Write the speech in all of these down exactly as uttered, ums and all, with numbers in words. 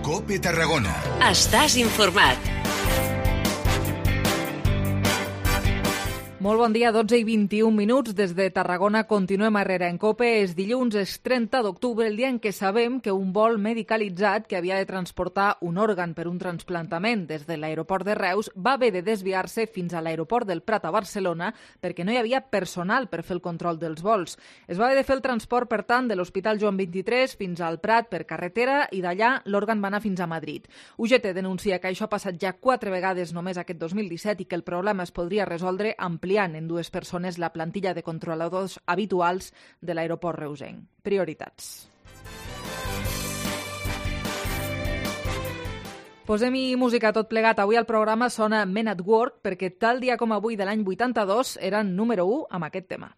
COPE Tarragona. Estàs informat. Molt bon dia, dotze i vint-i-un minuts. Des de Tarragona continuem a Herrera en COPE. És dilluns, és trenta d'octubre, el dia en què sabem que un vol medicalitzat que havia de transportar un òrgan per un trasplantament des de l'aeroport de Reus va haver de desviar-se fins a l'aeroport del Prat a Barcelona perquè no hi havia personal per fer el control dels vols. Es va haver de fer el transport, per tant, de l'Hospital Joan vint-i-tres fins al Prat per carretera i d'allà l'òrgan va anar fins a Madrid. U G T denuncia que això ha passat ja quatre vegades només aquest dos mil disset i que el problema es podria resoldre ampliant en dues persones la plantilla de controladors habituals de l'aeroport reusenc. Prioritats. Posem-hi música tot plegat. Avui al programa sona Men at Work perquè tal dia com avui de l'any vuitanta-dos eren número u amb aquest tema.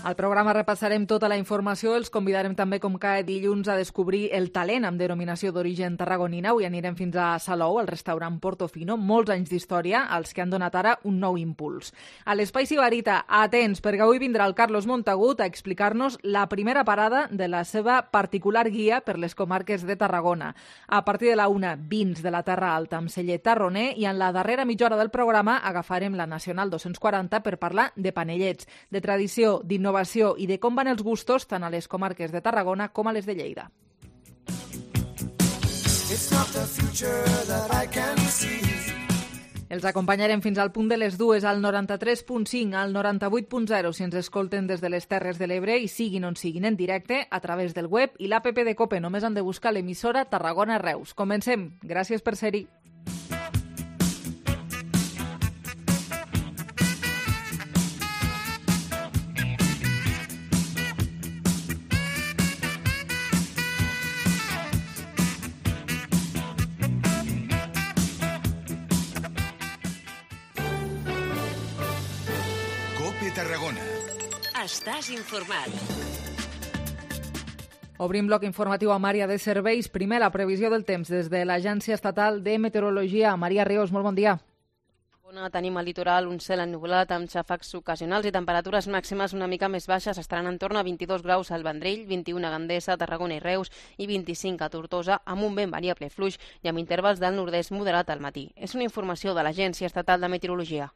Al programa repassarem tota la informació, els convidarem també com cada dilluns a descobrir el talent amb denominació d'origen tarragonina. Avui anirem fins a Salou, al restaurant Portofino, molts anys d'història, als que han donat ara un nou impuls. A l'Espai Sibarita, atents, perquè avui vindrà el Carlos Montagut a explicar-nos la primera parada de la seva particular guia per les comarques de Tarragona. A partir de la una, vins de la Terra Alta amb celler tarroner i en la darrera mitja hora del programa agafarem la Nacional dos-cents quaranta per parlar de panellets, de tradició, d'innovació i de com van els gustos tant a les comarques de Tarragona com a les de Lleida. Els acompanyarem fins al punt de les dues al noranta-tres punt cinc, al noranta-vuit punt zero si ens escolten des de les Terres de l'Ebre i siguin on siguin en directe a través del web i l'app de COPE. Només han de buscar l'emissora Tarragona Reus. Comencem. Gràcies per ser-hi. Tarragona. Estàs informat. Obrim bloc informatiu amb àrea de serveis. Primer, la previsió del temps des de l'Agència Estatal de Meteorologia. Maria Rios, molt bon dia. Tenim al litoral un cel ennuvolat amb xàfecs ocasionals i temperatures màximes una mica més baixes. Estaran en torn a vint-i-dos graus al Vendrell, vint-i-un a Gandesa, Tarragona i Reus i vint-i-cinc a Tortosa, amb un vent variable fluix i amb intervals del nord-est moderat al matí. És una informació de l'Agència Estatal de Meteorologia.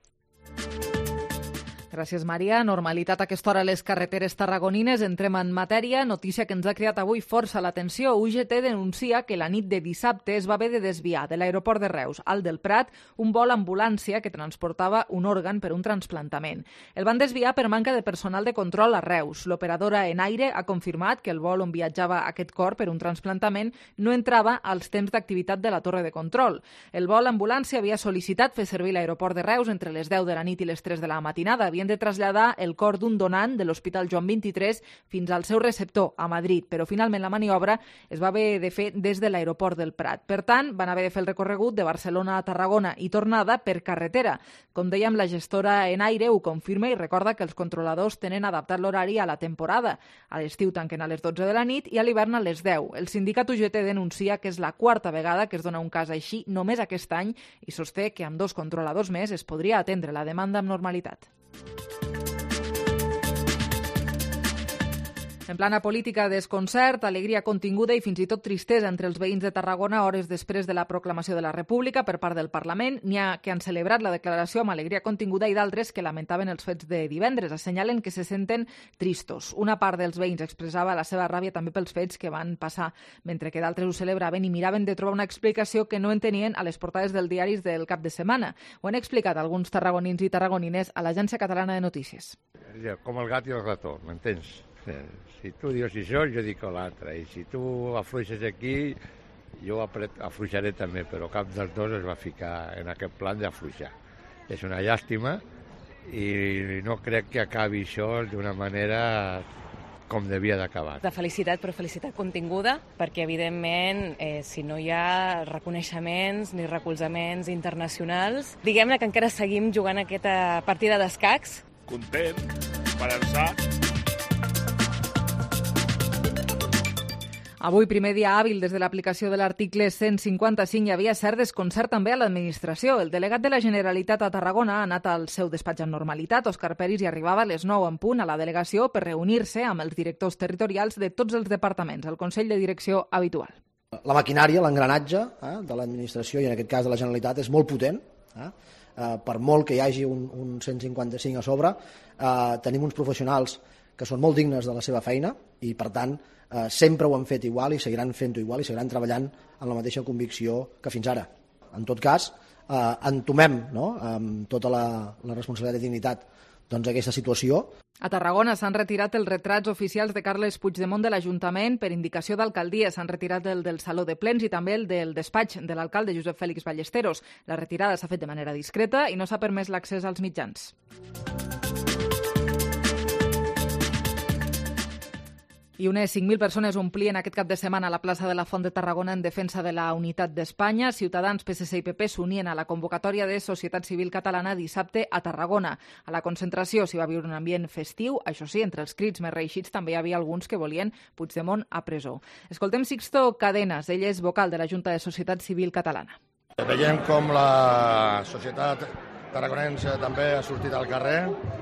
Gràcies, Maria. Normalitat a aquesta hora a les carreteres tarragonines. Entrem en matèria. Notícia que ens ha cridat avui força l'atenció. U G T denuncia que la nit de dissabte es va haver de desviar de l'aeroport de Reus al del Prat un vol ambulància que transportava un òrgan per un trasplantament. El van desviar per manca de personal de control a Reus. L'operadora Enaire ha confirmat que el vol on viatjava aquest cor per un trasplantament no entrava als temps d'activitat de la torre de control. El vol ambulància havia sol·licitat fer servir l'aeroport de Reus entre les deu de la nit i les tres de la matinada. Havien de traslladar el cor d'un donant de l'Hospital Joan vint-i-tres fins al seu receptor a Madrid, però finalment la maniobra es va haver de fer des de l'aeroport del Prat. Per tant, van haver de fer el recorregut de Barcelona a Tarragona i tornada per carretera. Com dèiem, la gestora Enaire ho confirma i recorda que els controladors tenen adaptat l'horari a la temporada. A l'estiu tanquen a les dotze de la nit i a l'hivern a les deu. El sindicat U G T denuncia que és la quarta vegada que es dona un cas així només aquest any i sosté que amb dos controladors més es podria atendre la demanda amb normalitat. En plana política, desconcert, alegria continguda i fins i tot tristesa entre els veïns de Tarragona hores després de la proclamació de la República per part del Parlament. N'hi ha que han celebrat la declaració amb alegria continguda i d'altres que lamentaven els fets de divendres. Assenyalen que se senten tristos. Una part dels veïns expressava la seva ràbia també pels fets que van passar, mentre que d'altres ho celebraven i miraven de trobar una explicació que no entenien a les portades dels diaris del cap de setmana. Ho han explicat alguns tarragonins i tarragonines a l'Agència Catalana de Notícies. Com el gat i el rató, m'entens? Si tu dius això, jo dic l'altre. I si tu afluixes aquí, jo afluixaré també, però cap dels dos es va ficar en aquest plan d'afluixar. És una llàstima i no crec que acabi això d'una manera com devia d'acabar. De felicitat, però felicitat continguda, perquè evidentment eh, si no hi ha reconeixements ni recolzaments internacionals, diguem-ne que encara seguim jugant aquesta partida d'escacs. Content, esperançat. Avui, primer dia hàbil des de l'aplicació de l'article cent cinquanta-cinc, hi havia cert desconcert també a l'administració. El delegat de la Generalitat a Tarragona ha anat al seu despatx amb normalitat. Òscar Peris hi arribava a les nou en punt a la delegació per reunir-se amb els directors territorials de tots els departaments, el Consell de Direcció habitual. La maquinària, l'engranatge eh, de l'administració, i en aquest cas de la Generalitat, és molt potent. Eh? Eh, per molt que hi hagi un, un cent cinquanta-cinc a sobre, eh, tenim uns professionals que són molt dignes de la seva feina i, per tant, eh, sempre ho han fet igual i seguiran fent-ho igual i seguiran treballant amb la mateixa convicció que fins ara. En tot cas, eh, entomem, no?, amb tota la, la responsabilitat i dignitat doncs, aquesta situació. A Tarragona s'han retirat els retrats oficials de Carles Puigdemont de l'Ajuntament per indicació d'alcaldia. S'han retirat el del Saló de Plens i també el del despatx de l'alcalde Josep Fèlix Ballesteros. La retirada s'ha fet de manera discreta i no s'ha permès l'accés als mitjans. I unes cinc mil persones omplien aquest cap de setmana a la plaça de la Font de Tarragona en defensa de la unitat d'Espanya. Ciutadans, P S C i P P s'unien a la convocatòria de Societat Civil Catalana dissabte a Tarragona. A la concentració s'hi va viure un ambient festiu. Això sí, entre els crits més reeixits també hi havia alguns que volien Puigdemont a presó. Escoltem Sixto Cadenas, ell és vocal de la Junta de Societat Civil Catalana. Veiem com la societat tarragonense també ha sortit al carrer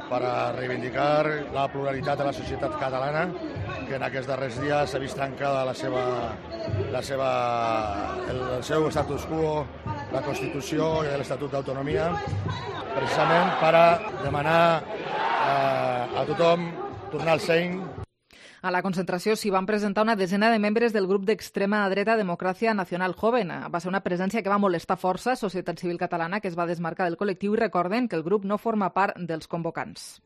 per a reivindicar la pluralitat de la societat catalana, que en aquests darrers dies s'ha vist trencada la seva, la seva, el, el seu status quo, la Constitució i l'Estatut d'Autonomia, precisament per a demanar eh, a tothom tornar al seny. A la concentració s'hi van presentar una desena de membres del grup d'extrema dreta Democràcia Nacional Joven. Va ser una presència que va molestar força a Societat Civil Catalana, que es va desmarcar del col·lectiu, i recorden que el grup no forma part dels convocants.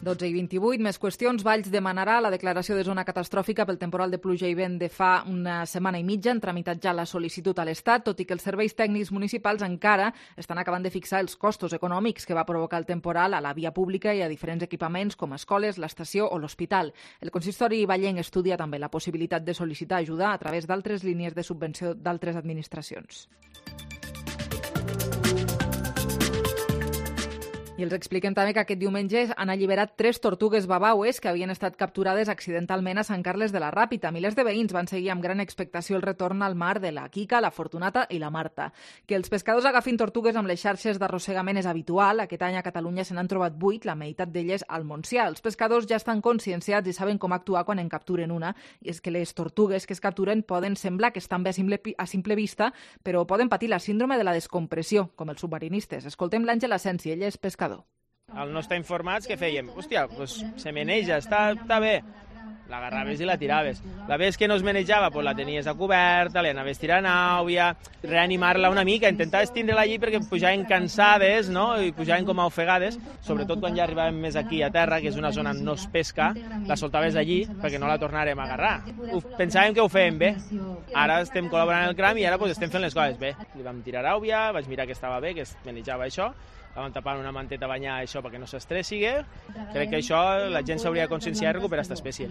dotze i vint-i-vuit, més qüestions. Valls demanarà la declaració de zona catastròfica pel temporal de pluja i vent de fa una setmana i mitja. Han tramitat ja la sol·licitud a l'Estat, tot i que els serveis tècnics municipals encara estan acabant de fixar els costos econòmics que va provocar el temporal a la via pública i a diferents equipaments com escoles, l'estació o l'hospital. El consistori vallenc estudia també la possibilitat de sol·licitar ajuda a través d'altres línies de subvenció d'altres administracions. I els expliquem també que aquest diumenge han alliberat tres tortugues babaues que havien estat capturades accidentalment a Sant Carles de la Ràpita. Milers de veïns van seguir amb gran expectació el retorn al mar de la Quica, la Fortunata i la Marta. Que els pescadors agafin tortugues amb les xarxes d'arrossegament és habitual. Aquest any a Catalunya se n'han trobat vuit, la meitat d'elles al Montsià. Els pescadors ja estan conscienciats i saben com actuar quan en capturen una. I és que les tortugues que es capturen poden semblar que estan bé a simple, a simple vista, però poden patir la síndrome de la descompressió, com els submarinistes. Escoltem l'Àngel Asensi, ell és pescador. Al no estar informats, què fèiem? Hòstia, doncs se meneja, està, està bé. L'agarraves i la tiraves. La vez que no es menejava, doncs la tenies a coberta, li anaves tirant àuia, reanimar-la una mica, intentaves tindre-la allí perquè pujaven cansades, no?, i pujaven com a ofegades, sobretot quan ja arribàvem més aquí a terra, que és una zona on no es pesca, la soltaves allí perquè no la tornarem a agarrar. Pensàvem que ho fèiem bé. Ara estem col·laborant en el cram i ara doncs, estem fent les coses bé. Li vam tirar àuia, vaig mirar que estava bé, que es menejava això, la vam tapar una manteta a banyar això perquè no s'estressi. Crec que això la gent s'hauria de conscienciar i recuperar aquesta espècie.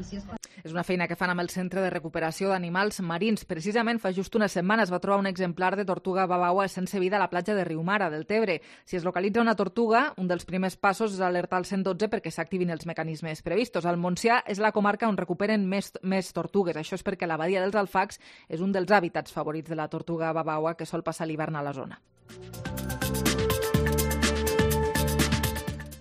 És una feina que fan amb el Centre de Recuperació d'Animals Marins. Precisament fa just una setmana es va trobar un exemplar de tortuga babaua sense vida a la platja de Riumara, del Tebre. Si es localitza una tortuga, un dels primers passos és alertar el cent dotze perquè s'activin els mecanismes previstos. Al Montsià és la comarca on recuperen més, més tortugues. Això és perquè la badia dels Alfacs és un dels hàbitats favorits de la tortuga babaua que sol passar l'hivern a la zona.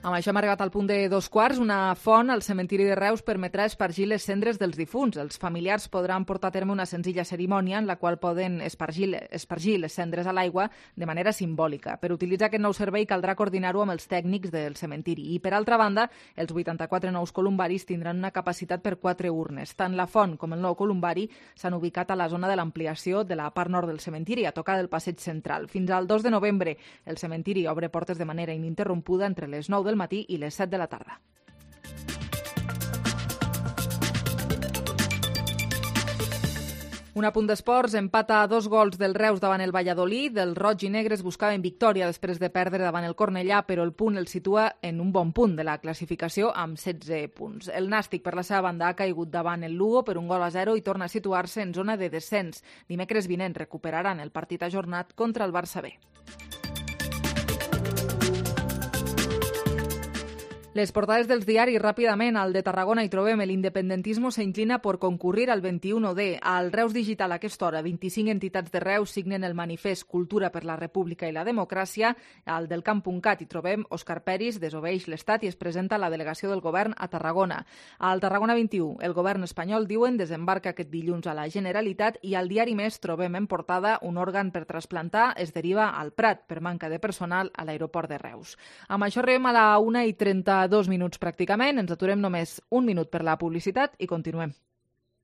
Amb això hem arribat al punt de dos quarts. Una font al cementiri de Reus permetrà espargir les cendres dels difunts. Els familiars podran portar a terme una senzilla cerimònia en la qual poden espargir, espargir les cendres a l'aigua de manera simbòlica. Per utilitzar aquest nou servei caldrà coordinar-ho amb els tècnics del cementiri. I, per altra banda, els vuitanta-quatre nous columbaris tindran una capacitat per quatre urnes. Tant la font com el nou columbari s'han ubicat a la zona de l'ampliació de la part nord del cementiri, a tocar del passeig central. Fins al dos de novembre, el cementiri obre portes de manera ininterrompuda entre les nou del matí i les set de la tarda. Un apunt d'esports, empata a dos gols del Reus davant el Valladolid. Els roig i negres buscaven victòria després de perdre davant el Cornellà, però el punt el situa en un bon punt de la classificació amb setze punts. El Nàstic, per la seva banda, ha caigut davant el Lugo per un gol a zero i torna a situar-se en zona de descens. Dimecres vinent recuperaran el partit ajornat contra el Barça B. Les portades dels diaris, ràpidament, al de Tarragona hi trobem el independentismo se inclina por concurrir al veintiuno D. Al Reus Digital a aquesta hora, vint-i-cinc entitats de Reus signen el manifest Cultura per la República i la Democràcia. Al del Camp.cat hi trobem Òscar Peris desobeeix l'Estat i es presenta la delegació del govern a Tarragona. Al Tarragona vint-i-u, el govern espanyol, diuen, desembarca aquest dilluns a la Generalitat i al diari Més trobem en portada un òrgan per trasplantar es deriva al Prat per manca de personal a l'aeroport de Reus. Amb això arribem a la una i trenta-dos minuts pràcticament, ens aturem només un minut per la publicitat i continuem.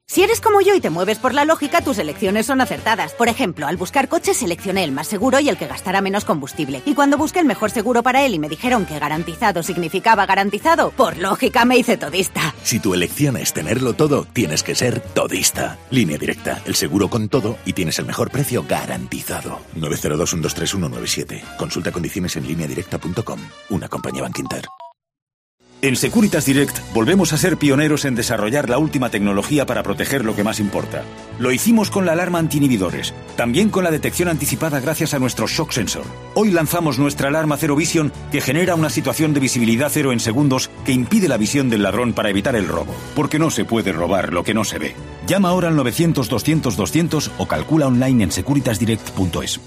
Si eres como yo y te mueves por la lógica, tus elecciones son acertadas. Por ejemplo, al buscar coche seleccioné el más seguro y el que gastara menos combustible. Y cuando busqué el mejor seguro para él y me dijeron que garantizado significaba garantizado, por lógica me hice todista. Si tu elección es tenerlo todo, tienes que ser todista. Línea Directa, el seguro con todo y tienes el mejor precio garantizado. nueve cero dos, uno dos tres, uno nueve siete. Consulta condiciones en línea directa punto com. Una compañía Bankinter. En Securitas Direct volvemos a ser pioneros en desarrollar la última tecnología para proteger lo que más importa. Lo hicimos con la alarma anti-inhibidores, también con la detección anticipada gracias a nuestro Shock Sensor. Hoy lanzamos nuestra alarma Zero Vision que genera una situación de visibilidad cero en segundos que impide la visión del ladrón para evitar el robo. Porque no se puede robar lo que no se ve. Llama ahora al novecientos, doscientos, doscientos o calcula online en securitas direct punto es.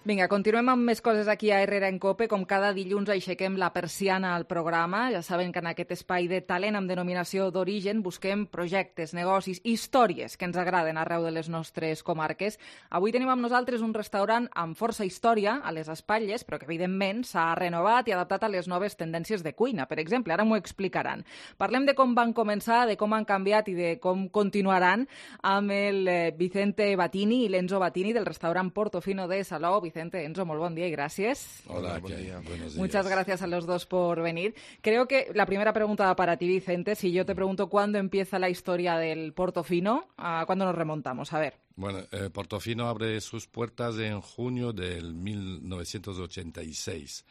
Vinga, continuem amb més coses aquí a Herrera en Cope. Com cada dilluns aixequem la persiana al programa. Ja saben que en aquest espai de talent amb denominació d'origen busquem projectes, negocis, històries que ens agraden arreu de les nostres comarques. Avui tenim amb nosaltres un restaurant amb força història a les espatlles, però que evidentment s'ha renovat i adaptat a les noves tendències de cuina. Per exemple, ara m'ho explicaran. Parlem de com van començar, de com han canviat i de com continuaran amb el Vicente Batini i l'Enzo Batini del restaurant Portofino de Salou. Vicente, Enzo, muy buen día y gracias. Hola, buen día. Buenos días. Muchas gracias a los dos por venir. Creo que la primera pregunta para ti, Vicente, si yo te pregunto cuándo empieza la historia del Portofino, ¿a cuándo nos remontamos? A ver. Bueno, eh, Portofino abre sus puertas en junio del mil novecientos ochenta y seis.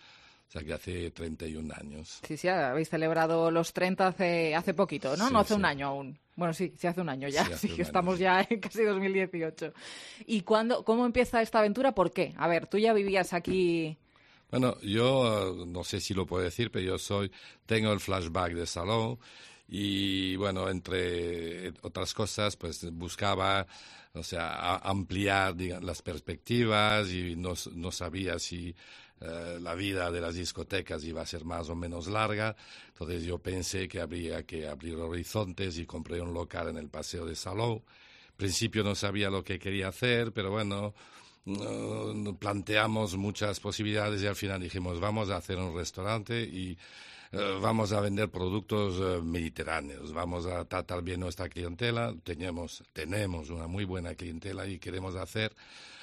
O sea que hace treinta y un años. Sí, sí, habéis celebrado los treinta hace, hace poquito, ¿no? Sí, no hace sí. un año aún. Bueno, sí, sí hace un año ya. Sí, hace Sí, un estamos año. ya en casi dos mil dieciocho. ¿Y cuándo, cómo empieza esta aventura? ¿Por qué? A ver, tú ya vivías aquí... Bueno, yo uh, no sé si lo puedo decir, pero yo soy tengo el flashback de Salou y, bueno, entre otras cosas, pues buscaba, o sea, a, ampliar diga, las perspectivas y no, no sabía si... Uh, la vida de las discotecas iba a ser más o menos larga, entonces yo pensé que habría que abrir horizontes y compré un local en el Paseo de Salou. Al principio no sabía lo que quería hacer, pero bueno, uh, planteamos muchas posibilidades y al final dijimos vamos a hacer un restaurante y uh, vamos a vender productos uh, mediterráneos, vamos a tratar bien nuestra clientela, tenemos, tenemos una muy buena clientela y queremos hacer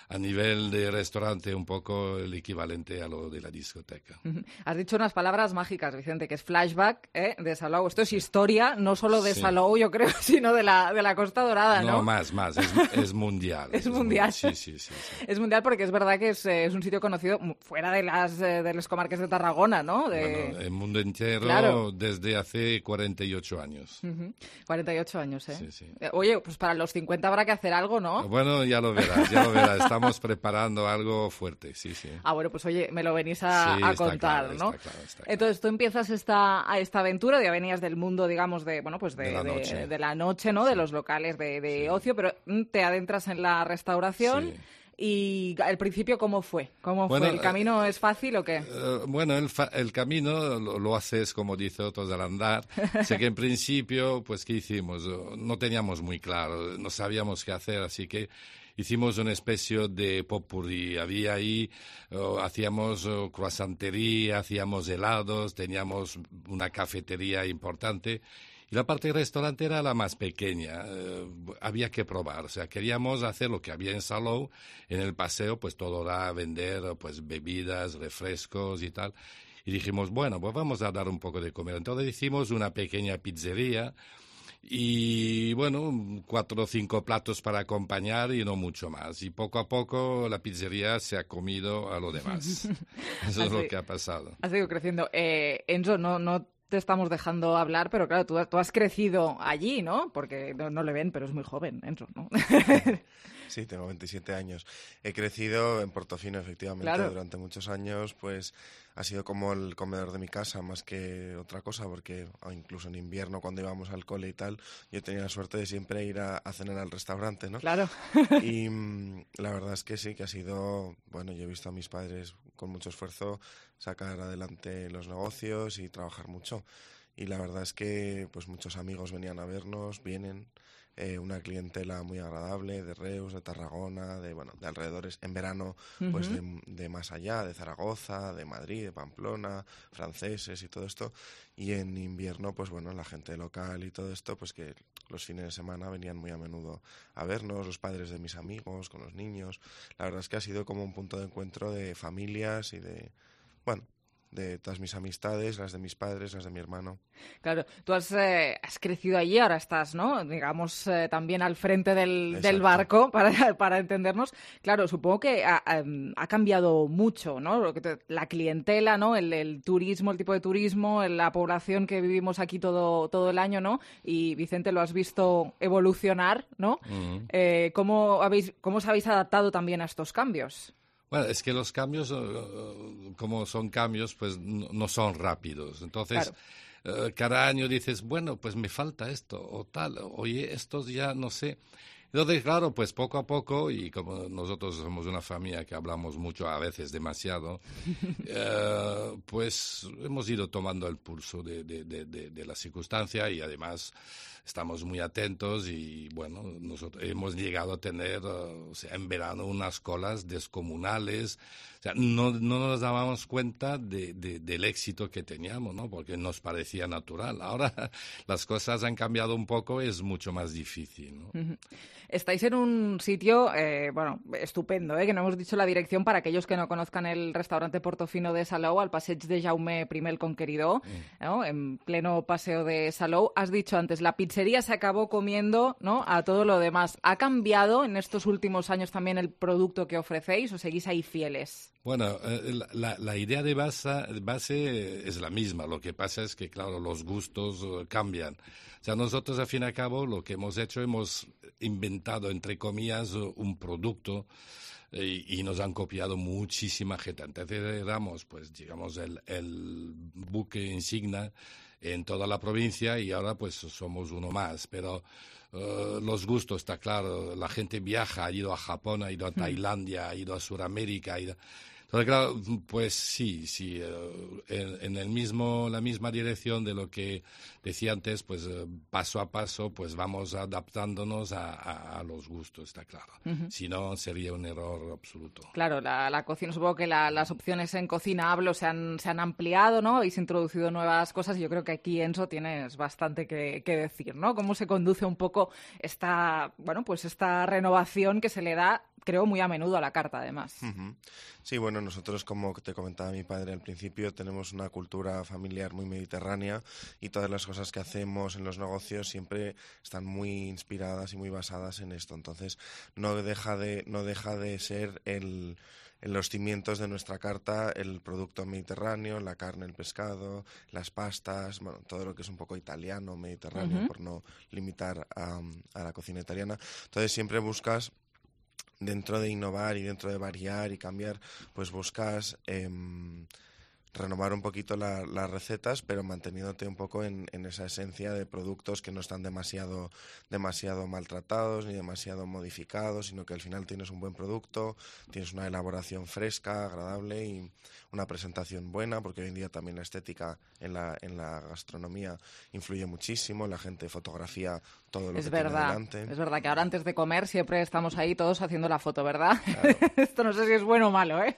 a nivel de restaurante un poco el equivalente a lo de la discoteca. Has dicho unas palabras mágicas, Vicente, que es flashback, ¿eh? De Salou. Esto es historia, no solo de Sí. Salou, yo creo, sino de la, de la Costa Dorada, ¿no? No, más, más, es, es mundial. Es mundial. mu- Sí, sí, sí. sí. Es mundial porque es verdad que es, eh, es un sitio conocido mu- fuera de las eh, de las comarcas de Tarragona, ¿no? De... Bueno, el mundo entero Claro. desde hace cuarenta y ocho años. Ujú. cuarenta y ocho años, ¿eh? Sí, sí. Eh, Oye, pues para los cincuenta habrá que hacer algo, ¿no? Bueno, ya lo verás, ya lo verás. Estamos preparando algo fuerte, sí, sí. Ah, bueno, pues oye, me lo venís a, Sí, a está contar, claro, ¿no? está claro, está claro. Entonces tú empiezas esta, a esta aventura, ya venías del mundo, digamos, de, bueno, pues de, De la de- noche. de la noche, ¿no? De los locales de, de Sí. ocio, pero mm, te adentras en la restauración. Sí. Y al principio, ¿cómo fue? ¿Cómo Bueno, fue? ¿El camino es fácil o qué? Eh, bueno, el, fa- el camino lo, lo haces, como dice otros, al andar. Sé que en principio, pues, ¿qué hicimos? No teníamos muy claro, no sabíamos qué hacer, así que hicimos una especie de popurrí. Había ahí, oh, hacíamos oh, croissantería, hacíamos helados, teníamos una cafetería importante. Y la parte restaurante era la más pequeña, eh, había que probar, o sea, queríamos hacer lo que había en Salou, en el paseo, pues todo era vender pues bebidas, refrescos y tal. Y dijimos, bueno, pues vamos a dar un poco de comer. Entonces hicimos una pequeña pizzería y, bueno, cuatro o cinco platos para acompañar y no mucho más. Y poco a poco la pizzería se ha comido a lo demás. Eso es lo Así- que ha pasado. Ha seguido creciendo. Eh, Enzo, no, no te estamos dejando hablar, pero claro, tú, tú has crecido allí, ¿no? Porque no, no le ven, pero es muy joven, Enzo, ¿no? Sí, tengo veintisiete años. He crecido en Portofino, efectivamente, claro. Durante muchos años, pues ha sido como el comedor de mi casa, más que otra cosa, porque incluso en invierno, cuando íbamos al cole y tal, yo tenía la suerte de siempre ir a, a cenar al restaurante, ¿no? Claro. Y mmm, la verdad es que sí, que ha sido, bueno, yo he visto a mis padres con mucho esfuerzo sacar adelante los negocios y trabajar mucho. Y la verdad es que pues muchos amigos venían a vernos, vienen, eh, una clientela muy agradable de Reus, de Tarragona, de bueno, de alrededores. En verano, uh-huh. pues de, de más allá, de Zaragoza, de Madrid, de Pamplona, franceses y todo esto. Y en invierno, pues bueno, la gente local y todo esto, pues que los fines de semana venían muy a menudo a vernos, los padres de mis amigos, con los niños. La verdad es que ha sido como un punto de encuentro de familias y de, bueno, de todas mis amistades, las de mis padres, las de mi hermano. Claro, tú has, eh, has crecido allí, ahora estás, ¿no? Digamos, eh, también al frente del, del barco, para, para entendernos. Claro, supongo que ha, ha cambiado mucho, ¿no? La clientela, ¿no? El, el turismo, el tipo de turismo, la población que vivimos aquí todo, todo el año, ¿no? Y, Vicente, lo has visto evolucionar, ¿no? Uh-huh. Eh, ¿cómo, habéis, ¿Cómo os habéis adaptado también a estos cambios? Bueno, es que los cambios, como son cambios, pues no son rápidos. Entonces, claro. uh, cada año dices, bueno, pues me falta esto o tal, oye, estos ya no sé. Entonces, claro, pues poco a poco, y como nosotros somos una familia que hablamos mucho, a veces demasiado, uh, pues hemos ido tomando el pulso de, de, de, de, de la circunstancia y además estamos muy atentos y, bueno, nosotros hemos llegado a tener, uh, o sea, en verano unas colas descomunales. O sea, no, no nos dábamos cuenta de, de, del éxito que teníamos, ¿no? Porque nos parecía natural. Ahora las cosas han cambiado un poco, es mucho más difícil, ¿no? Uh-huh. Estáis en un sitio, eh, bueno, estupendo, ¿eh? Que no hemos dicho la dirección para aquellos que no conozcan el restaurante Portofino de Salou, al passeig de Jaume I el Conqueridor, mm. ¿no? En pleno paseo de Salou. Has dicho antes, la pizzería se acabó comiendo, ¿no? A todo lo demás. ¿Ha cambiado en estos últimos años también el producto que ofrecéis o seguís ahí fieles? Bueno, eh, la, la idea de base, base es la misma. Lo que pasa es que, claro, los gustos uh, cambian. O sea, nosotros, al fin y al cabo, lo que hemos hecho, hemos inventado, entre comillas, un producto y, y nos han copiado muchísima gente. Entonces éramos, pues, digamos, el, el buque insignia en toda la provincia y ahora, pues, somos uno más. Pero uh, los gustos, está claro, la gente viaja, ha ido a Japón, ha ido a Tailandia, ha ido a Sudamérica, ha ido... Entonces, claro, pues sí, sí, uh, en, en el mismo, la misma dirección de lo que decía antes, pues uh, paso a paso, pues vamos adaptándonos a, a, a los gustos, está claro. Uh-huh. Si no, sería un error absoluto. Claro, la, la cocina, supongo que la, las opciones en cocina hablo se han, se han ampliado, ¿no? Habéis introducido nuevas cosas y yo creo que aquí, Enzo, tienes bastante que, que decir, ¿no? Cómo se conduce un poco esta, bueno, pues esta renovación que se le da, creo, muy a menudo a la carta, además. Uh-huh. Sí, bueno, nosotros, como te comentaba mi padre al principio, tenemos una cultura familiar muy mediterránea y todas las cosas que hacemos en los negocios siempre están muy inspiradas y muy basadas en esto. Entonces, no deja de, no deja de ser el... en los cimientos de nuestra carta, el producto mediterráneo, la carne, el pescado, las pastas, bueno, todo lo que es un poco italiano, mediterráneo, uh-huh. por no limitar a, a la cocina italiana. Entonces, siempre buscas, dentro de innovar y dentro de variar y cambiar, pues buscas eh, renovar un poquito la, las recetas, pero manteniéndote un poco en, en esa esencia de productos que no están demasiado, demasiado maltratados ni demasiado modificados, sino que al final tienes un buen producto, tienes una elaboración fresca, agradable y una presentación buena, porque hoy en día también la estética en la, en la gastronomía influye muchísimo, la gente fotografía todo lo es que verdad, tiene delante. Es verdad que ahora antes de comer siempre estamos ahí todos haciendo la foto, ¿verdad? Claro. Esto no sé si es bueno o malo, ¿eh?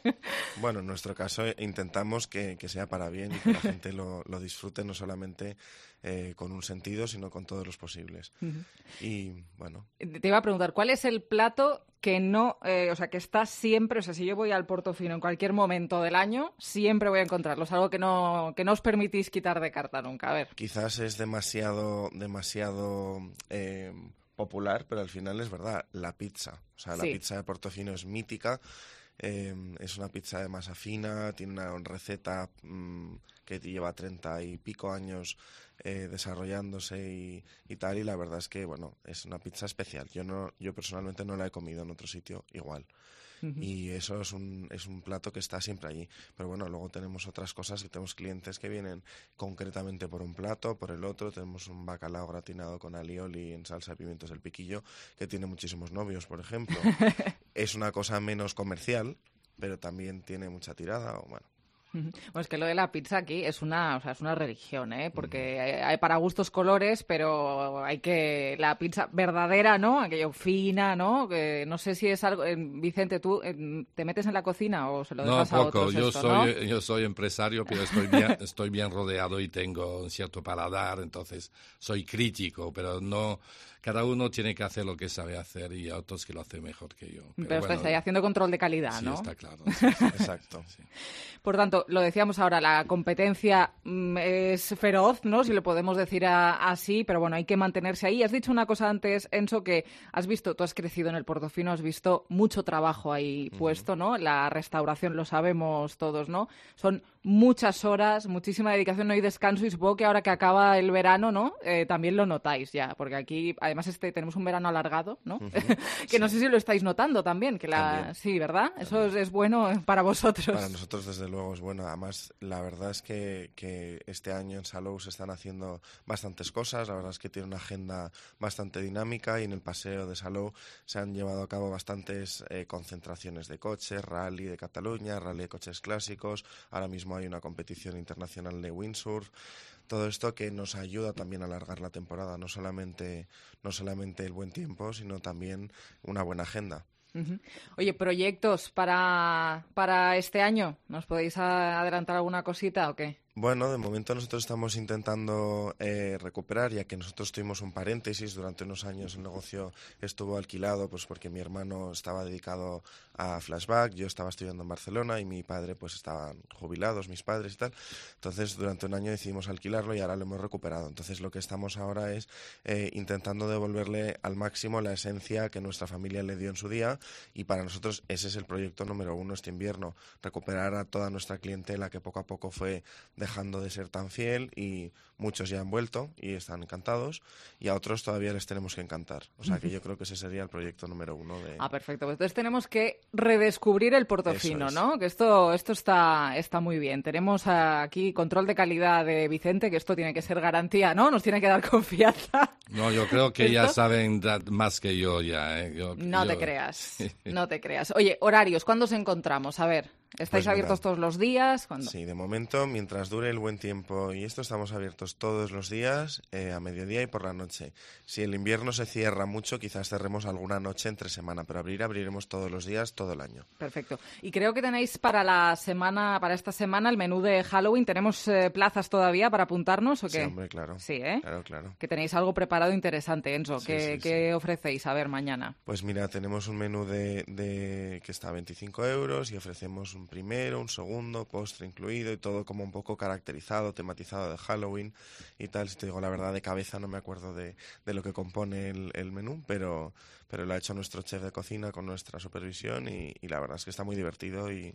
Bueno, en nuestro caso intentamos que, que sea para bien y que la gente lo, lo disfrute no solamente eh, con un sentido, sino con todos los posibles. Uh-huh. Y bueno. Te iba a preguntar, ¿cuál es el plato que no, eh, o sea, que está siempre, o sea, si yo voy al Portofino en cualquier momento del año, siempre voy a encontrarlo? Es algo que no, que no os permitís quitar de carta nunca, a ver. Quizás es demasiado, demasiado eh, popular, pero al final es verdad, la pizza. O sea, la sí. pizza de Portofino es mítica. Eh, es una pizza de masa fina, tiene una receta mmm, que lleva treinta y pico años eh, desarrollándose y, y tal, y la verdad es que, bueno, es una pizza especial. Yo no, yo personalmente no la he comido en otro sitio igual. Uh-huh. Y eso es un, es un plato que está siempre allí. Pero bueno, luego tenemos otras cosas, que tenemos clientes que vienen concretamente por un plato, por el otro. Tenemos un bacalao gratinado con alioli en salsa de pimientos del piquillo, que tiene muchísimos novios, por ejemplo. Es una cosa menos comercial, pero también tiene mucha tirada, o bueno. Bueno, es que lo de la pizza aquí es una, o sea, es una religión, ¿eh? Porque hay, hay para gustos colores, pero hay que la pizza verdadera, ¿no? Aquello fina, ¿no? Que no sé si es algo. Eh, Vicente, ¿tú eh, te metes en la cocina o se lo dejas no, a poco. otros? Yo esto, soy, ¿no? yo soy empresario, pero estoy bien, estoy bien rodeado y tengo un cierto paladar, entonces soy crítico, pero no. Cada uno tiene que hacer lo que sabe hacer y hay otros que lo hacen mejor que yo. Pero, pero bueno, estáis haciendo control de calidad, sí, ¿no? Sí, está claro. Sí, sí, exacto. Sí. Por tanto, lo decíamos ahora, la competencia mm, es feroz, ¿no? Si lo podemos decir a, así, pero bueno, hay que mantenerse ahí. Has dicho una cosa antes, Enzo, que has visto, tú has crecido en el Portofino, has visto mucho trabajo ahí uh-huh. puesto, ¿no? La restauración, lo sabemos todos, ¿no? Son muchas horas, muchísima dedicación, no hay descanso y supongo que ahora que acaba el verano, ¿no? Eh, también lo notáis ya, porque aquí además este tenemos un verano alargado, ¿no? Uh-huh. que sí. No sé si lo estáis notando también, que la también. Sí, ¿verdad? También. Eso es, es bueno para vosotros. Para nosotros, desde luego, es bueno. Además, la verdad es que, que este año en Salou se están haciendo bastantes cosas. La verdad es que tiene una agenda bastante dinámica y en el paseo de Salou se han llevado a cabo bastantes eh, concentraciones de coches, rally de Cataluña, rally de coches clásicos. Ahora mismo hay una competición internacional de windsurf. Todo esto que nos ayuda también a alargar la temporada, no solamente, no solamente el buen tiempo, sino también una buena agenda. Uh-huh. Oye, ¿proyectos para, para este año? ¿Nos podéis adelantar alguna cosita o qué? Bueno, de momento nosotros estamos intentando eh, recuperar, ya que nosotros tuvimos un paréntesis. Durante unos años el negocio estuvo alquilado, pues porque mi hermano estaba dedicado a Flashback, yo estaba estudiando en Barcelona y mi padre pues estaban jubilados, mis padres y tal. Entonces durante un año decidimos alquilarlo y ahora lo hemos recuperado. Entonces lo que estamos ahora es eh, intentando devolverle al máximo la esencia que nuestra familia le dio en su día, y para nosotros ese es el proyecto número uno este invierno, recuperar a toda nuestra clientela que poco a poco fue dejando de ser tan fiel, y muchos ya han vuelto y están encantados, y a otros todavía les tenemos que encantar. O sea que yo creo que ese sería el proyecto número uno. De... Ah, perfecto. Pues entonces tenemos que redescubrir el Portofino, es. ¿no? Que esto, esto está, está muy bien. Tenemos aquí control de calidad de Vicente, que esto tiene que ser garantía, ¿no? Nos tiene que dar confianza. No, yo creo que ya saben más que yo ya. ¿eh? Yo, no yo... te creas, no te creas. Oye, horarios, ¿cuándo os encontramos? A ver, ¿estáis pues abiertos todos los días? ¿Cuándo? Sí, de momento, mientras dure el buen tiempo y esto, estamos abiertos todos los días, eh, a mediodía y por la noche. Si el invierno se cierra mucho, quizás cerremos alguna noche entre semana, pero abrir, abriremos todos los días, todo el año. Perfecto. Y creo que tenéis para la semana, para esta semana, el menú de Halloween. ¿Tenemos eh, plazas todavía para apuntarnos o qué? Sí, hombre, claro. Sí, ¿eh? Claro, claro. Que tenéis algo preparado interesante, Enzo. Sí, ¿Qué, sí, ¿qué sí. ofrecéis? A ver, mañana. Pues mira, tenemos un menú de, de que está a veinticinco euros y ofrecemos un primero, un segundo, postre incluido y todo como un poco caracterizado, tematizado de Halloween y tal. Si te digo la verdad, de cabeza no me acuerdo de, de lo que compone el, el menú, pero, pero lo ha hecho nuestro chef de cocina con nuestra supervisión y, y la verdad es que está muy divertido y...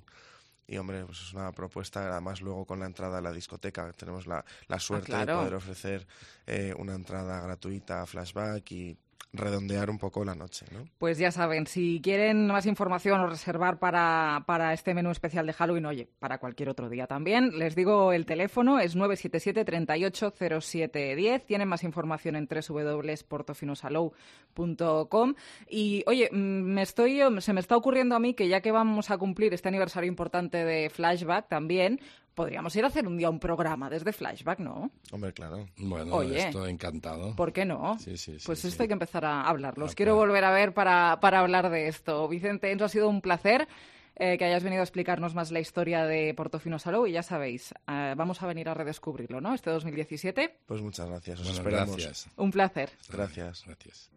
Y, hombre, pues es una propuesta, además luego con la entrada a la discoteca tenemos la, la suerte ah, claro. de poder ofrecer eh, una entrada gratuita a Flashback y redondear un poco la noche, ¿no? Pues ya saben, si quieren más información o reservar para, para este menú especial de Halloween, oye, para cualquier otro día también, les digo el teléfono, es nueve siete siete, treinta y ocho, cero siete diez. Tienen más información en doble u doble u doble u punto portofinosalou punto com. Y, oye, me estoy, se me está ocurriendo a mí que ya que vamos a cumplir este aniversario importante de Flashback también, podríamos ir a hacer un día un programa desde Flashback, ¿no? Hombre, claro. Bueno, Oye, estoy encantado. ¿Por qué no? Sí, sí, sí. Pues sí, esto sí. hay que empezar a hablarlo. Os Ah, quiero claro. volver a ver para, para hablar de esto. Vicente, Enzo, ha sido un placer eh, que hayas venido a explicarnos más la historia de Portofino Salou y ya sabéis, eh, vamos a venir a redescubrirlo, ¿no? Este dos mil diecisiete. Pues muchas gracias, os Bueno, esperamos. gracias. Un placer. Gracias. Gracias.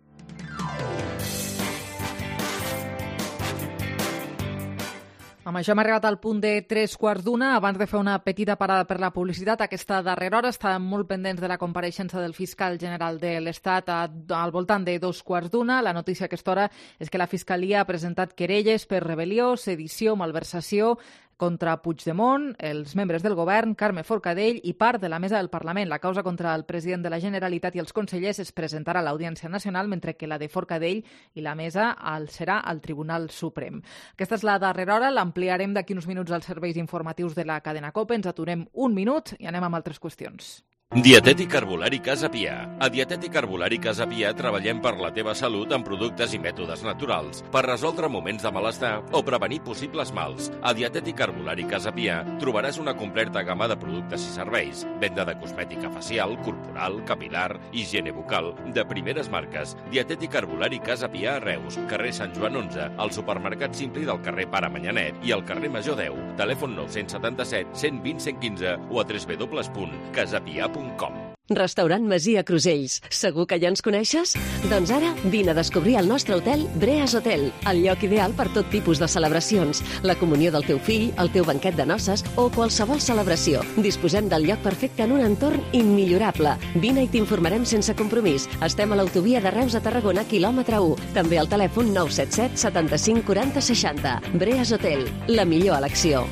Amb això hem arribat al punt de tres quarts d'una. Abans de fer una petita parada per la publicitat, aquesta darrera hora estàvem molt pendents de la compareixença del fiscal general de l'Estat a, al voltant de dos quarts d'una. La notícia a aquesta hora és que la Fiscalia ha presentat querelles per rebel·lió, sedició, malversació contra Puigdemont, els membres del govern, Carme Forcadell i part de la mesa del Parlament. La causa contra el president de la Generalitat i els consellers es presentarà a l'Audiència Nacional, mentre que la de Forcadell i la mesa el serà al Tribunal Suprem. Aquesta és la darrera hora, l'ampliarem d'aquí uns minuts als serveis informatius de la cadena COPE. Ens aturem un minut i anem amb altres qüestions. Dietètic Herbolari Casa Pià. A Dietètic Herbolari Casa Pià treballem per la teva salut amb productes i mètodes naturals, per resoldre moments de malestar o prevenir possibles mals. A Dietètic Herbolari Casa Pià trobaràs una completa gamma de productes i serveis, venda de cosmètica facial, corporal, capilar, higiene bucal, de primeres marques. Dietètic Herbolari Casa Pià a Reus, carrer Sant Joan onze, al supermercat Simpli del carrer Pare Manyanet i al carrer Major deu. Telèfon nou set set, cent vint, cent quinze o a w w w punt casapia punt com. Restaurant Masia Crusells. Segur que ja ens coneixes? Doncs ara vine a descobrir el nostre hotel Breas Hotel, el lloc ideal per tot tipus de celebracions, la comunió del teu fill, el teu banquet de noces o qualsevol celebració. Disposem del lloc perfecte en un entorn immillorable. Vine i t'informarem sense compromís. Estem a l'autovia de Reus a Tarragona, quilòmetre u. També al telèfon nou set set, setanta-cinc, quaranta, seixanta. Breas Hotel, la millor elecció.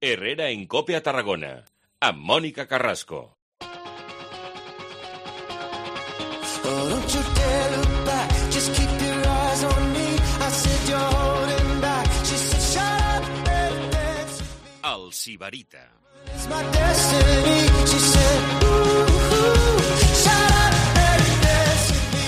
Herrera en Cope a Tarragona, amb Mònica Carrasco. Oh, don't you dare look back, just keep your eyes on me. I said you're holding back, she said shut up and dance. El Sibarita. It's my destiny, she said ooh, ooh, shut up and dance with me.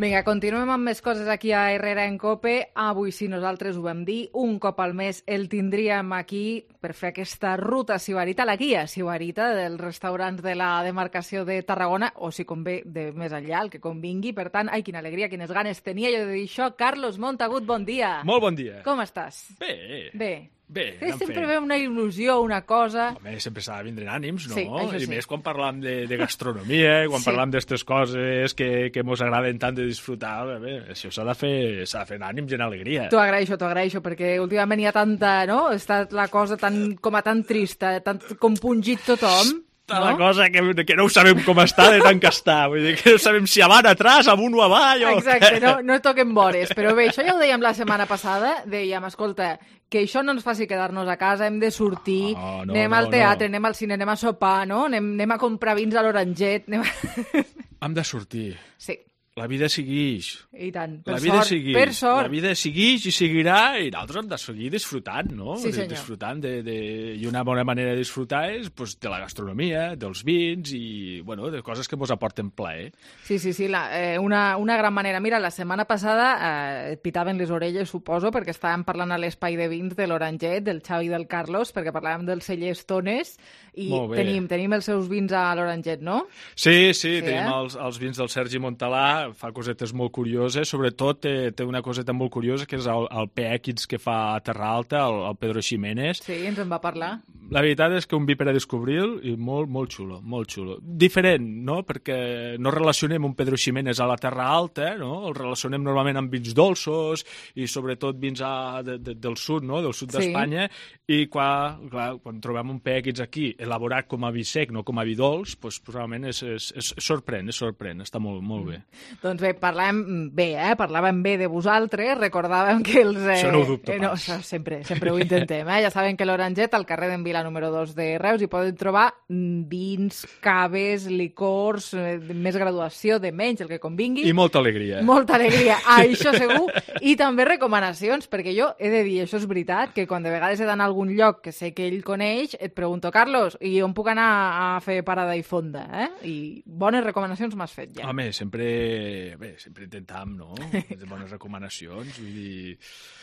Vinga, continuem amb més coses aquí a Herrera en Cope. Avui sí, nosaltres ho vam dir, un cop al mes el tindríem aquí per fer aquesta ruta sibarita, la guia sibarita dels restaurants de la demarcació de Tarragona, o si convé de més enllà, el que convingui. Per tant, ai, quina alegria, quines ganes tenia jo de dir això. Carlos Montagut, bon dia. Molt bon dia. Com estàs? Bé. Bé. Bé, sí, sempre ve una il·lusió, una cosa... Home, sempre s'ha de vindre en ànims, no? Sí, això I sí. més quan parlam de, de gastronomia, quan Sí. parlam d'estes coses que, que mos agraden tant de disfrutar, bé, això s'ha de fer, s'ha de fer en ànims i en alegria. T'ho agraeixo, t'ho agraeixo, perquè últimament hi ha tanta, no? Ha estat la cosa tan, com a tan trista, tant compungit tothom. Està no? La cosa que, que no ho sabem com està de tant que està. Vull dir que no sabem si avant, atrás, amunt o avall... O... Exacte, no, no toquem vores. Però bé, això ja ho dèiem la setmana passada. Dèiem, escolta, que això no ens faci quedar-nos a casa, hem de sortir, no, no, anem no, al teatre, no. anem al cine, anem a sopar, no? Anem, anem a comprar vins a l'Oranget. Anem a... Hem de sortir. Sí. La vida segueix. I tant, per la vida sort, segueix. per sort. La vida segueix i seguirà i nosaltres hem de seguir disfrutant, no? Sí, senyor. Disfrutant de, de... I una bona manera de disfrutar és pues, de la gastronomia, dels vins i, bueno, de coses que ens aporten plaer. Sí, sí, sí, la, eh, una, una gran manera. Mira, la setmana passada eh, et pitaven les orelles, suposo, perquè estàvem parlant a l'espai de vins de l'Oranget, del Xavi i del Carlos, perquè parlàvem dels cellers Tones, i tenim, tenim els seus vins a l'Oranget, no? Sí, sí, Sí, tenim eh? els, els vins del Sergi Montalà, fa cosetes molt curioses, sobretot té, té una coseta molt curiosa, que és el, el P X que fa a Terra Alta, el, el Pedro Ximénez. Sí, ens en va parlar. La veritat és que un vi per a descobrir i molt, molt xulo, molt xulo. Diferent, no?, perquè no relacionem un Pedro Ximénez a la Terra Alta, no?, el relacionem normalment amb vins dolços i sobretot vins a, de, de, del sud, no?, del sud Sí. d'Espanya, i quan, clar, quan trobem un P X aquí elaborat com a vi sec, no com a vi dolç, doncs realment és, és, és sorprèn, és sorprèn, està molt, molt bé. Doncs bé, parlàvem bé, eh? Parlàvem bé de vosaltres, recordàvem que els... Eh, Això no ho dubto eh, no, pas. això sempre, sempre ho intentem, eh? Ja saben que l'Oranget, al carrer d'en Vila número dos de Reus, hi poden trobar mm, vins, caves, licors, eh, de més graduació, de menys, el que convingui. I molta alegria. Molta alegria, això segur. I també recomanacions, perquè jo he de dir, això és veritat, que quan de vegades he d'anar a algun lloc que sé que ell coneix, et pregunto, Carlos, i on puc anar a fer parada i fonda? Eh? I bones recomanacions m'has fet ja. Home, sempre, bé, sempre intentam, no?, de bones recomanacions, vull dir...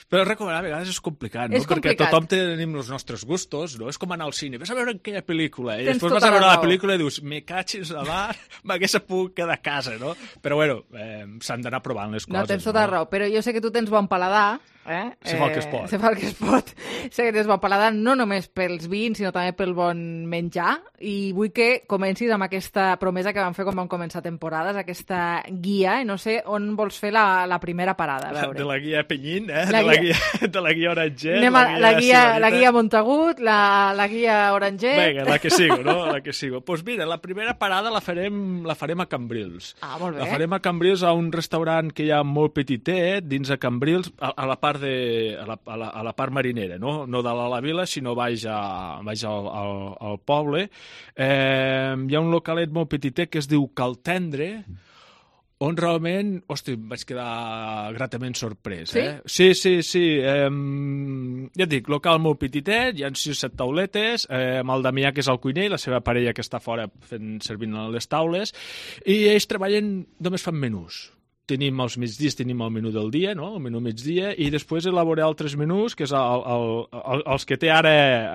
Però recomanar a vegades és complicat, no?, És complicat. perquè tothom tenim els nostres gustos, no? És com anar al cine, vas a veure aquella pel·lícula, i Tens després vas tota a veure la la raó. pel·lícula i dius, me catxis a mar, m'hagués pogut quedar a casa, no? Però bueno, eh, s'han d'anar provant les No, coses. tens tota la raó, però jo sé que tu tens bon paladar, eh? Se fa el que es pot. Se fa el que es pot. Sé que tens bon paladar no només pels vins, sinó també pel bon menjar, i vull que comencis amb aquesta promesa que vam fer quan vam començar temporades, aquesta guia, i no sé on vols fer la, la primera parada, a veure. De la guia Penyín, eh? La de, la guia... guia, de la guia Oranger. Anem a, la, guia, la guia Montagut, la, la guia Oranger... Vinga, la que sigo, no? La que sigo. Doncs pues mira, la primera parada la farem, la farem a Cambrils. Ah, molt bé. La farem a Cambrils, a un restaurant que hi ha molt petitet, dins de Cambrils, a, a la part de, a la, a la, a la part marinera, no? No de la, la vila, sinó baix, a, baix al, al, al poble. Eh, hi ha un localet molt petitet que es diu Cal Tendre, on realment, hosti, em vaig quedar gratament sorprès. Sí? Eh? Sí, sí, sí. Eh, ja et dic, local molt petitet, hi ha sis o set tauletes, eh, amb el Damià, que és el cuiner, i la seva parella, que està fora fent, servint a les taules, i ells treballen, només fan menús. Tenim els migdies, tenim el menú del dia, no? El menú migdia, i després elaborar altres menús, que és el, el, el, els que té ara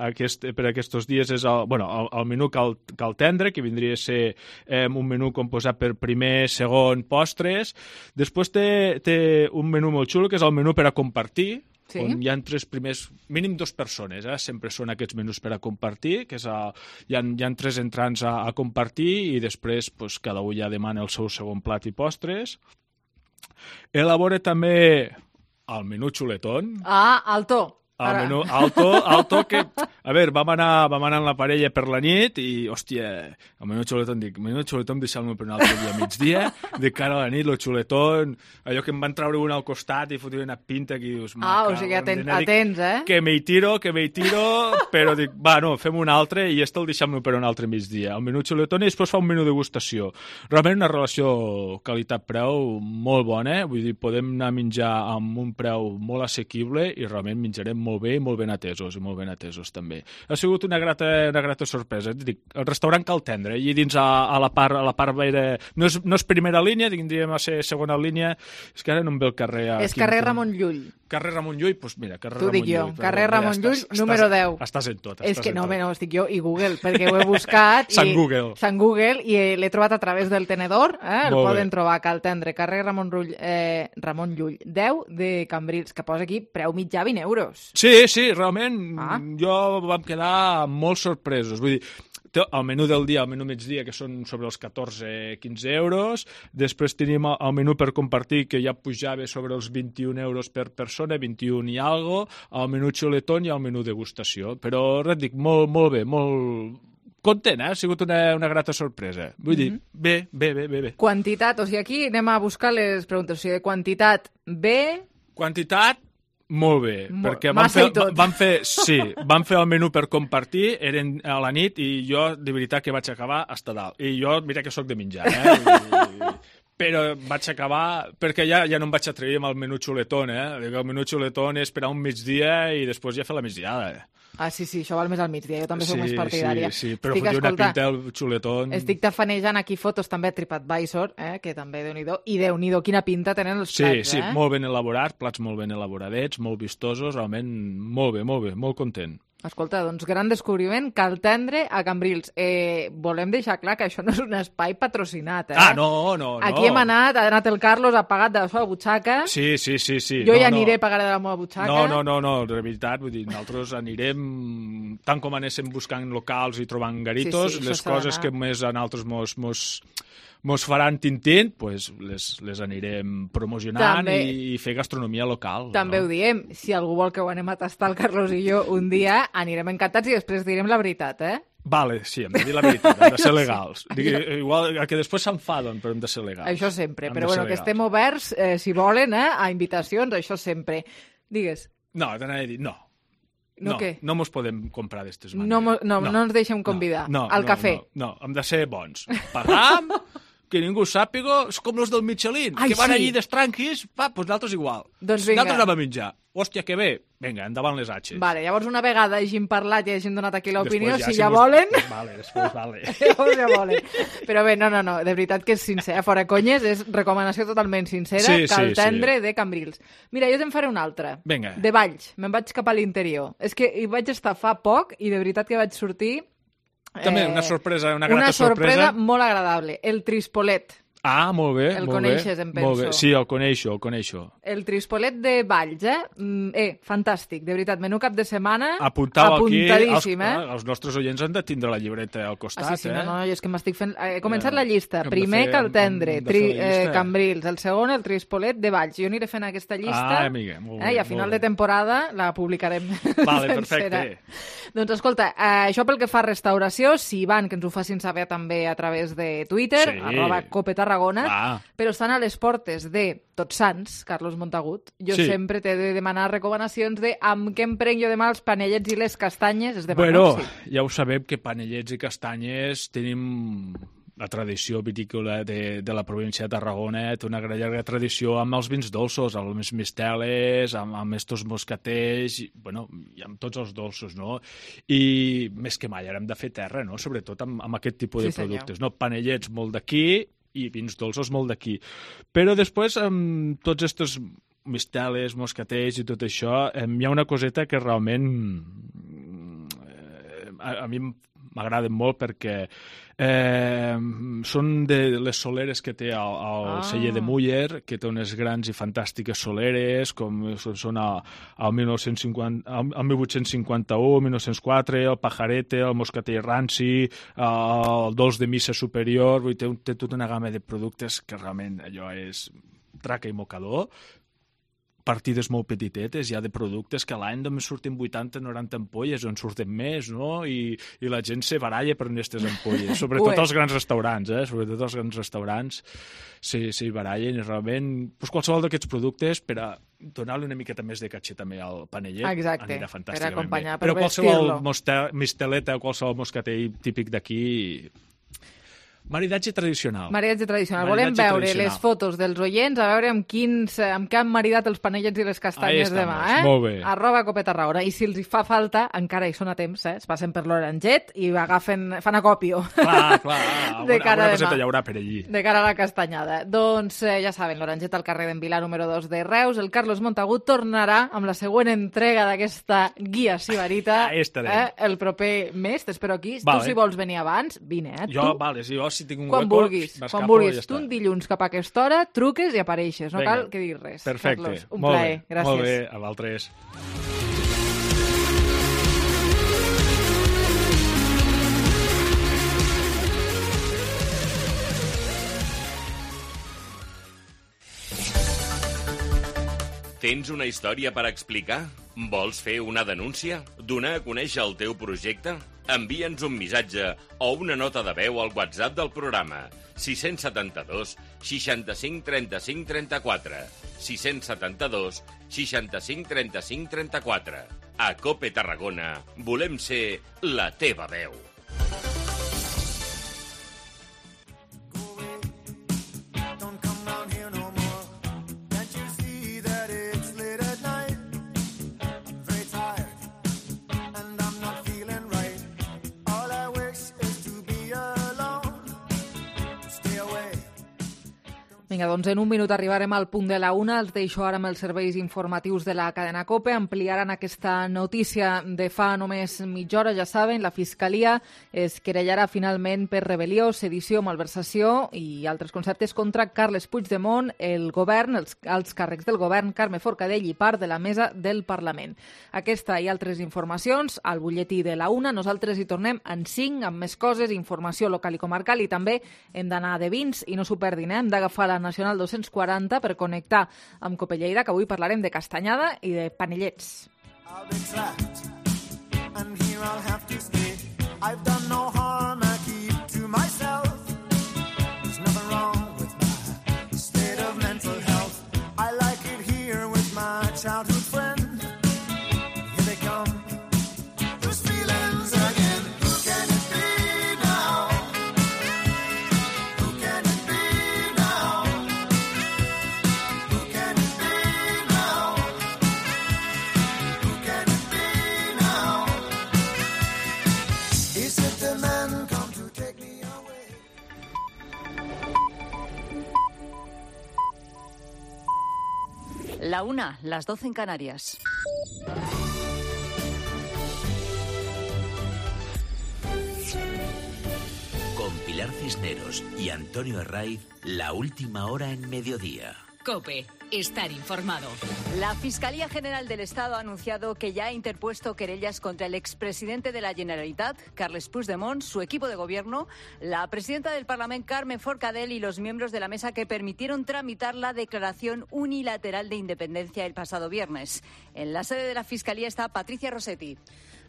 aquest, per aquests dies, és el, bueno, el, el menú Cal, Cal Tendre, que vindria a ser eh, un menú composat per primer, segon, postres. Després té, té un menú molt xulo, que és el menú per a compartir, sí. On hi ha tres primers, mínim dos persones, eh? Sempre són aquests menús per a compartir, que és a, hi, ha, hi ha tres entrants a, a compartir, i després pues, cada un ja demana el seu segon plat i postres. Elabora també el menú xuletón. Ah, alto. El menú alto, alto que... A veure, vam anar, vam anar amb la parella per la nit i, hòstia, el menú xuletón, dic, menú xuletón deixa'l-me per un altre dia a migdia, de cara a la nit, el xuletón, allò que em van treure un al costat i fotia una pinta que dius... Ah, o sigui, aten atents, eh? Que me hi tiro, que me hi tiro, però dic, va, no, fem un altre i este el deixem-lo per un altre migdia. El menú xuletón i després fa un menú degustació. Realment una relació qualitat-preu molt bona, eh? Vull dir, podem anar a menjar amb un preu molt assequible i realment menjarem molt bé i molt ben atesos, i molt ben atesos també. Ha sigut una grata, una grata sorpresa. Dic, el restaurant Cal Tendre, i dins a, a la part, a la part veire... No és, no és primera línia, tindríem a ser segona línia, és que ara no em ve el carrer... És carrer Ramon Llull. Carrer Ramon Llull, doncs mira, carrer T'ho Ramon dic jo, Llull. carrer Ramon Llull, número deu. Estàs en tot. És que no, no, estic jo i Google, perquè ho he buscat. Sant i, Google. Sant Google, i l'he trobat a través del tenedor, eh? El Molt poden bé. trobar, Cal Tendre, carrer Ramon, Rull, eh, Ramon Llull, deu de Cambrils, que posa aquí preu mitjà vint euros. Sí, sí, realment, Ah. jo vam quedar molt sorpresos. Vull dir, té el menú del dia, el menú migdia, que són sobre els catorze a quinze euros. Després tenim el menú per compartir, que ja pujava sobre els vint-i-un euros per persona, vint-i-un i algo, el menú xuletón i el menú degustació. Però, res dic, molt, molt bé, molt content, eh? Ha sigut una, una grata sorpresa. Vull dir, bé, bé, bé, bé, bé. Quantitat, o sigui, aquí anem a buscar les preguntes. O sigui, de quantitat B... Quantitat, molt bé, Mo- perquè vam massa fer, i tot. vam fer, sí, vam fer el menú per compartir, eren a la nit i jo de veritat que vaig acabar hasta dalt. I jo, mira que sóc de menjar, eh? I, però vaig acabar, perquè ja, ja no em vaig atrevir amb el menú xuletón, eh? El menú xuletón és esperar un migdia i després ja fer la migdiada, eh? Ah, sí, sí, això val més al migdia, jo també sí, soc més partidària. Sí, sí, però Estic, fotia una escolta, pinta el xuletón... Estic tafanejant aquí fotos també a TripAdvisor, eh, que també déu-n'hi-do, i déu-n'hi-do quina pinta tenen els Sí, plats, sí, eh? molt ben elaborats, plats molt ben elaboradets, molt vistosos, realment molt bé, molt bé, molt content. Escolta, doncs gran descobriment, Cal Tendre a Cambrils. Eh, volem deixar clar que això no és un espai patrocinat, eh? Ah, no, no, no. Aquí hem anat, ha anat el Carlos, ha pagat de la seva butxaca. Sí, sí, sí, sí. Jo no, ja no. aniré, pagaré de la meva butxaca. No, no, no, no, de veritat, vull dir, nosaltres anirem, tant com anéssim buscant locals i trobant garitos, Sí, sí, les això s'ha coses d'anar. que més a nosaltres mos, mos, mos faran tintint, pues les, les anirem promocionant També- i, i fer gastronomia local. També ho diem, si algú vol que ho anem a tastar el Carlos i jo un dia, anirem encantats i després direm la veritat, eh? Vale, sí, hem de dir la veritat, hem de ser Això sí. legals. Digui, igual que després s'enfaden, però hem de ser legals. Això sempre, Hem però de ser bueno, que legals. estem oberts, eh, si volen, eh, a invitacions, això sempre. Digues, No, t'anava a dir, no. No, no, què? no mos podem comprar d'estes maneres. no, mo- no, no, no ens deixem convidar No, al no, cafè. No, no, hem de ser bons. Pagam, que ningú sàpiga, és com els del Michelin, Ai, que van sí. allí destranquis, va, doncs nosaltres igual. Doncs vinga. Nosaltres anem a menjar. Hòstia, que bé. Vinga, endavant les atxes. Vale, llavors una vegada hagin parlat i hagin donat aquí l'opinió, Després si ja mos- volen... Vale, després vale. Llavors ja volen. Però bé, no, no, no, de veritat que és sincer, fora conyes, és recomanació totalment sincera, Sí, sí, Cal sí. Tendre de Cambrils. Mira, jo te'n faré una altra. Vinga. De Valls, me'n vaig cap a l'interior. És que hi vaig estar fa poc i de veritat que vaig sortir... També una sorpresa, una grata una sorpresa sorpresa. molt agradable. El Trispolet. Ah, molt bé, El molt coneixes, bé. em penso. Molt bé. Sí, el coneixo, el coneixo. El Trispolet de Valls, eh? Mm, eh, fantàstic, de veritat, menú cap de setmana, Apuntau aquí, els, apuntadíssim, eh? els nostres oients han de tindre la llibreta al costat, Ah, sí, sí, eh? no, no, jo és que m'estic fent... He començat Eh, la llista. hem de Primer fer- Caltendre, hem de tri, fer la eh, llista. Cambrils, el segon el Trispolet de Valls. Jo aniré fent aquesta llista Ah, amiga, molt eh, bé, i a final molt de temporada la publicarem Vale, sencera. perfecte. Doncs escolta, eh, això pel que fa a restauració, si van, que ens ho facin saber també a través de Twitter, Sí. arroba Cope Tarragona, Clar. però estan a les portes de Tots Sants, Carlos Montagut. Jo Sí. sempre t'he de demanar recomanacions de amb què em prenc jo demà els panellets i les castanyes. Es demana, Bueno, sí. ja ho sabem que panellets i castanyes tenim la tradició vitícola de, de la província de Tarragona, té una gran llarga tradició amb els vins dolços, amb els misteles, amb, amb estos moscatells, i, bueno, i amb tots els dolços, no? I més que mai ara hem de fer terra, no? Sobretot amb, amb aquest tipus Sí, de senyor. productes, no? Panellets molt d'aquí i vins dolços molt d'aquí. Però després, amb tots estos misteles, moscatells i tot això, eh, hi ha una coseta que realment eh, a, a mi m'agraden molt perquè eh, són de les soleres que té el, el Ah. celler de Muller, que té unes grans i fantàstiques soleres, com són, són el, el, mil nou-cents cinquanta, el, el mil vuit-cents cinquanta-u, mil nou-cents quatre, el Pajarete, el Moscatell Ranci, el Dolç de Missa Superior, vull dir, té, un- té tota una gamma de productes que realment allò és traca i mocador, partides molt petitetes, ja de productes que a l'any només surten vuitanta noranta ampolles, o en surten més, no? I, i la gent se baralla per aquestes ampolles, sobretot Ué. els grans restaurants, eh? Sobretot els grans restaurants s'hi se barallen i realment pues, qualsevol d'aquests productes per a donar-li una miqueta més de catxer també al panellet Exacte, anirà per fantàsticament acompanyar, bé. per Però qualsevol vestir-lo. moste- misteleta o qualsevol moscatell típic d'aquí, maridatge tradicional. Maridatge tradicional. Volem Maridatge veure tradicional. les fotos dels oients, a veure amb quins, amb què han maridat els panellets i les Ahí castanyes estamos, demà, eh? molt bé. Arroba Cope Tarragona. I si els hi fa falta, encara hi són a temps, eh? Es passen per l'Oranget i agafen, fan acòpio. Clar, clar, alguna, De cara alguna a coseta demà. hi haurà per allí. De cara a la castanyada. Doncs eh, ja saben, l'Oranget al carrer d'en Vilar número dos de Reus. El Carlos Montagut tornarà amb la següent entrega d'aquesta guia sibarita Ahí estarem. eh? el proper mes. T'espero aquí. Vale. Tu, si vols venir abans, vine, eh? Jo, tu, vale, si jo si tinc un quan hueco, vulguis, quan m'escapo vulguis. i ja tu està. un dilluns cap a aquesta hora, truques i apareixes. No Vinga. cal que diguis res. Perfecte. Carlos, un molt plaer. bé, Gràcies. Molt bé, a vosaltres. Tens una història per explicar? Vols fer una denúncia? Donar a conèixer el teu projecte? Envia'ns un missatge o una nota de veu al WhatsApp del programa sis set dos, seixanta-cinc, trenta-cinc, trenta-quatre. sis set dos, seixanta-cinc, trenta-cinc, trenta-quatre. A Cope Tarragona volem ser la teva veu. Don't come down here no more. Can't you see that it's late at night? I'm very tired and I'm not feeling right. All I wish is to be alone. Stay away. Vinga, doncs en un minut arribarem al punt de la una. Els deixo ara amb els serveis informatius de la cadena COPE. Ampliaran aquesta notícia de fa només mitja hora, ja saben. La Fiscalia es querellarà finalment per rebel·lió, sedició, malversació i altres conceptes contra Carles Puigdemont, el govern, els alts càrrecs del govern, Carme Forcadell i part de la mesa del Parlament. Aquesta i altres informacions al butlletí de la una. Nosaltres hi tornem en cinc amb més coses, informació local i comarcal, i també hem d'anar de vins i no s'ho perdin, eh? Hem d'agafar la Nacional dos-cents quaranta per connectar amb Cope Lleida, que avui parlarem de castanyada i de panellets. I'll be trapped and here I'll have to stay. I've done no harm, I keep to myself. There's nothing wrong with my state of mental health. I like it here with my childhood friend. Here they come, those feelings again. Who can it be now? Who can it be now? Who can it be now? Who can it be now? Is it the man come to take me away? La una, las doce en Canarias. Con Pilar Cisneros y Antonio Herraiz, la última hora en Mediodía. COPE. Estar informado. La Fiscalía General del Estado ha anunciado que ya ha interpuesto querellas contra el expresidente de la Generalitat, Carles Puigdemont, su equipo de gobierno, la presidenta del Parlamento, Carme Forcadell, y los miembros de la mesa que permitieron tramitar la declaración unilateral de independencia el pasado viernes. En la sede de la Fiscalía está Patricia Rossetti.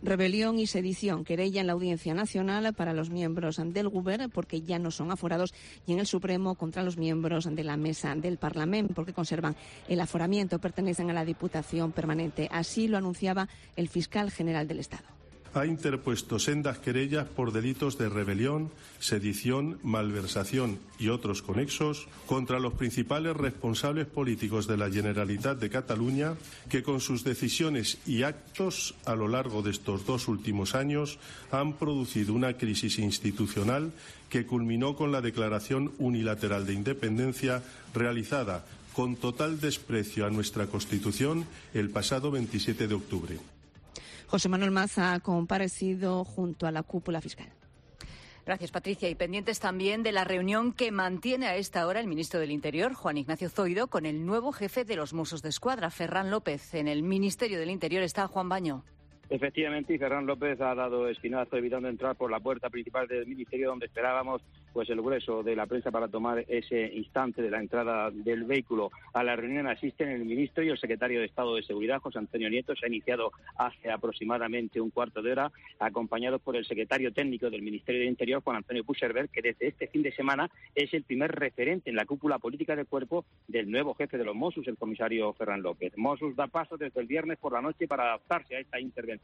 Rebelión y sedición, querella en la Audiencia Nacional para los miembros del Govern porque ya no son aforados, y en el Supremo contra los miembros de la mesa del Parlamento porque conservan el aforamiento, pertenecen a la Diputación Permanente. Así lo anunciaba el fiscal general del Estado. Ha interpuesto sendas querellas por delitos de rebelión, sedición, malversación y otros conexos contra los principales responsables políticos de la Generalitat de Cataluña, que con sus decisiones y actos a lo largo de estos dos últimos años han producido una crisis institucional que culminó con la declaración unilateral de independencia realizada con total desprecio a nuestra Constitución el pasado veintisiete de octubre. José Manuel Mas ha comparecido junto a la cúpula fiscal. Gracias, Patricia. Y pendientes también de la reunión que mantiene a esta hora el ministro del Interior, Juan Ignacio Zoido, con el nuevo jefe de los Mossos d'Esquadra, Ferran López. En el Ministerio del Interior está Juan Baño. Efectivamente, y Ferran López ha dado espinazo evitando entrar por la puerta principal del Ministerio, donde esperábamos pues el grueso de la prensa para tomar ese instante de la entrada del vehículo. A la reunión asisten el ministro y el secretario de Estado de Seguridad, José Antonio Nieto. Se ha iniciado hace aproximadamente un cuarto de hora, acompañados por el secretario técnico del Ministerio del Interior, Juan Antonio Puigcerver, que desde este fin de semana es el primer referente en la cúpula política del cuerpo del nuevo jefe de los Mossos, el comisario Ferran López. Mossos da paso desde el viernes por la noche para adaptarse a esta intervención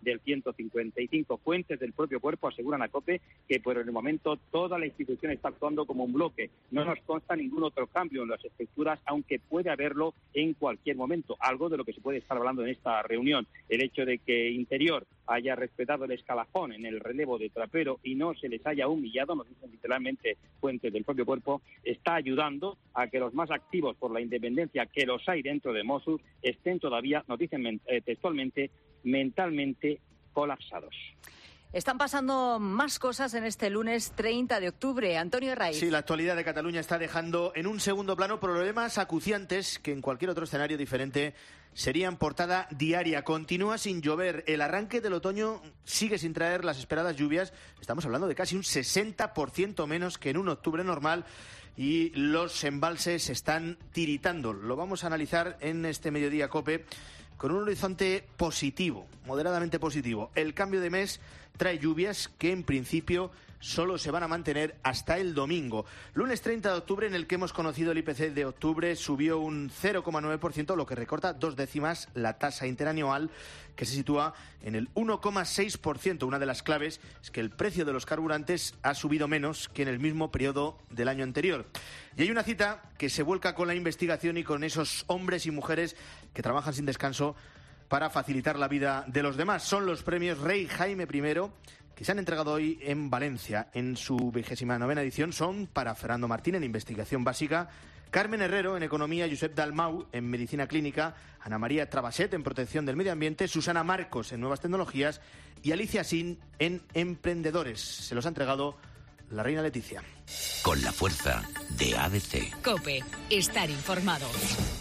del ciento cincuenta y cinco. Fuentes del propio cuerpo aseguran a COPE que por el momento toda la institución está actuando como un bloque. No nos consta ningún otro cambio en las estructuras, aunque puede haberlo en cualquier momento, algo de lo que se puede estar hablando en esta reunión. El hecho de que Interior haya respetado el escalafón en el relevo de Trapero y no se les haya humillado, nos dicen literalmente fuentes del propio cuerpo, está ayudando a que los más activos por la independencia, que los hay dentro de Mossos, estén todavía, nos dicen eh, textualmente, mentalmente colapsados. Están pasando más cosas en este lunes treinta de octubre. Antonio Herraiz. Sí, la actualidad de Cataluña está dejando en un segundo plano problemas acuciantes que en cualquier otro escenario diferente serían portada diaria. Continúa sin llover. El arranque del otoño sigue sin traer las esperadas lluvias. Estamos hablando de casi un sesenta por ciento menos que en un octubre normal. Y los embalses están tiritando. Lo vamos a analizar en este Mediodía COPE con un horizonte positivo, moderadamente positivo. El cambio de mes trae lluvias que en principio solo se van a mantener hasta el domingo. Lunes treinta de octubre, en el que hemos conocido el I P C de octubre, subió un cero coma nueve por ciento, lo que recorta dos décimas la tasa interanual, que se sitúa en el uno coma seis por ciento. Una de las claves es que el precio de los carburantes ha subido menos que en el mismo periodo del año anterior. Y hay una cita que se vuelca con la investigación y con esos hombres y mujeres que trabajan sin descanso para facilitar la vida de los demás. Son los premios Rey Jaime primero, que se han entregado hoy en Valencia. En su vigésima novena edición son para Fernando Martín en Investigación Básica, Carmen Herrero en Economía, Josep Dalmau en Medicina Clínica, Ana María Trabaset en Protección del Medio Ambiente, Susana Marcos en Nuevas Tecnologías y Alicia Sin en Emprendedores. Se los ha entregado la reina Leticia. Con la fuerza de A D C. COPE. Estar informado.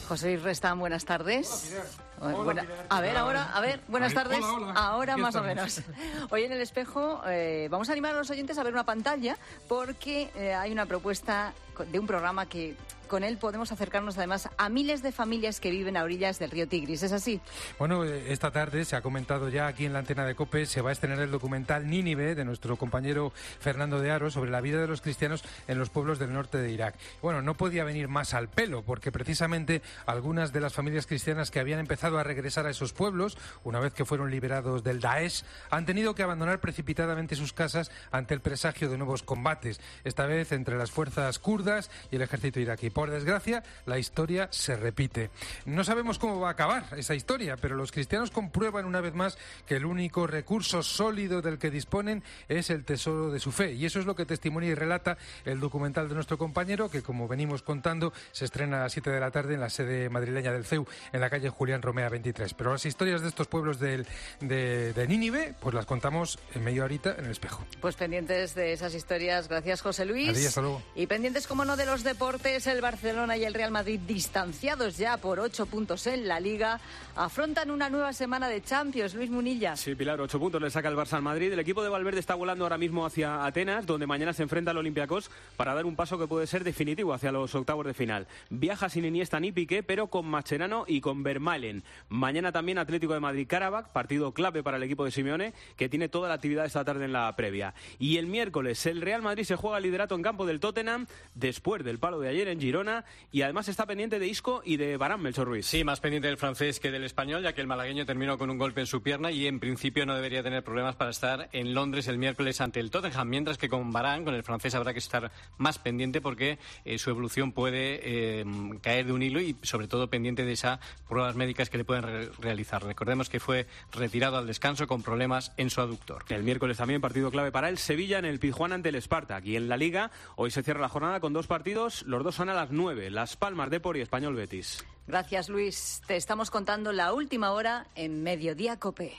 José Luis Restán, buenas tardes. Hola, Buena... A ver, ahora, a ver, buenas Ahí, tardes. hola, hola. Ahora Aquí más estamos. o menos. Hoy en el espejo eh, vamos a animar a los oyentes a ver una pantalla porque eh, hay una propuesta de un programa que con él podemos acercarnos además a miles de familias que viven a orillas del río Tigris. ¿Es así? Bueno, esta tarde se ha comentado ya aquí en la antena de COPE, se va a estrenar el documental Nínive de nuestro compañero Fernando de Aro sobre la vida de los cristianos en los pueblos del norte de Irak. Bueno, no podía venir más al pelo porque precisamente algunas de las familias cristianas que habían empezado a regresar a esos pueblos, una vez que fueron liberados del Daesh, han tenido que abandonar precipitadamente sus casas ante el presagio de nuevos combates, esta vez entre las fuerzas kurdas kurdas y el ejército iraquí. Por desgracia, la historia se repite. No sabemos cómo va a acabar esa historia, pero los cristianos comprueban una vez más que el único recurso sólido del que disponen es el tesoro de su fe. Y eso es lo que testimonia y relata el documental de nuestro compañero, que, como venimos contando, se estrena a las siete de la tarde en la sede madrileña del C E U, en la calle Julián Romea veintitrés. Pero las historias de estos pueblos del, de, de Nínive, pues las contamos en media horita en El Espejo. Pues pendientes de esas historias. Gracias, José Luis. Adiós, hasta luego. Y pendientes, como no, de los deportes, el Barcelona y el Real Madrid, distanciados ya por ocho puntos en la Liga, afrontan una nueva semana de Champions. Luis Munilla. Sí, Pilar, ocho puntos le saca el Barça al Madrid. El equipo de Valverde está volando ahora mismo hacia Atenas, donde mañana se enfrenta al Olympiacos para dar un paso que puede ser definitivo hacia los octavos de final. Viaja sin Iniesta ni Piqué, pero con Mascherano y con Vermaelen. Mañana también Atlético de Madrid-Karabakh, partido clave para el equipo de Simeone, que tiene toda la actividad esta tarde en la previa. Y el miércoles el Real Madrid se juega el liderato en campo del Tottenham, después del palo de ayer en Girona, y además está pendiente de Isco y de Varane, Melchor Ruiz. Sí, más pendiente del francés que del español, ya que el malagueño terminó con un golpe en su pierna y en principio no debería tener problemas para estar en Londres el miércoles ante el Tottenham, mientras que con Varane, con el francés, habrá que estar más pendiente porque eh, su evolución puede eh, caer de un hilo y sobre todo pendiente de esas pruebas médicas que le pueden re realizar. Recordemos que fue retirado al descanso con problemas en su aductor. El miércoles también partido clave para el Sevilla en el Pizjuán ante el Spartak. Y en la Liga hoy se cierra la jornada con dos partidos, los dos son a las nueve, Las Palmas Depor y Español Betis. Gracias, Luis. Te estamos contando la última hora en Mediodía COPE.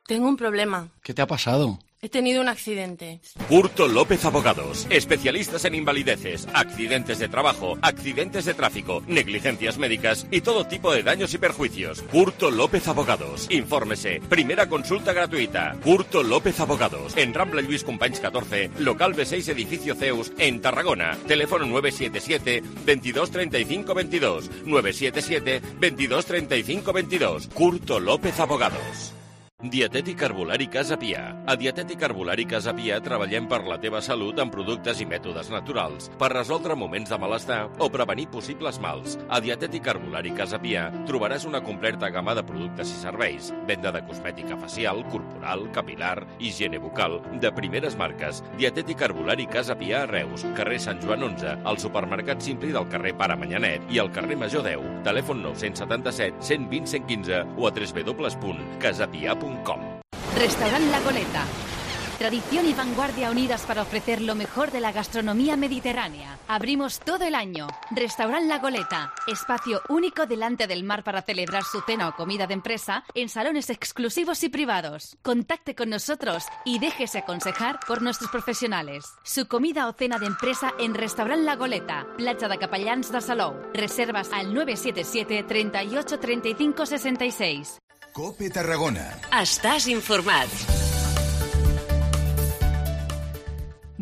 Tengo un problema. ¿Qué te ha pasado? He tenido un accidente. Curto López Abogados, especialistas en invalideces, accidentes de trabajo, accidentes de tráfico, negligencias médicas y todo tipo de daños y perjuicios. Curto López Abogados. Infórmese. Primera consulta gratuita. Curto López Abogados. En Rambla Lluís Companys catorce, local B seis, edificio Zeus, en Tarragona. Teléfono nueve siete siete, veintidós treinta y cinco veintidós. nueve siete siete, veintidós treinta y cinco veintidós. Curto López Abogados. Dietètic Herbolari Casa Pia. A Dietètic Herbolari Casa Pia treballem per la teva salut amb productes i mètodes naturals, per resoldre moments de malestar o prevenir possibles mals. A Dietètic Herbolari Casa Pia trobaràs una completa gamma de productes i serveis, venda de cosmètica facial, corporal, capilar, higiene bucal, de primeres marques. Dietètic Herbolari Casa Pia a Reus, carrer Sant Joan onze, al supermercat Simpli del carrer Pare Manyanet i al carrer Major deu. Telèfon nou set set, cent vint, cent quinze o a w w w punt casapia punt com. Restaurant La Goleta. Tradición y vanguardia unidas para ofrecer lo mejor de la gastronomía mediterránea. Abrimos todo el año. Restaurant La Goleta. Espacio único delante del mar para celebrar su cena o comida de empresa en salones exclusivos y privados. Contacte con nosotros y déjese aconsejar por nuestros profesionales. Su comida o cena de empresa en Restaurant La Goleta. Platja de Capellans de Salou. Reservas al nueve siete siete, treinta y ocho, treinta y cinco, sesenta y seis. COPE Tarragona. Estàs informat.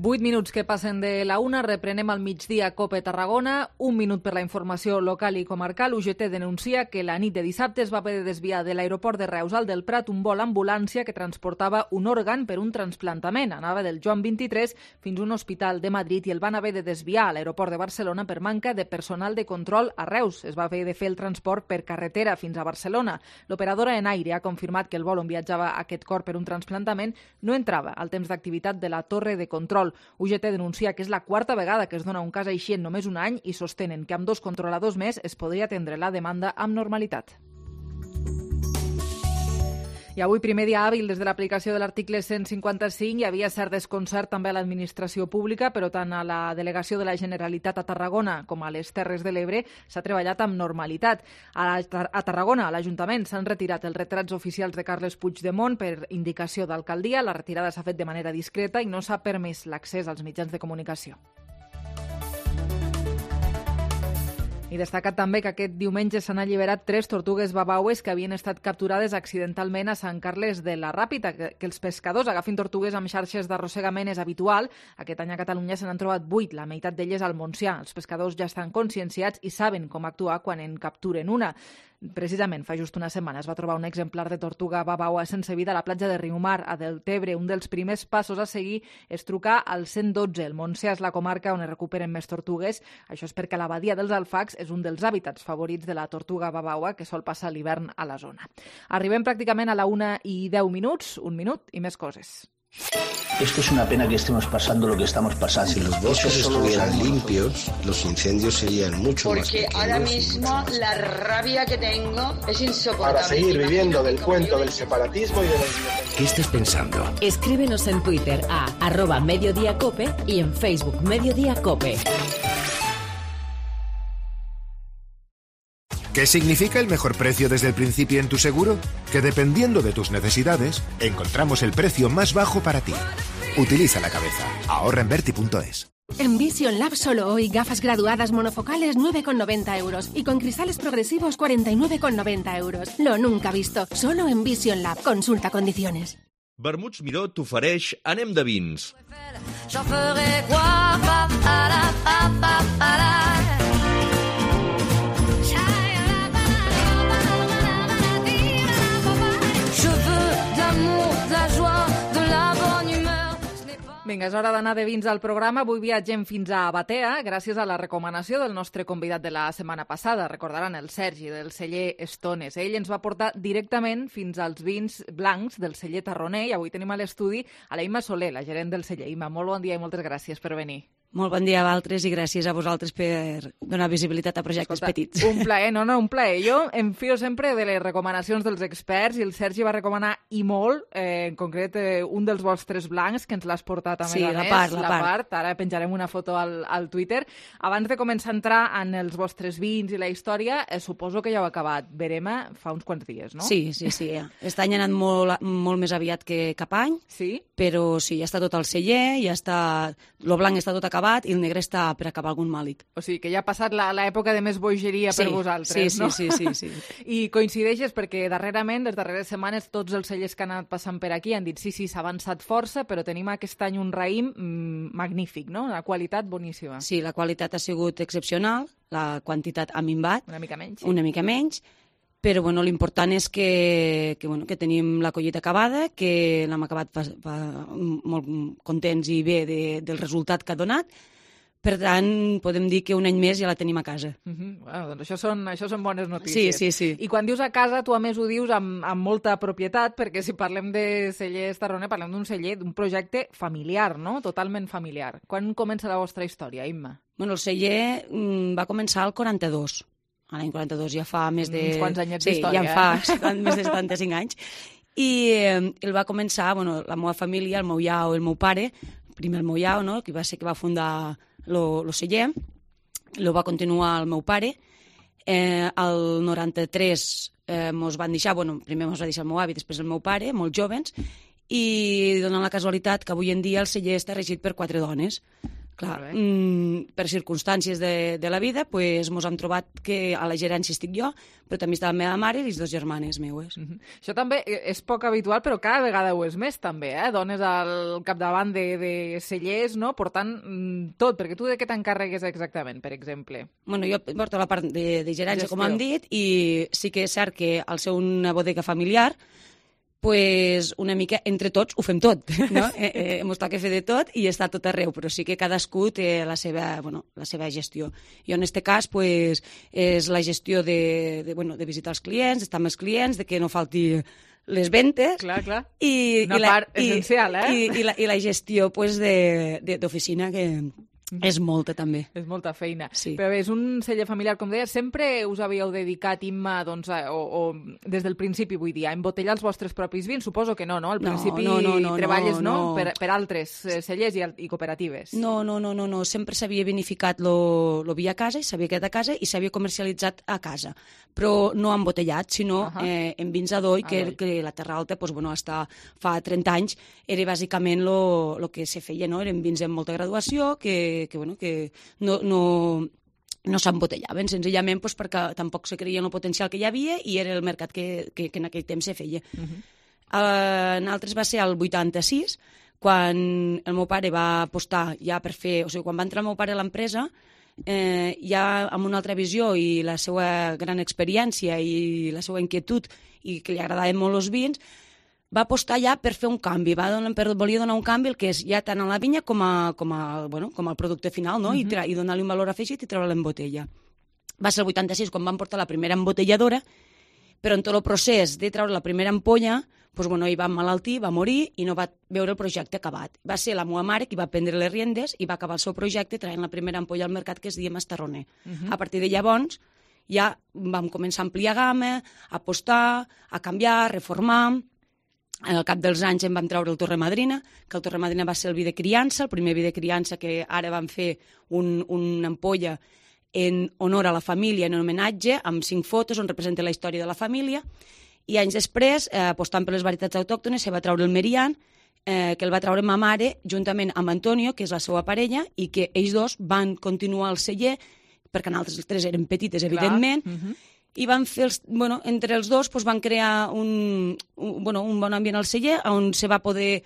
Vuit minuts que passen de la una, reprenem al migdia COPE Tarragona. Un minut per la informació local i comarcal. U G T denuncia que la nit de dissabte es va haver de desviar de l'aeroport de Reus al del Prat un vol ambulància que transportava un òrgan per un transplantament. Anava del Joan vint-i-tres fins a un hospital de Madrid i el van haver de desviar a l'aeroport de Barcelona per manca de personal de control a Reus. Es va haver de fer el transport per carretera fins a Barcelona. L'operadora Enaire ha confirmat que el vol on viatjava aquest cor per un transplantament no entrava al temps d'activitat de la torre de control. U G T denuncia que és la quarta vegada que es dona un cas així en només un any i sostenen que amb dos controladors més es podria atendre la demanda amb normalitat. I avui, primer dia hàbil des de l'aplicació de l'article cent cinquanta-cinc, hi havia cert desconcert també a l'administració pública, però tant a la delegació de la Generalitat a Tarragona com a les Terres de l'Ebre s'ha treballat amb normalitat. A, la, a Tarragona, a l'Ajuntament, s'han retirat els retrats oficials de Carles Puigdemont per indicació d'alcaldia. La retirada s'ha fet de manera discreta i no s'ha permès l'accés als mitjans de comunicació. I destacat també que aquest diumenge s'han alliberat tres tortugues babaues que havien estat capturades accidentalment a Sant Carles de la Ràpita. Que, que els pescadors agafin tortugues amb xarxes d'arrossegament és habitual. Aquest any a Catalunya se n'han trobat vuit, la meitat d'elles al Montsià. Els pescadors ja estan conscienciats i saben com actuar quan en capturen una. Precisament, fa just una setmana es va trobar un exemplar de tortuga babaua sense vida a la platja de Riumar, a Deltebre. Un dels primers passos a seguir és trucar al cent dotze. El Montsià és la comarca on es recuperen més tortugues. Això és perquè la badia dels Alfacs és un dels hàbitats favorits de la tortuga babaua que sol passar l'hivern a la zona. Arribem pràcticament a la una i deu minuts, un minut i més coses. Esto es una pena que estemos pasando lo que estamos pasando. Si los bosques estuvieran limpios, los incendios serían mucho más Porque pequeños. ahora mismo la rabia que tengo es insoportable. Para seguir viviendo del cuento del separatismo y de la independencia. ¿Qué estás pensando? Escríbenos en Twitter a arroba Mediodía Cope y en Facebook Mediodía Cope. ¿Qué significa el mejor precio desde el principio en tu seguro? Que dependiendo de tus necesidades, encontramos el precio más bajo para ti. Utiliza la cabeza. Ahorra en Berti punto es. En Vision Lab solo hoy gafas graduadas monofocales nueve con noventa euros y con cristales progresivos cuarenta y nueve con noventa euros. Lo nunca visto, solo en Vision Lab. Consulta condiciones. Vermuts Miró t'ofereix Anem de vins. J'en ferai quoi, pa, para, pa, pa, para. Je veux de l'amour, de la joie, de la bonne humeur. Vinga, és hora d'anar de vins al programa. Avui viatgem fins a Batea, gràcies a la recomanació del nostre convidat de la setmana passada. Recordaran el Sergi, del celler Estones. Ell ens va portar directament fins als vins blancs del celler Tarroner i avui tenim a l'estudi a la Imma Soler, la gerent del celler. Imma, molt bon dia i moltes gràcies per venir. Molt bon dia a vosaltres i gràcies a vosaltres per donar visibilitat a projectes Escolta, petits. Un plaer, no, no, un plaer. Jo em fio sempre de les recomanacions dels experts i el Sergi va recomanar i molt, eh, en concret, eh, un dels vostres blancs que ens l'has portat a més Sí, a la més, part, la la part. part. Ara penjarem una foto al, al Twitter. Abans de començar a entrar en els vostres vins i la història, eh, suposo que ja heu acabat Verema fa uns quants dies, no? Sí, sí, sí. Ja. Aquest any ha anat molt, molt més aviat que cap any, sí? Però sí, ja està tot al celler, ja està... El blanc està tot acabat i el negre està per acabar algun màlic. O sigui, que ja ha passat l'època de més bogeria Sí, per vosaltres, sí, sí, no? sí, sí, sí. I coincideixes perquè darrerament, les darreres setmanes, tots els cellers que han anat passant per aquí han dit sí, sí, s'ha avançat força, però tenim aquest any un raïm mm, magnífic, no? La qualitat boníssima. Sí, la qualitat ha sigut excepcional, la quantitat ha minvat. Una mica menys. Sí. Una mica menys, però bueno, l'important és que, que, bueno, que tenim la collita acabada, que l'hem acabat fa, fa, molt contents i bé de, del resultat que ha donat. Per tant, podem dir que un any més ja la tenim a casa. Uh -huh. Bueno, doncs això són, això són bones notícies. Sí, sí, sí. I quan dius a casa, tu a més ho dius amb, amb molta propietat, perquè si parlem de cellers Tarroner, parlem d'un celler, d'un projecte familiar, no? Totalment familiar. Quan comença la vostra història, Imma? Bueno, el celler mm, va començar al quaranta-dos. A l'any quaranta-dos ja fa més de... Uns quants anyets sí, d'història, ja fa eh? més de setanta-cinc anys. I eh, el va començar, bueno, la meva família, el meu iau i el meu pare, primer el meu iau, no?, que va ser que va fundar lo, lo celler, lo va continuar el meu pare. Eh, el noranta-tres eh, mos van deixar, bueno, primer mos va deixar el meu avi, després el meu pare, molt jovens, i donant la casualitat que avui en dia el celler està regit per quatre dones. Clar, mm, per circumstàncies de, de la vida, pues, mos hem trobat que a la gerència estic jo, però també està la meva mare i les dues germanes meues. Uh -huh. Això també és poc habitual, però cada vegada ho és més, també, eh? Dones al capdavant de, de cellers, no?, portant mm, tot, perquè tu de què t'encarregues exactament, per exemple? Bueno, jo porto la part de, de gerència, Gestió. com hem dit, i sí que és cert que al ser una bodega familiar, pues una mica entre tots ho fem tot, no? eh, eh, mos toca fer de tot i està tot arreu, però sí que cadascú té la seva, bueno, la seva gestió. Jo en este cas pues, és la gestió de, de, bueno, de visitar els clients, d'estar amb els clients, de que no falti les ventes. Clar, clar. I, Una i la, part essencial, eh? I, i, la, i la gestió pues, de, de, d'oficina que... És molta, també. És molta feina. Sí. Però bé, és un celler familiar, com deia, sempre us havíeu dedicat, Imma, doncs, a, o, o des del principi, vull dir, a embotellar els vostres propis vins? Suposo que no, no? Al No, principi no, no, no, treballes, no? no. Per, per altres eh, cellers i, i cooperatives. No, no, no, no, no. Sempre s'havia vinificat lo, lo vi a casa i s'havia quedat a casa i s'havia comercialitzat a casa. Però no embotellat, sinó uh -huh. eh, en vins d'Adoi, que, que la Terra Alta, pues, bueno, hasta fa trenta anys, era bàsicament lo, lo que se feia, no? Eren vins amb molta graduació, que, que bueno, que no, no, no s'embotellaven, senzillament pues, perquè tampoc se creia en el potencial que hi havia i era el mercat que, que, que en aquell temps se feia. Uh -huh. uh, en altres va ser el vuitanta-sis, quan el meu pare va apostar ja per fer... O sigui, quan va entrar el meu pare a l'empresa, eh, ja amb una altra visió i la seva gran experiència i la seva inquietud i que li agradaven molt els vins, va apostar ja per fer un canvi, va donar, per, volia donar un canvi el que és ja tant a la vinya com, a, com, a, bueno, com al producte final, no? Uh -huh. I, tra i donar-li un valor afegit i treure-la en botella. Va ser el vuitanta-sis quan van portar la primera embotelladora, però en tot el procés de treure la primera ampolla pues, bueno, ell va emmalaltir, va morir i no va veure el projecte acabat. Va ser la meva mare qui va prendre les riendes i va acabar el seu projecte traient la primera ampolla al mercat que es deia Mastarroner. Uh -huh. A partir de llavors ja vam començar a ampliar gamma, a apostar, a canviar, a reformar. Al cap dels anys en vam treure el Torre Madrina, que el Torre Madrina va ser el vi de criança, el primer vi de criança que ara vam fer un, una ampolla en honor a la família, en homenatge, amb cinc fotos on representa la història de la família. I anys després, eh, apostant per les varietats autòctones, se va treure el Merian, eh, que el va treure ma mare, juntament amb Antonio, que és la seva parella, i que ells dos van continuar al celler, perquè nosaltres tres eren petites, evidentment, uh -huh. i van fer, els, bueno, entre els dos pues, van crear un, un, bueno, un bon ambient al celler, on se va poder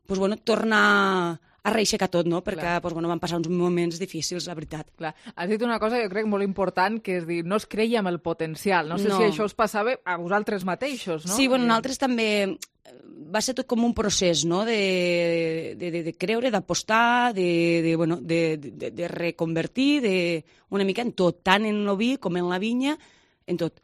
pues, bueno, tornar a reixecar tot, no? Perquè pues, bueno, van passar uns moments difícils, la veritat. Clar. Has dit una cosa, jo crec, molt important, que és dir, no es creia amb el potencial. No sé no. si això us passava a vosaltres mateixos, no? Sí, bueno, nosaltres també... Va ser tot com un procés, no?, de, de, de, de creure, d'apostar, de, de, bueno, de, de, de reconvertir, de, una mica en tot, tant en el vi com en la vinya, en tot.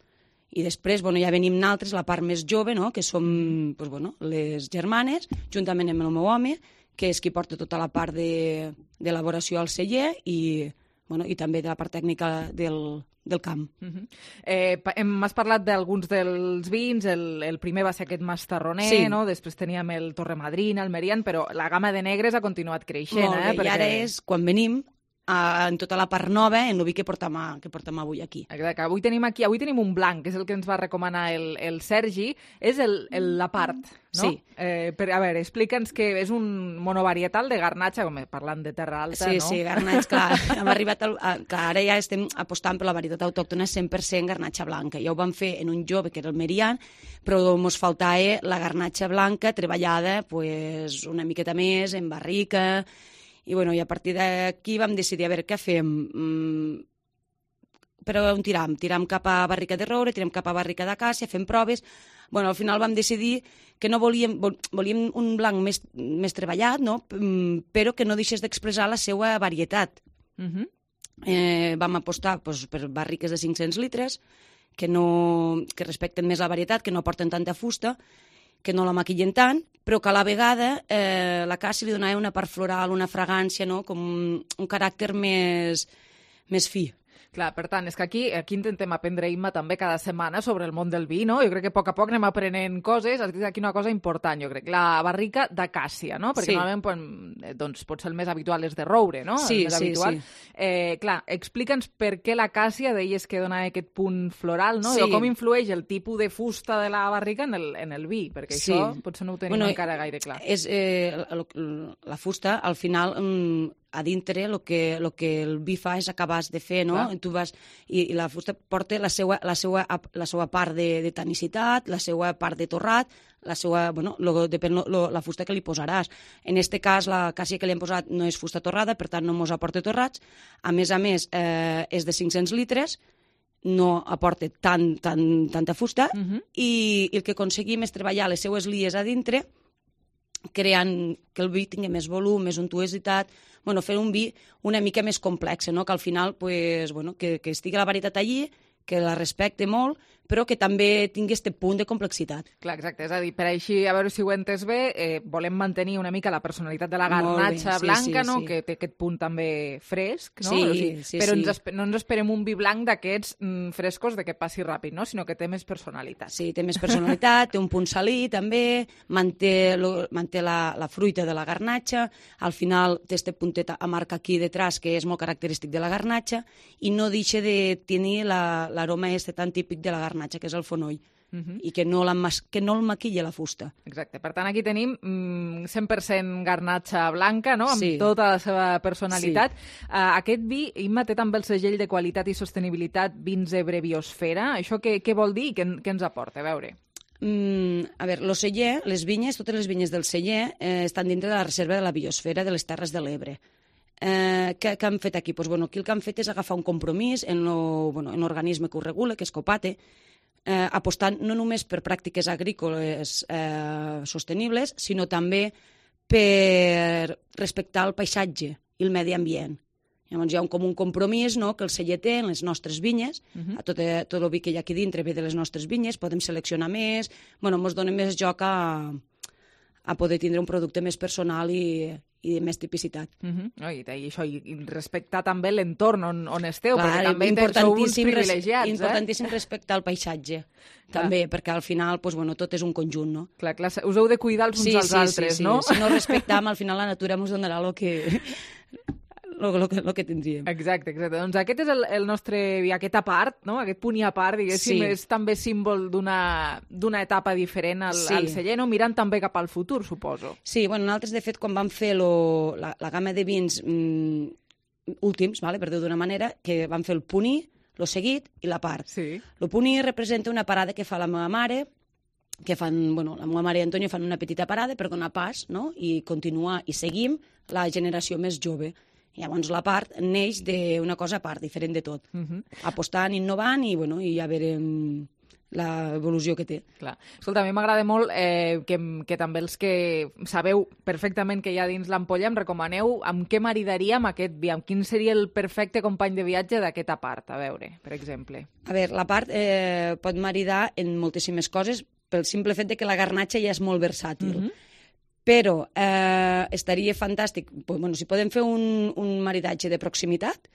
I després, bueno, ja venim nosaltres, la part més jove, no?, que som, pues, bueno, les germanes, juntament amb el meu home, que és qui porta tota la part d'elaboració al celler i, bueno, i també de la part tècnica del, del camp. Uh-huh. eh, M'has parlat d'alguns dels vins, el, el primer va ser aquest Mastarroner, sí. no? Després teníem el Torre Madrina, el Merian, però la gamma de negres ha continuat creixent. Molt bé, eh? Perquè... i ara és quan venim a, en tota la part nova, en el vi que portem, a, que portem avui aquí. Exacte, avui tenim aquí, avui tenim un blanc, que és el que ens va recomanar el, el Sergi, és el, el, la part, no? Sí. Eh, per, a veure, explica'ns que és un monovarietal de garnatxa, com parlant de terra alta, sí, no? Sí, sí, garnatx, clar. Hem arribat al, a, clar, ara ja estem apostant per la varietat autòctona cent per cent garnatxa blanca. Ja ho vam fer en un jove, que era el Merian, però ens faltava la garnatxa blanca treballada pues, una miqueta més, en barrica. I, bueno, i a partir d'aquí vam decidir a veure què fem. Mm, però on tiram? Tiram cap a barrica de roure, tiram cap a barrica d'acàcia, fem proves. Bueno, al final vam decidir que no volíem, volíem un blanc més, més treballat, no? Però que no deixés d'expressar la seva varietat. Uh-huh. eh, vam apostar pues, per barriques de cinc-cents litres, que, no, que respecten més la varietat, que no aporten tanta fusta, que no la maquillen tant, però que a la vegada eh, la càssia li donava una part floral, una fragància, no? Com un, un caràcter més, més fi. Clar, per tant, és que aquí, aquí intentem aprendre, Imma, també cada setmana sobre el món del vi, no? Jo crec que a poc a poc anem aprenent coses. Has dit aquí una cosa important, jo crec. La barrica d'acàcia, no? Perquè sí. normalment doncs, pot ser el més habitual és de roure, no? Sí, el més sí, habitual. sí. Eh, clar, explica'ns per què l'acàcia deies que dona aquest punt floral, no? Sí. O com influeix el tipus de fusta de la barrica en el, en el vi, perquè sí. això potser no ho tenim bueno, encara gaire clar. És, eh, la, la fusta, al final... Mm, a dintre el que, lo que el vi fa és acabar de fer, no? Clar. Tu vas, i, i la fusta porta la seva, la seva, la seva part de, de tanicitat, la seva part de torrat, la seva, bueno, lo, depèn lo, lo, la fusta que li posaràs. En este cas, la càssia que li hem posat no és fusta torrada, per tant no mos aporta torrats. A més a més, eh, és de cinc-cents litres, no aporta tant, tant, tanta fusta, Uh-huh. i, i el que aconseguim és treballar les seues lies a dintre, creant que el vi tingui més volum, més untuositat, bueno, fer un vi una mica més complex, no? Que al final pues, bueno, que, que estigui la varietat allí, que la respecte molt, però que també tingui aquest punt de complexitat. Clar, exacte. És a dir, per així, a veure si ho he entès bé, eh, volem mantenir una mica la personalitat de la garnatxa sí, blanca, sí, no? Sí. Que té aquest punt també fresc, no? Sí, o sigui, sí, però sí. Ens espe- no ens esperem un vi blanc d'aquests mm, frescos de que passi ràpid, no? Sinó que té més personalitat. Sí, té més personalitat, té un punt salí també, manté, lo, manté la, la fruita de la garnatxa, al final té este puntet a marca aquí detrás que és molt característic de la garnatxa i no deixa de tenir la, l'aroma este tan típic de la garnatxa, que és el fonoll. Uh-huh. I que no, la mas- que no el maquilla la fusta. Exacte. Per tant, aquí tenim mm, cent per cent garnatxa blanca, no? Amb Sí. tota la seva personalitat. Sí. Uh, aquest vi, Imma, té també el segell de qualitat i sostenibilitat Vins Ebre Biosfera. Això què, què vol dir i què, què ens aporta? A veure... Mm, a veure, el celler, les vinyes, totes les vinyes del celler eh, estan dintre de la reserva de la biosfera de les Terres de l'Ebre. Eh, què, què han fet aquí? Pues, bueno, aquí el que han fet és agafar un compromís en l'organisme bueno, que ho regula, que és Copate, eh, apostant no només per pràctiques agrícoles eh, sostenibles, sinó també per respectar el paisatge i el medi ambient. Llavors hi ha un, com un compromís, no?, que el celler té en les nostres vinyes, Uh -huh. a tot, eh, tot el vi que hi ha aquí dintre ve de les nostres vinyes, podem seleccionar més, bueno, ens dona més joc a, a poder tindre un producte més personal i, i de més tipicitat. Uh -huh. I, i això, i, i respectar també l'entorn on, on esteu, Clar, perquè també sou uns privilegiats. Res, importantíssim eh? respectar el paisatge, clar. També, perquè al final pues, bueno, tot és un conjunt, no? Clar, clar, us heu de cuidar els uns sí, als sí, altres, sí, sí. no? Si no respectam, al final la natura ens donarà el que... Lo, lo, que, lo que tindríem. Exacte, exacte. Doncs aquest és el, el nostre, aquesta part, no? Aquest punt i a part, diguéssim, sí. És també símbol d'una etapa diferent al, sí. al celler, no? Mirant també cap al futur, suposo. Sí, bueno, nosaltres, de fet, quan vam fer lo, la, la gamma de vins mmm, últims, vale, per dir d'una manera, que vam fer el puní, lo seguit i la part. Sí. El puní representa una parada que fa la meva mare, que fan, bueno, la meva mare i Antonio fan una petita parada per donar pas, no?, i continuar, i seguim la generació més jove. Llavors la part neix d'una cosa a part, diferent de tot. Uh -huh. Apostant, innovant i, bueno, i ja veurem l'evolució que té. Clar. Escolta, a mi m'agrada molt eh, que, que també els que sabeu perfectament que hi ha dins l'ampolla em recomaneu amb què maridaríem aquest vi, amb quin seria el perfecte company de viatge d'aquesta part, a veure, per exemple. A veure, la part eh, pot maridar en moltíssimes coses pel simple fet de que la garnatxa ja és molt versàtil. Uh -huh. Però eh, estaria fantàstic, bueno, si podem fer un, un maridatge de proximitat,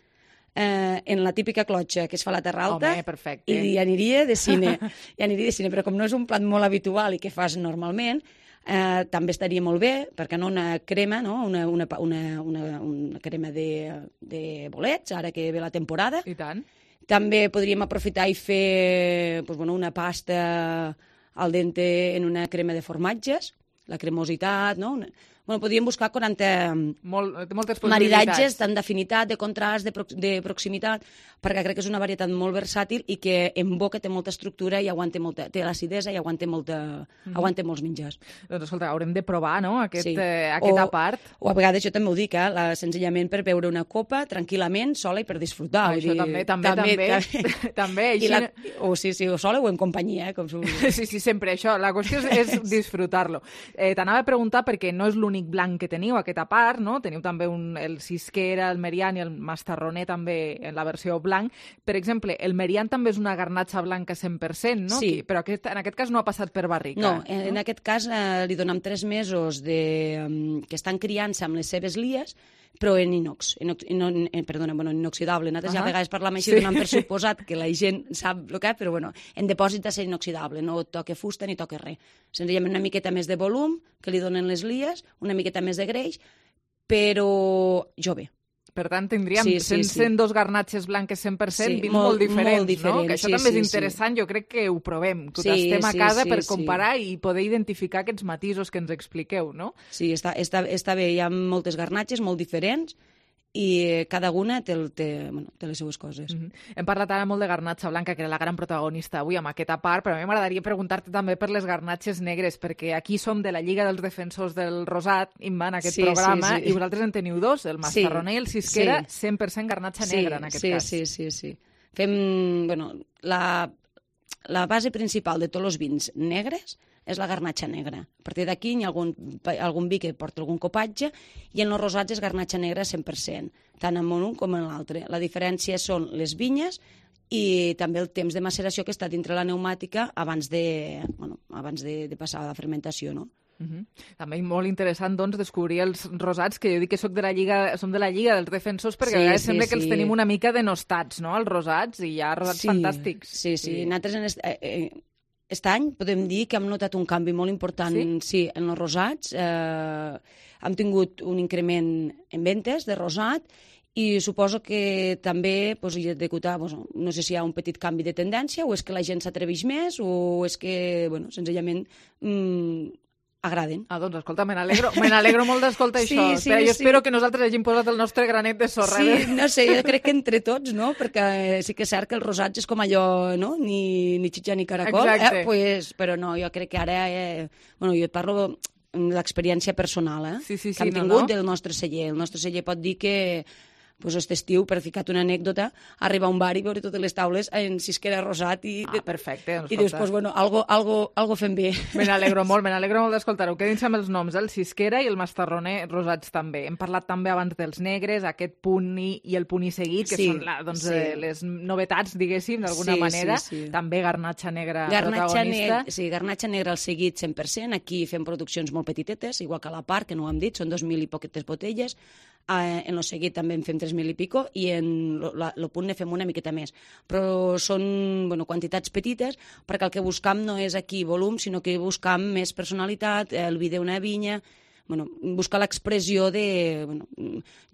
eh, en la típica clotxa que es fa a la Terra Alta, home, perfecte. I aniria de cine, i aniria de cine, però com no és un plat molt habitual i que fas normalment, eh, també estaria molt bé, perquè no una crema, no? una, una, una, una, una crema de, de bolets, ara que ve la temporada. I tant. També podríem aprofitar i fer pues, bueno, una pasta al dente en una crema de formatges, la cremositat, no? Bueno, podríem buscar quaranta Molt, moltes maridatges, tant d'afinitat, de contrast, de, prox de proximitat, perquè crec que és una varietat molt versàtil i que en boca té molta estructura i aguanta molta, té l'acidesa i aguanta, molta, mm -hmm. aguanta molts menjars. Doncs escolta, haurem de provar, no?, Aquest, sí. eh, aquesta o, part. O a vegades jo també ho dic, eh? la, senzillament per beure una copa tranquil·lament, sola i per disfrutar. Això dir, també, també, també. també. també així... la, o sí, sí, o sola o en companyia, eh? Com sí, sí, sempre això. La qüestió és, és disfrutar-lo. Eh, T'anava a preguntar perquè no és l'únic blanc que teniu, aquesta part, no? Teniu també un, el Cisquera, el Merian i el Mastarroner també en la versió blanc. Per exemple, el Merian també és una garnatxa blanca cent per cent, no? Sí. Però aquest, en aquest cas no ha passat per barrica. No, en, no? en aquest cas eh, li donem tres mesos de, um, que estan criant-se amb les seves lies, però en inox, inox no, en, perdona, bueno, en inoxidable. Nosaltres uh -huh. ja a vegades parlam així, sí. donant per suposat que la gent sap el que és, però bueno, en depòsit de ser inoxidable, no toca fusta ni toca res. Senzillament una miqueta més de volum, que li donen les lies, una miqueta més de greix, però jove. Per tant, tindríem sí, sí, cent, sí. cent dos garnatxes blanques cent per cent, sí, vins molt, molt diferents, molt diferents, no? Que això sí, també sí, és interessant, sí. jo crec que ho provem, que ho sí, tastem a casa sí, per sí, comparar sí. i poder identificar aquests matisos que ens expliqueu, no? Sí, està, està, està bé, hi ha moltes garnatxes molt diferents, i cada una té, el, té, bueno, té les seues coses. Mm -hmm. Hem parlat ara molt de garnatxa blanca, que era la gran protagonista avui amb aquesta part, però a mi m'agradaria preguntar-te també per les garnatxes negres, perquè aquí som de la Lliga dels Defensors del Rosat, Imma, en aquest sí, programa, sí, sí. i vosaltres en teniu dos, el Mastarroner i el Cisquera, sí. cent per cent garnatxa sí, negra, en aquest sí, cas. Sí, sí, sí. Fem, bueno, la, la base principal de tots els vins negres és la garnatxa negra. A partir d'aquí hi ha algun, algun vi que porta algun copatge i en els rosats és garnatxa negra cent per cent, tant en un com en l'altre. La diferència són les vinyes i també el temps de maceració que està dintre la pneumàtica abans de, bueno, abans de, de passar a la fermentació, no? Uh -huh. També molt interessant, doncs, descobrir els rosats, que jo dic que soc de la Lliga, som de la Lliga dels Defensors, perquè sí, a vegades sí, sembla que sí. els tenim una mica denostats, no?, els rosats, i hi ha rosats sí, fantàstics. Sí, sí, sí. Nosaltres en est, eh, eh, Aquest any podem dir que hem notat un canvi molt important sí? Sí, en els rosats. Eh, hem tingut un increment en ventes de rosat i suposo que també pues, hi ha degut, pues, no sé si hi ha un petit canvi de tendència o és que la gent s'atreveix més o és que, bueno, senzillament mm, agraden. Ah, doncs, escolta, me n'alegro me n'alegro molt d'escoltar sí, això. Sí, Espera, jo sí. espero que nosaltres hagin posat el nostre granet de sorra. Sí, no sé, jo crec que entre tots, no? Perquè sí que és cert que el rosatge és com allò, no? Ni, ni xitxa ni caracol. Exacte. Eh? Pues, però no, jo crec que ara... Eh, bueno, jo et parlo de l'experiència personal, eh? Sí, sí, sí, que hem no, tingut no? del nostre celler. El nostre celler pot dir que pues, aquest estiu, per ficar-te una anècdota, arribar a un bar i veure totes les taules en cisquera rosat i... Ah, perfecte. Doncs, I dius, pues, bueno, algo, algo, algo fem bé. Me n'alegro molt, me n'alegro molt d'escoltar-ho. Quedin-se amb els noms, el cisquera i el mastarroner rosats també. Hem parlat també abans dels negres, aquest punt i, i el punt i seguit, que sí, són la, doncs, sí. eh, les novetats, diguéssim, d'alguna sí, manera. Sí, sí. També garnatxa negra garnatxa protagonista. Ne sí, garnatxa negra al seguit cent per cent. Aquí fem produccions molt petitetes, igual que a la part, que no ho hem dit, són dos mil i poquetes botelles. Eh, en el seguit també en fem tres mil i pico i en el punt ne fem una miqueta més. Però són bueno, quantitats petites perquè el que buscam no és aquí volum, sinó que buscam més personalitat, el vi d'una vinya, bueno, buscar l'expressió de bueno,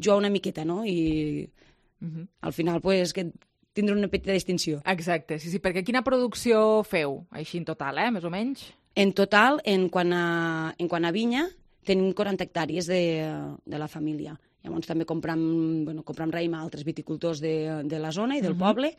jugar una miqueta, no? I uh -huh. al final pues, que tindrà una petita distinció. Exacte, sí, sí, perquè quina producció feu, així en total, eh, més o menys? En total, en quant a, en quant a vinya, tenim quaranta hectàrees de, de la família. Llavors també compram, bueno, compram raïm a altres viticultors de, de la zona i del uh -huh. poble.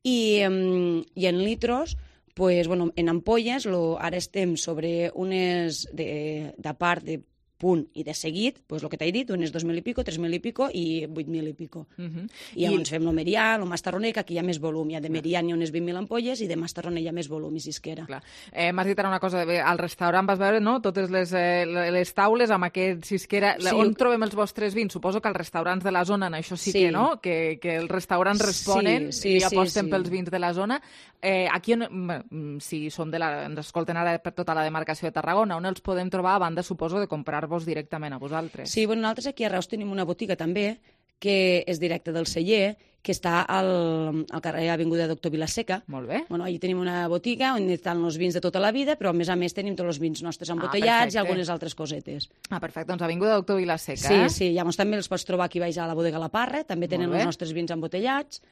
I, um, I en litros, pues, bueno, en ampolles, lo, ara estem sobre unes de, de part de punt i de seguit, pues, el que t'he dit, unes dos mil i pico, tres mil i pico i vuit mil i pico. Uh -huh. I llavors I... fem el merià, el mastarroner, que aquí hi ha més volum. Hi ha de merià n'hi ha unes vint mil ampolles i de mastarroner hi ha més volum i cisquera. Clar. Eh, M'has dit ara una cosa, al restaurant vas veure no? totes les, eh, les taules amb aquest cisquera. Sí. On trobem els vostres vins? Suposo que als restaurants de la zona, en això sí, sí. que no, que, que els restaurants responen sí, sí, i aposten sí, sí. pels vins de la zona. Eh, aquí, on, si som de la, ens escolten ara per tota la demarcació de Tarragona, on els podem trobar a banda, suposo, de comprar-vos directament a vosaltres? Sí, bueno, nosaltres aquí a Reus tenim una botiga també, que és directa del celler, que està al, al carrer Avinguda Doctor Vilaseca. Molt bé. Bueno, allà tenim una botiga on estan els vins de tota la vida, però a més a més tenim tots els vins nostres embotellats ah, i algunes altres cosetes. Ah, perfecte. Doncs Avinguda Doctor Vilaseca, sí, eh? Sí, sí. Llavors també els pots trobar aquí baix a la bodega La Parra, també tenen els nostres vins embotellats,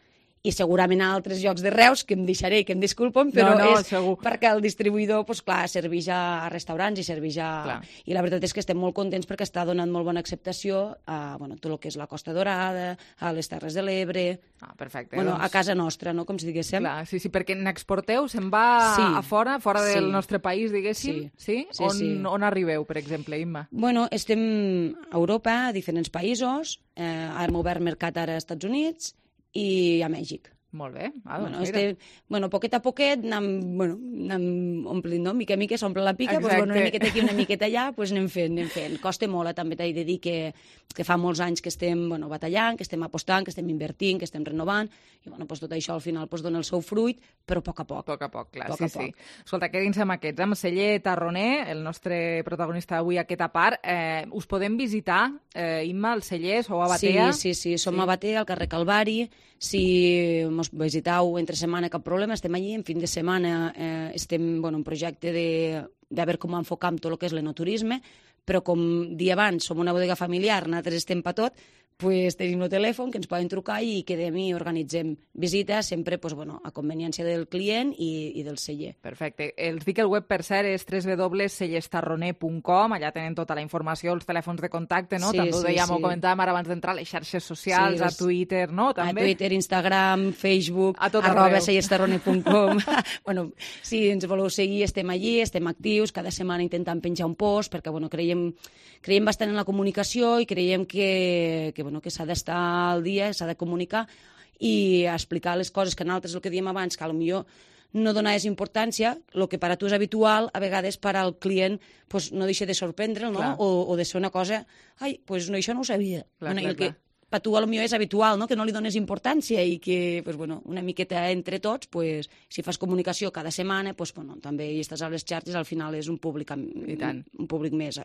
i segurament a altres llocs de Reus, que em deixaré i que em disculpen, però no, no, és segur. perquè el distribuïdor, pues, clar, serveix a restaurants i serveix a... Clar. I la veritat és que estem molt contents perquè està donant molt bona acceptació a bueno, tot el que és la Costa Dorada, a les Terres de l'Ebre... Ah, perfecte. Bueno, doncs... a casa nostra, no?, com si diguéssim. Clar, sí, sí, perquè n'exporteu, se'n va sí. a fora, fora sí. del nostre país, diguéssim? Sí. Sí? sí, on, sí. on arribeu, per exemple, Imma? Bueno, estem a Europa, a diferents països, eh, hem obert mercat ara als Estats Units i a Mèxic. Molt bé. Ah, doncs bueno, mira. este, bueno, poquet a poquet anem, bueno, anem omplint, no? Mica a mica s'omple la pica, pues, bueno, una miqueta aquí, una miqueta allà, pues anem fent, anem fent. Costa molt, eh? També t'he de dir que, que fa molts anys que estem bueno, batallant, que estem apostant, que estem invertint, que estem renovant, i bueno, pues, tot això al final pues, dona el seu fruit, però a poc a poc. A poc a poc, clar, poc sí, a poc. sí. Escolta, quedin-se amb aquests, amb Celler Tarroner, el nostre protagonista d'avui a aquesta part. Eh, us podem visitar, eh, Imma, al celler, sou a Batea? Sí, sí, sí, som sí. a Batea, al carrer Calvari. Si ens visiteu entre setmana, cap problema, estem allí. En fin de setmana eh, estem bueno, en projecte de, de veure com enfocam tot el que és l'enoturisme, però com dia abans som una bodega familiar, nosaltres estem per tot, pues, tenim el telèfon que ens poden trucar i quedem i organitzem visites sempre pues, bueno, a conveniència del client i, i del celler. Perfecte. Els dic el web, per cert, és w w w punt cellestarroner punt com. Allà tenen tota la informació, els telèfons de contacte, no? Sí, també ho sí, dèiem, sí. ho comentàvem ara abans d'entrar, les xarxes socials, sí, les... a Twitter, no? També. A Twitter, Instagram, Facebook, a tot arroba cellestarroner punt com. Bueno, si ens voleu seguir, estem allí, estem actius, cada setmana intentem penjar un post, perquè bueno, creiem, creiem bastant en la comunicació i creiem que, que, bueno, que s'ha d'estar al dia, s'ha de comunicar i explicar les coses que nosaltres, el que diem abans, que potser no donaves importància, el que per a tu és habitual, a vegades per al client pues, no deixa de sorprendre'l, no? O, o de ser una cosa, ai, pues, no, això no ho sabia. Clar, bueno, clar, el que clar. per tu potser és habitual, no? Que no li dones importància i que pues, bueno, una miqueta entre tots, pues, si fas comunicació cada setmana, pues, bueno, també hi estàs a les xarxes, al final és un públic, I tant. un públic més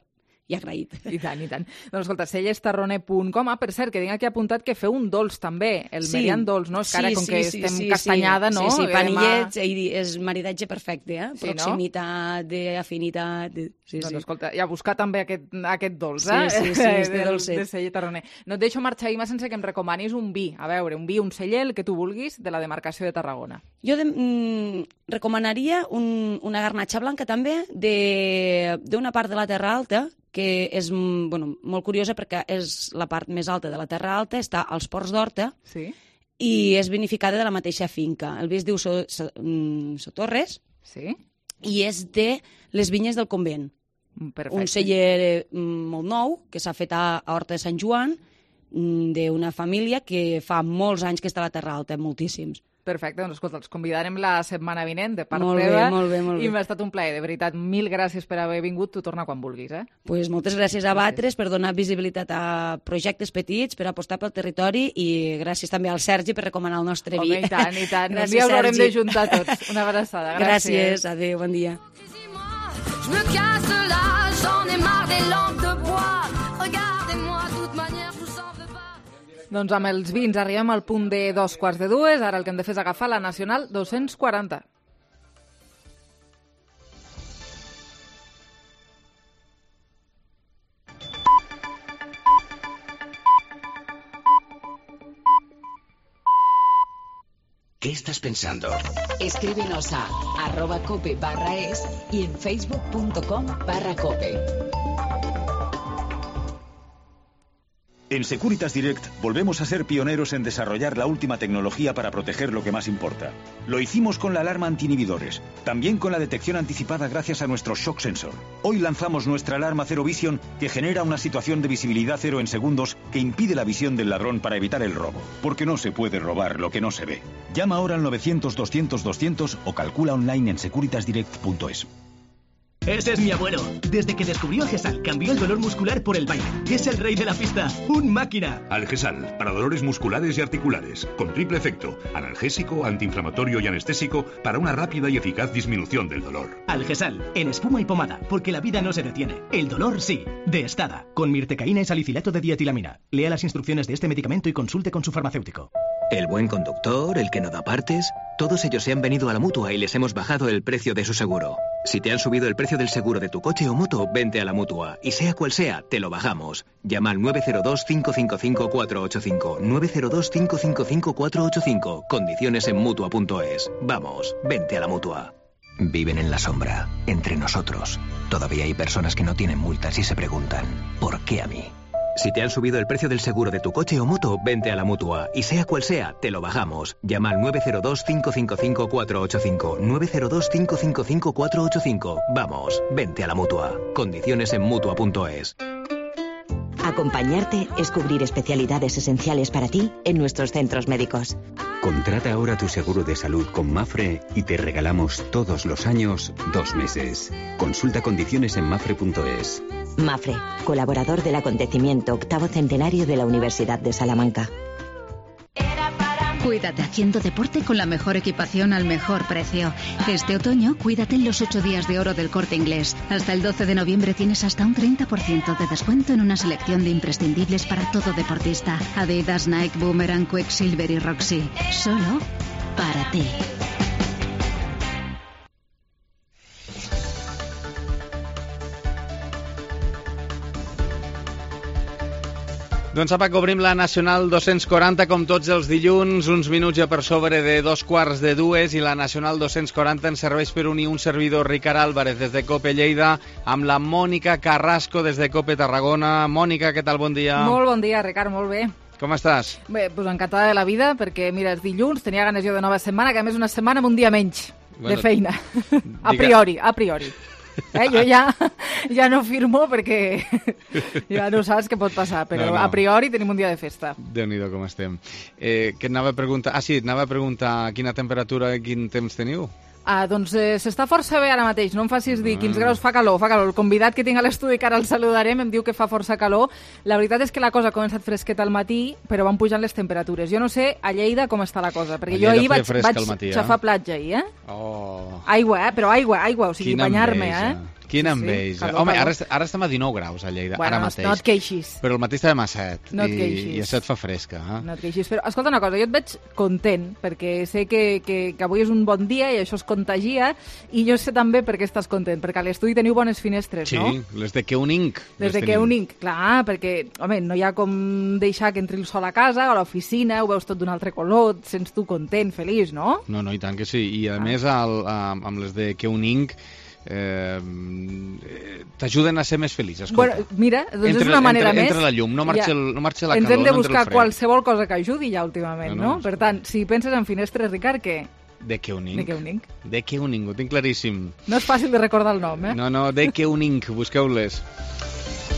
i agraït. I tant, i tant. Doncs escolta, cellestarroner punt com. Ah, per cert, que tinc aquí apuntat que feu un dolç també, el Sí. merian dolç, no? És que ara, Sí, com sí, que sí, estem sí, castanyada, sí. no? Sí, sí, Eh, panillets, mà- i és maridatge perfecte, eh? Sí, no? Proximitat, d'afinitat... De... Sí, doncs sí. escolta, ja buscar també aquest, aquest dolç, Sí, eh? sí, sí, este Del- dolcet. de celler Tarroner. No et deixo marxar, Imma, sense que em recomanis un vi. A veure, un vi, un celler, el que tu vulguis, de la demarcació de Tarragona. Jo de, mm, recomanaria un, una garnatxa blanca també de- d'una part de la Terra Alta, que és mm, bueno, molt curiosa perquè és la part més alta de la Terra Alta, està als Ports d'Horta, Sí? i és vinificada de la mateixa finca. El vi es diu So, so, mm, Sotorres, Sí? i és de les vinyes del convent. Perfecte. Un celler eh, molt nou, que s'ha fet a, a Horta de Sant Joan, d'una família que fa molts anys que està a la Terra Alta, moltíssims. Perfecte, doncs escolta, els convidarem la setmana vinent de part molt teva. Bé, molt bé, molt bé. I m'ha estat un plaer, de veritat. Mil gràcies per haver vingut, tu torna quan vulguis. Eh? Pues moltes gràcies a Batres per donar visibilitat a projectes petits, per apostar pel territori i gràcies també al Sergi per recomanar el nostre vi. Home, i tant, i tant. Gràcies, un dia haurem Sergi. de juntar tots. Una abraçada. Gràcies. Gràcies, adéu, bon dia. Je me casse là, j'en ai marre des lampes de bois. Regardez-moi, de toute manière, je vous en veux pas. Doncs amb els vins arribem al punt de dos quarts de dues. Ara el que hem de fer és agafar la Nacional dos-cents quaranta. ¿Qué estás pensando? Escríbenos a arroba cope barra es y en facebook punto com barra cope. En Securitas Direct volvemos a ser pioneros en desarrollar la última tecnología para proteger lo que más importa. Lo hicimos con la alarma anti-inhibidores, también con la detección anticipada gracias a nuestro Shock Sensor. Hoy lanzamos nuestra alarma Zero Vision que genera una situación de visibilidad cero en segundos que impide la visión del ladrón para evitar el robo. Porque no se puede robar lo que no se ve. Llama ahora al novecientos doscientos doscientos o calcula online en securitas direct punto es. Ese es mi abuelo. Desde que descubrió Algesal, cambió el dolor muscular por el baile. Es el rey de la pista. ¡Un máquina! Algesal, para dolores musculares y articulares, con triple efecto, analgésico, antiinflamatorio y anestésico, para una rápida y eficaz disminución del dolor. Algesal, en espuma y pomada, porque la vida no se detiene. El dolor sí. De Estada, con mirtecaína y salicilato de dietilamina. Lea las instrucciones de este medicamento y consulte con su farmacéutico. El buen conductor, el que no da partes, todos ellos se han venido a la Mutua y les hemos bajado el precio de su seguro. Si te han subido el precio del seguro de tu coche o moto, vente a la Mutua. Y sea cual sea, te lo bajamos. Llama al nueve cero dos, cinco cinco cinco, cuatro ocho cinco. nueve cero dos, cinco cinco cinco, cuatro ocho cinco. Condiciones en Mutua punto es. Vamos, vente a la Mutua. Viven en la sombra, entre nosotros. Todavía hay personas que no tienen multas y se preguntan, ¿por qué a mí? Si te han subido el precio del seguro de tu coche o moto, vente a la Mutua. Y sea cual sea, te lo bajamos. Llama al nueve cero dos, cinco cinco cinco, cuatro ocho cinco. nueve cero dos, cinco cinco cinco, cuatro ocho cinco. Vamos, vente a la Mutua. Condiciones en Mutua punto es. Acompañarte es cubrir especialidades esenciales para ti en nuestros centros médicos. Contrata ahora tu seguro de salud con Mafre y te regalamos todos los años dos meses. Consulta condiciones en mafre punto es. Mafre, colaborador del acontecimiento octavo centenario de la Universidad de Salamanca. Cuídate haciendo deporte con la mejor equipación al mejor precio. Este otoño, cuídate en los ocho días de oro del Corte Inglés. Hasta el doce de noviembre tienes hasta un treinta por ciento de descuento en una selección de imprescindibles para todo deportista. Adidas, Nike, Boomerang, Quicksilver y Roxy. Solo para ti. Doncs apa, que obrim la Nacional dos-cents quaranta com tots els dilluns, uns minuts ja per sobre de dos quarts de dues, i la Nacional dos-cents quaranta ens serveix per unir un servidor, Ricard Álvarez, des de COPE Lleida, amb la Mònica Carrasco des de COPE Tarragona. Mònica, què tal? Bon dia. Molt bon dia, Ricard, molt bé. Com estàs? Bé, doncs encantada de la vida, perquè, mira, és dilluns, tenia ganes jo de nova setmana, que a més una setmana amb un dia menys bueno, de feina. A priori, a priori. Eh, jo ja, ja no firmo perquè ja no saps què pot passar, però no, no. A priori tenim un dia de festa. Déu-n'hi-do com estem. Eh, que et anava a preguntar... Ah, sí, et anava a preguntar quina temperatura i quin temps teniu. Ah, doncs eh, s'està força bé ara mateix, no em facis dir quins graus, fa calor, fa calor. El convidat que tinc a l'estudi, que ara el saludarem, em diu que fa força calor. La veritat és que la cosa ha començat fresqueta al matí, però van pujant les temperatures. Jo no sé a Lleida com està la cosa, perquè jo ahir vaig, vaig matí, xafar eh? platja ahir, eh? Oh. Aigua, eh? Però aigua, aigua, o sigui, banyar-me, eh? Quina enveja. Sí, home, ara, ara estem a dinou graus a Lleida, bueno, ara mateix. No et queixis. Però el matí estàvem a set, no i, i a set fa fresca. Eh? No et queixis. Però escolta una cosa, jo et veig content, perquè sé que, que, que avui és un bon dia i això es contagia, i jo sé també per què estàs content, perquè a l'estudi teniu bones finestres, sí, no? Sí, les de Keuning. Les de Keuning, clar, perquè, home, no hi ha com deixar que entri el sol a casa o a l'oficina, ho veus tot d'un altre color, et sents tu content, feliç, no? No, no, i tant que sí. I a ah. més, al, amb les de Keuning, Eh, t'ajuden a ser més feliç, escolta. Bueno, mira, doncs entre, és una manera entre, més. Entra la llum, no marxa, ja. el, no marxa la Ens calor, hem de no buscar qualsevol cosa que ajudi ja últimament, no? no? no? Per tant, si penses en finestres, Ricard, què? De Keuning. De Keuning. De Keuning, ho tinc claríssim. No és fàcil de recordar el nom, eh? No, no, de Keuning, busqueu-les.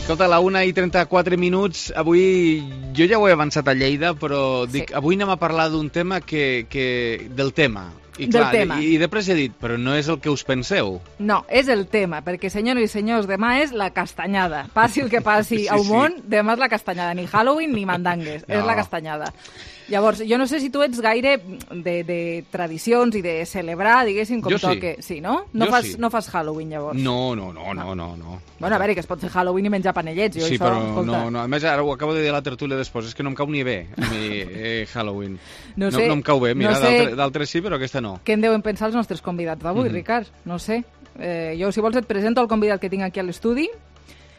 Escolta, a la una i trenta-quatre minuts, avui jo ja ho he avançat a Lleida, però dic, sí. avui anem a parlar d'un tema que, que del tema. I clar, del tema. I, i després he dit, però no és el que us penseu. No, és el tema, perquè, senyores i senyors, demà és la castanyada. Passi el que passi sí, sí, al món, sí. demà és la castanyada. Ni Halloween ni mandangues, no. és la castanyada. Llavors, jo no sé si tu ets gaire de, de tradicions i de celebrar, diguéssim, com jo toque. Sí, sí no? No jo fas, sí. no fas Halloween, llavors? No, no, no, no, no. no. Bueno, a veure, que es pot fer Halloween i menjar panellets. Jo sí, això, però escolta. no, no. A més, ara ho acabo de dir a la tertúlia després, és que no em cau ni bé, a mi, eh, Halloween. No, sé, no, no em cau bé, mira, no sé... d'altres sí, però aquesta no. Què en deuen pensar els nostres convidats d'avui, mm-hmm. Ricard? No sé. Eh, jo, si vols, et presento el convidat que tinc aquí a l'estudi.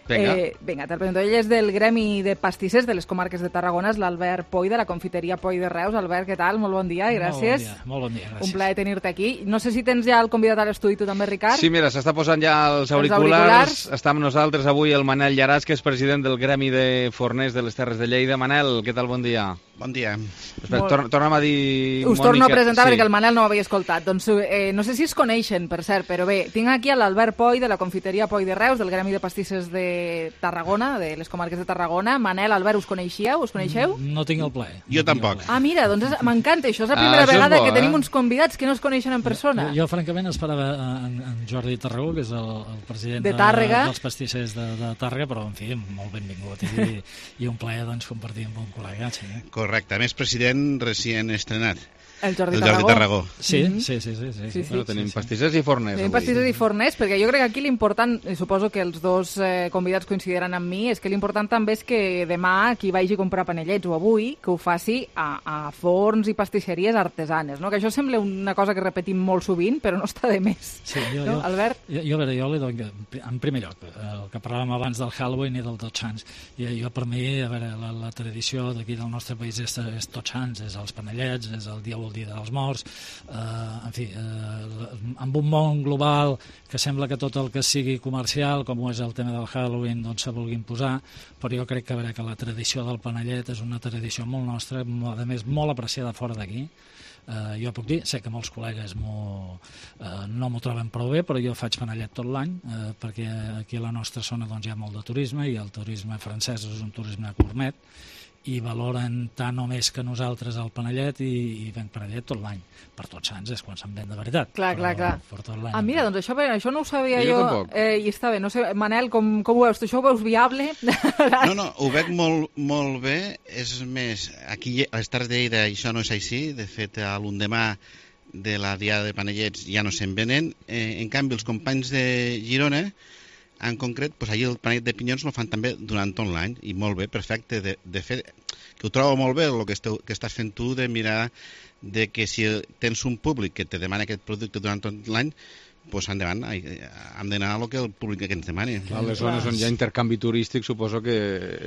Vinga. Eh, vinga, te'l presento. Ell és del Gremi de Pastissers de les comarques de Tarragona, és l'Albert Poi, de la confiteria Poi de Reus. Albert, què tal? Molt bon dia i gràcies. Molt bon dia, molt bon dia, gràcies. Un plaer tenir-te aquí. No sé si tens ja el convidat a l'estudi, tu també, Ricard? Sí, mira, s'està posant ja els auriculars. els auriculars. Està amb nosaltres avui el Manel Llaràs, que és president del Gremi de Forners de les Terres de Lleida. Manel, què tal? Bon dia. Bon dia. Espera, tor torna'm a dir... Us Mònica. torno a presentar sí. perquè el Manel no ho havia escoltat. Doncs eh, no sé si es coneixen, per cert, però bé, tinc aquí a l'Albert Poi, de la confiteria Poi de Reus, del Gremi de Pastissers de Tarragona, de les comarques de Tarragona. Manel, Albert, us coneixeu? Us coneixeu? No tinc el plaer. Jo tampoc. Ah, mira, doncs m'encanta. Això és la primera ah, vegada bo, que eh? tenim uns convidats que no es coneixen en persona. Jo, jo francament, esperava en, en Jordi Tarragó, que és el, el president de Tàrrega. de, dels pastissers de, de Tàrrega, però, en fi, molt benvingut i, i un plaer doncs, compartir amb un col·lega. Sí. Correcte. A més, president recient estrenat. El Jordi, el Tarragó. Jordi Tarragó. Sí, mm -hmm. sí, sí, sí, sí, sí, sí. Bueno, tenim sí, sí. pastissers i forners. Tenim pastissers i forners, perquè jo crec que aquí l'important, i suposo que els dos eh, convidats coincidiran amb mi, és que l'important també és que demà qui vagi a comprar panellets o avui, que ho faci a, a forns i pastisseries artesanes, no? Que això sembla una cosa que repetim molt sovint, però no està de més. Sí, jo, no, jo, Albert? Jo, jo, a veure, jo li dono, en primer lloc, el que parlàvem abans del Halloween i del Tots Sants, jo, jo per mi, a veure, la, la tradició d'aquí del nostre país és, és Tots Sants, és els panellets, és el dia o el dia dels morts. Uh, en fi, uh, amb un món global que sembla que tot el que sigui comercial, com és el tema del Halloween, doncs se vulguin posar, però jo crec que, a veure, que la tradició del panellet és una tradició molt nostra, a més molt apreciada fora d'aquí. Uh, jo puc dir, sé que molts col·legues uh, no m'ho troben prou bé, però jo faig panellet tot l'any, uh, perquè aquí a la nostra zona doncs, hi ha molt de turisme, i el turisme francès és un turisme gourmet, i valoren tant o més que nosaltres el panellet, i, i ven panellet tot l'any. Per Tots Sants és quan se'n ven de veritat. Clar, però, clar, clar. Per tot l'any. Ah, mira, doncs això, això no ho sabia jo. jo eh, I està bé, no sé, Manel, com, com ho veus? Tu això ho veus viable? No, no, ho veig molt, molt bé. És més, aquí a les Terres de Lleida això no és així. De fet, a l'endemà de la diada de panellets ja no se'n venen. Eh, en canvi, els companys de Girona, en concret, doncs allí el panellet de pinyons el fan també durant tot l'any, i molt bé, perfecte. De, de fet, que ho trobo molt bé el que, esteu, que estàs fent tu, de mirar de que si tens un públic que te demana aquest producte durant tot l'any, doncs endavant, hem d'anar al que el públic que ens demani. Clar, les zones on hi ha intercanvi turístic suposo que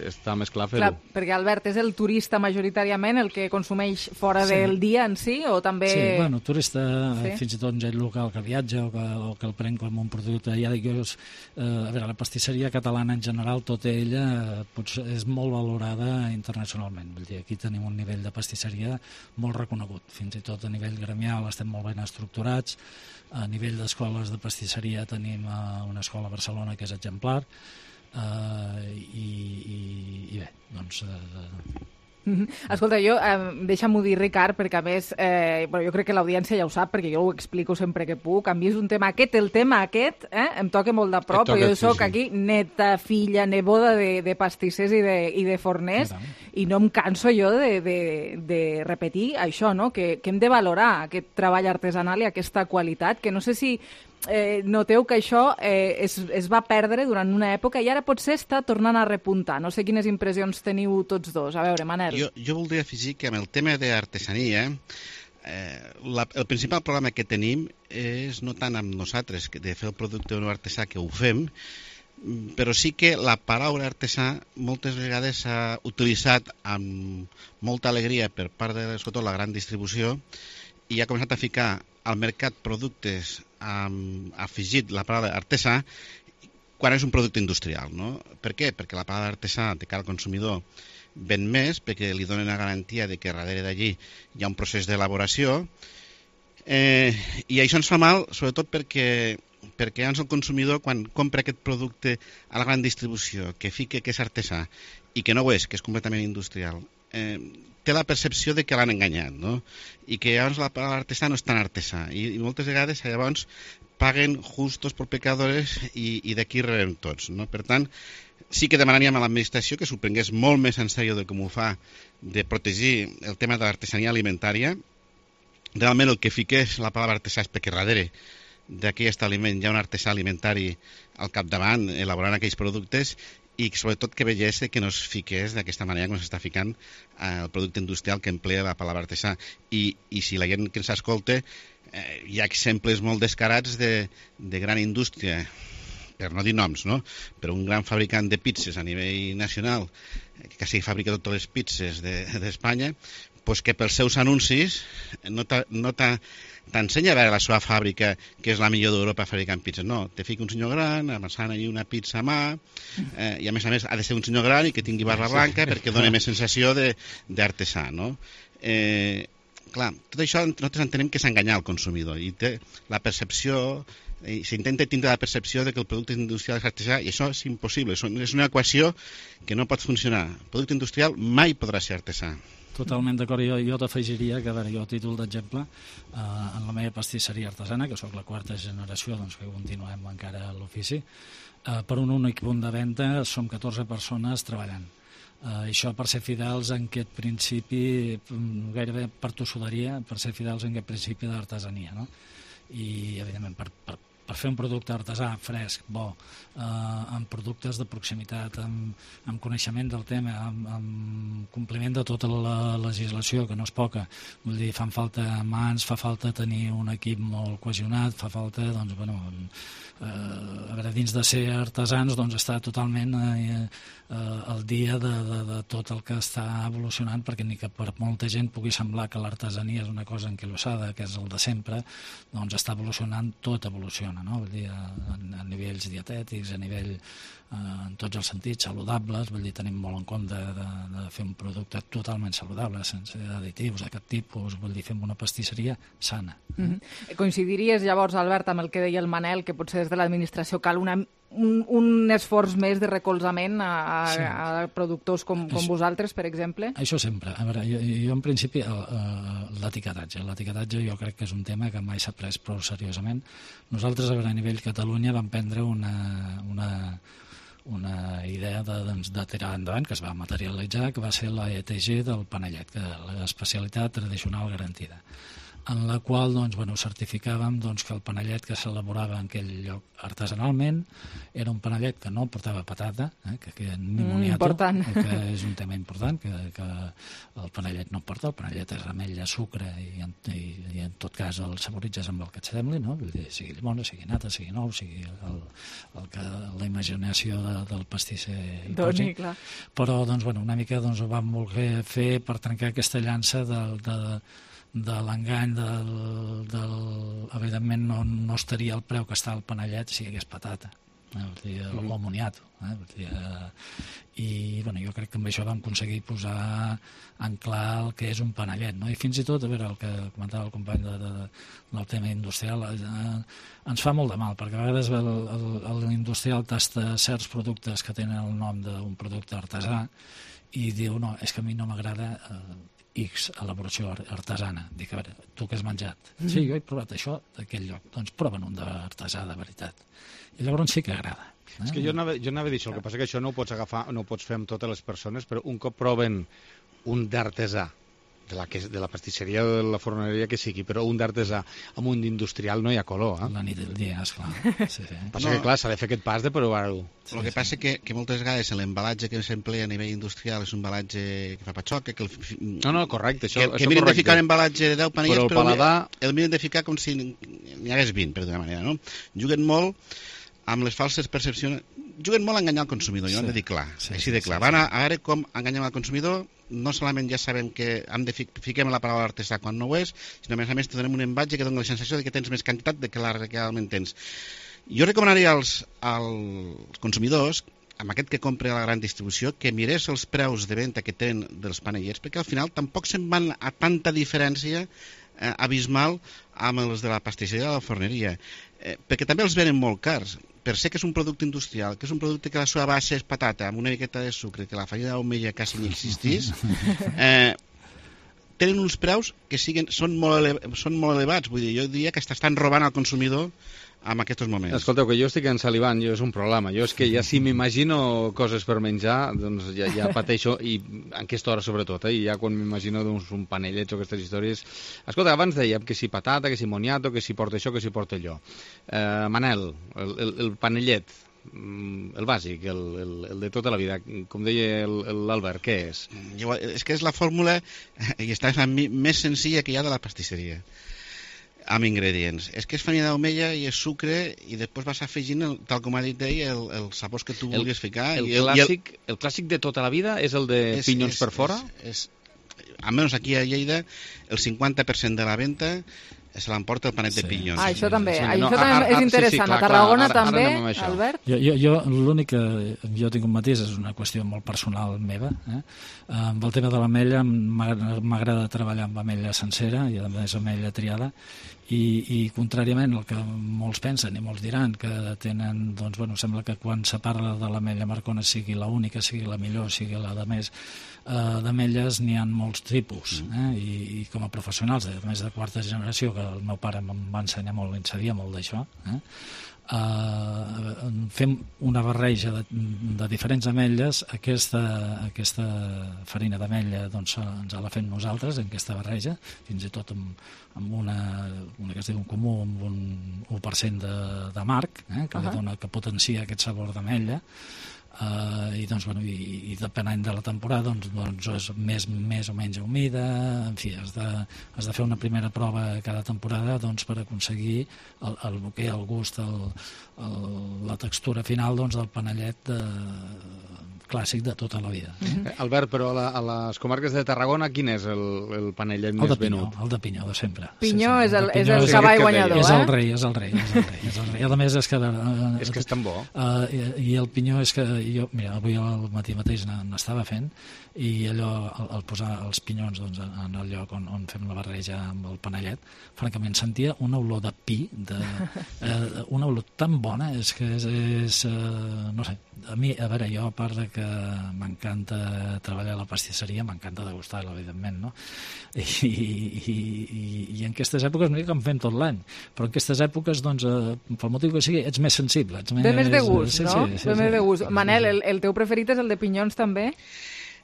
està més clar fer-ho. Clar, perquè Albert, és el turista majoritàriament el que consumeix fora sí. del dia en si, o també... Sí, bueno, turista, sí. fins i tot gent local que viatja o que, o que el pren com un producte. Ja dic jo, eh, a veure, la pastisseria catalana en general, tota ella potser és molt valorada internacionalment. Vull dir, aquí tenim un nivell de pastisseria molt reconegut. Fins i tot a nivell gremial estem molt ben estructurats. A nivell d'escoles de pastisseria tenim uh, una escola a Barcelona que és exemplar, uh, i, i, i bé, doncs... Uh, Escolta, jo, eh, deixa'm-ho dir, Ricard, perquè a més, eh, bueno, jo crec que l'audiència ja ho sap, perquè jo ho explico sempre que puc. A mi és un tema aquest, el tema aquest, eh, em toca molt de prop, però jo soc sí, sí. aquí neta, filla, neboda de, de pastissers i de, i de forners, Caram. i no em canso jo de, de, de repetir això, no? Que, que hem de valorar aquest treball artesanal i aquesta qualitat, que no sé si... Eh, noteu que això eh, es, es va perdre durant una època i ara potser està tornant a repuntar. No sé quines impressions teniu tots dos. A veure, Manel. Jo, jo voldria afegir que amb el tema d'artesania, eh, la, el principal problema que tenim és no tant amb nosaltres, que de fer el producte no artesà, que ho fem, però sí que la paraula artesà moltes vegades s'ha utilitzat amb molta alegria per part de, sobretot, la gran distribució, i ha començat a ficar al mercat productes amb afegit la paraula artesà quan és un producte industrial, no? Per què? Perquè la paraula artesà de cara al consumidor ven més, perquè li donen la garantia de que darrere d'allí hi ha un procés d'elaboració, eh, i això ens fa mal, sobretot perquè perquè llavors el consumidor, quan compra aquest producte a la gran distribució, que fica que és artesà i que no ho és, que és completament industrial, eh, té la percepció de que l'han enganyat, no? I que llavors la paraula artesà no és tan artesà. I, i moltes vegades llavors paguen justos por pecadores i, i d'aquí rebem tots, no? Per tant, sí que demanaríem a l'administració que s'ho prengués molt més en sèrio de com ho fa, de protegir el tema de l'artesania alimentària. Realment el que fiqués la paraula artesà és perquè darrere d'aquell establiment hi ha un artesà alimentari al capdavant elaborant aquells productes i sobretot que veiés que no es fiqués d'aquesta manera com s'està ficant el producte industrial que emplea la paraula artesà. I, i si la gent que ens escolta, eh, hi ha exemples molt descarats de, de gran indústria, per no dir noms, no? Però un gran fabricant de pizzas a nivell nacional, que quasi fabrica totes les pizzas d'Espanya, de, pues que pels seus anuncis no t'ensenya a veure la seva fàbrica que és la millor d'Europa fabricant pizzas. No, te fica un senyor gran, amassant allí una pizza a mà, eh, i a més a més ha de ser un senyor gran i que tingui barba blanca perquè dona més sensació d'artesà, no? Eh, clar, tot això nosaltres entenem que és enganyar el consumidor i té la percepció, i s'intenta tindre la percepció de que el producte industrial és artesà i això és impossible, és una equació que no pot funcionar. El producte industrial mai podrà ser artesà. Totalment d'acord. Jo, jo t'afegiria que, a veure, jo a títol d'exemple, eh, en la meva pastisseria artesana, que sóc la quarta generació, doncs que continuem encara a l'ofici, eh, per un únic punt de venda som catorze persones treballant. Uh, això per ser fidels en aquest principi, gairebé per tossuderia, per ser fidels en aquest principi d'artesania, no? I evidentment per, per, per fer un producte artesà, fresc, bo, eh, amb productes de proximitat, amb, amb coneixement del tema, amb, amb compliment de tota la legislació, que no és poca, vull dir, fan falta mans, fa falta tenir un equip molt cohesionat, fa falta, doncs, bueno, eh, a veure, dins de ser artesans, doncs està totalment eh, eh, al dia de, de, de tot el que està evolucionant, perquè ni que per molta gent pugui semblar que l'artesania és una cosa enquilosada, que és el de sempre, doncs està evolucionant, tot evoluciona, no? Vull dir, a, a nivells dietètics, a nivell, eh, en tots els sentits, saludables, vull dir, tenim molt en compte de, de fer un producte totalment saludable, sense additius d'aquest tipus, vull dir, fem una pastisseria sana. Mm-hmm. Coincidiries llavors, Albert, amb el que deia el Manel, que potser des de l'administració cal una Un, un esforç més de recolzament a, a, sí. a productors com, com això, vosaltres, per exemple? Això sempre. A veure, jo, jo en principi l'etiquetatge. L'etiquetatge jo crec que és un tema que mai s'ha pres prou seriosament. Nosaltres, a veure, a nivell Catalunya vam prendre una, una, una idea de, doncs, de tirar endavant, que es va materialitzar, que va ser la E T G del panellet, que l'especialitat tradicional garantida, en la qual doncs, bueno, certificàvem doncs, que el panellet que s'elaborava en aquell lloc artesanalment era un panellet que no portava patata, eh, que, que ni moniato, mm, que és un tema important, que, que el panellet no porta, el panellet és ametlla, sucre i en, i, i en tot cas el saboritzes amb el que et sembli, no? Vull dir, sigui llimona, sigui nata, sigui nou, sigui el, el que, la imaginació de, del pastisser hi posi. Clar. Però doncs, bueno, una mica doncs, ho vam voler fer per trencar aquesta llança del, de, de de l'engany del, del... evidentment no, no estaria el preu que està el panellet si hi hagués patata, eh? Vull dir, mm. o moniato, eh? Vull dir, eh? I bueno, jo crec que amb això vam aconseguir posar en clar el que és un panellet, no? I fins i tot, a veure, el que comentava el company de, de, del tema industrial, eh, ens fa molt de mal, perquè a vegades l'industrial tasta certs productes que tenen el nom d'un producte artesà i diu, no, és que a mi no m'agrada eh, X elaboració artesana. Dic, a veure, tu què has menjat? Mm. Sí, jo he provat això d'aquell lloc. Doncs proven un d'artesà de veritat. I llavors sí que agrada. Eh? És que jo anava, jo anava a dir això, el que passa que això no ho pots agafar, no ho pots fer amb totes les persones, però un cop proven un d'artesà, de la, que, de la pastisseria o de la forneria que sigui, però un d'artesà amb un d'industrial no hi ha color. Eh? La nit del dia, esclar. Sí, sí. Passa no, que, clar, s'ha de fer aquest pas de provar-ho. Sí, el que sí. passa és que, que moltes vegades l'embalatge que s'emplea a nivell industrial és un embalatge que fa patxoca, que el... No, no, correcte, això, que, això que miren correcte. de ficar un embalatge de deu panellets, però el, però paladar... el miren de ficar com si n'hi hagués vint, per d'una manera, no? Juguen molt amb les falses percepcions, juguen molt a enganyar el consumidor, jo sí, ho hem de dir clar, sí, així de clar. Sí, sí. Van a, a veure com enganyem el consumidor, no solament ja sabem que hem de fi, fiquem la paraula artesà quan no ho és, sinó a més a més te donem un embatge que dona la sensació de que tens més quantitat de que la realment tens. Jo recomanaria als, als consumidors, amb aquest que compra a la gran distribució, que mirés els preus de venda que tenen dels panellets, perquè al final tampoc se'n van a tanta diferència eh, abismal amb els de la pastisseria de la forneria, eh, perquè també els venen molt cars. Per ser que és un producte industrial, que és un producte que la seva base és patata amb una miqueta de sucre, que la farina d'omella quasi ni existís, eh, tenen uns preus que siguen, són, molt ele, són molt elevats. Vull dir, jo diria que estan robant al consumidor en aquests moments. Escolteu, que jo estic ensalivant, jo és un problema. Jo és que ja si m'imagino coses per menjar, doncs ja, ja pateixo, i en aquesta hora sobretot, eh? I ja quan m'imagino doncs, un panellets o aquestes històries... Escolta, abans dèiem que si patata, que si moniato, que si porta això, que si porta allò. Eh, Manel, el, el, el panellet, el bàsic, el, el, el de tota la vida, com deia l'Albert, què és? És que és la fórmula, i està més senzilla que hi ha de la pastisseria, amb ingredients. És que és farina d'omella i és sucre, i després vas afegint, el, tal com ha dit ell, el, els sabors que tu vulguis ficar. El, i el, clàssic, i el... el clàssic de tota la vida és el de és, pinyons és, per fora? És, és, almenys aquí a Lleida, el cinquanta per cent de la venda se l'emporta el panet sí. de pinyons. Ah, això també, sí, això no, també ara, és interessant. Sí, sí, clar, a Tarragona clar, ara, també, ara Albert? Jo, jo, jo l'únic que jo tinc un matís és una qüestió molt personal meva. Eh? Amb el tema de l'ametlla m'agrada treballar amb ametlla sencera i a més ametlla triada, i, i contràriament al que molts pensen i molts diran que tenen, doncs bueno, sembla que quan se parla de l'ametlla Marcona sigui la única, sigui la millor, sigui la de més, eh, d'ametlles n'hi ha molts tipus, eh? I, i com a professionals de més de quarta generació, que el meu pare em va ensenyar molt, en sabia molt d'això, eh? Uh, fem una barreja de, de diferents ametlles. Aquesta, aquesta farina d'ametlla doncs, ens la fem nosaltres en aquesta barreja, fins i tot amb, amb una, una que es diu un comú, amb un u per cent de, de marc, eh, que, uh-huh. dona, que potencia aquest sabor d'ametlla. Uh, i, doncs, bueno, i, i depenent de la temporada doncs, doncs és més, més o menys humida, en fi, has de, has de fer una primera prova cada temporada doncs, per aconseguir el, el bouquet, el gust, el, el, la textura final doncs, del panellet de, clàssic de tota la vida. Mm-hmm. Albert, però a, la, a les comarques de Tarragona quin és el, el panellet el més de Pinyó, venut? El de Pinyó, de sempre. Pinyó sí, sí. és el, el, és el cavall guanyador, és eh? el rei, és el rei, és el rei, és el rei. A més, és que... Uh, és que és tan bo. Uh, i, I el Pinyó és que jo, mira, avui al matí mateix n'estava fent, i allò, el, el posar els pinyons doncs, en el lloc on, on fem la barreja amb el panellet, francament sentia una olor de pi, de, eh, una olor tan bona, és que és, és eh, no sé, a mi, a veure, jo a part de que m'encanta treballar a la pastisseria, m'encanta degustar-la, evidentment, no? I, i, i, i en aquestes èpoques no dic que en fem tot l'any, però en aquestes èpoques, doncs, eh, pel motiu que sigui, ets més sensible. Ets més, Ve més de gust, sí, no? Sí, sí, Ve més sí. de gust. Manel, el, el teu preferit és el de pinyons també?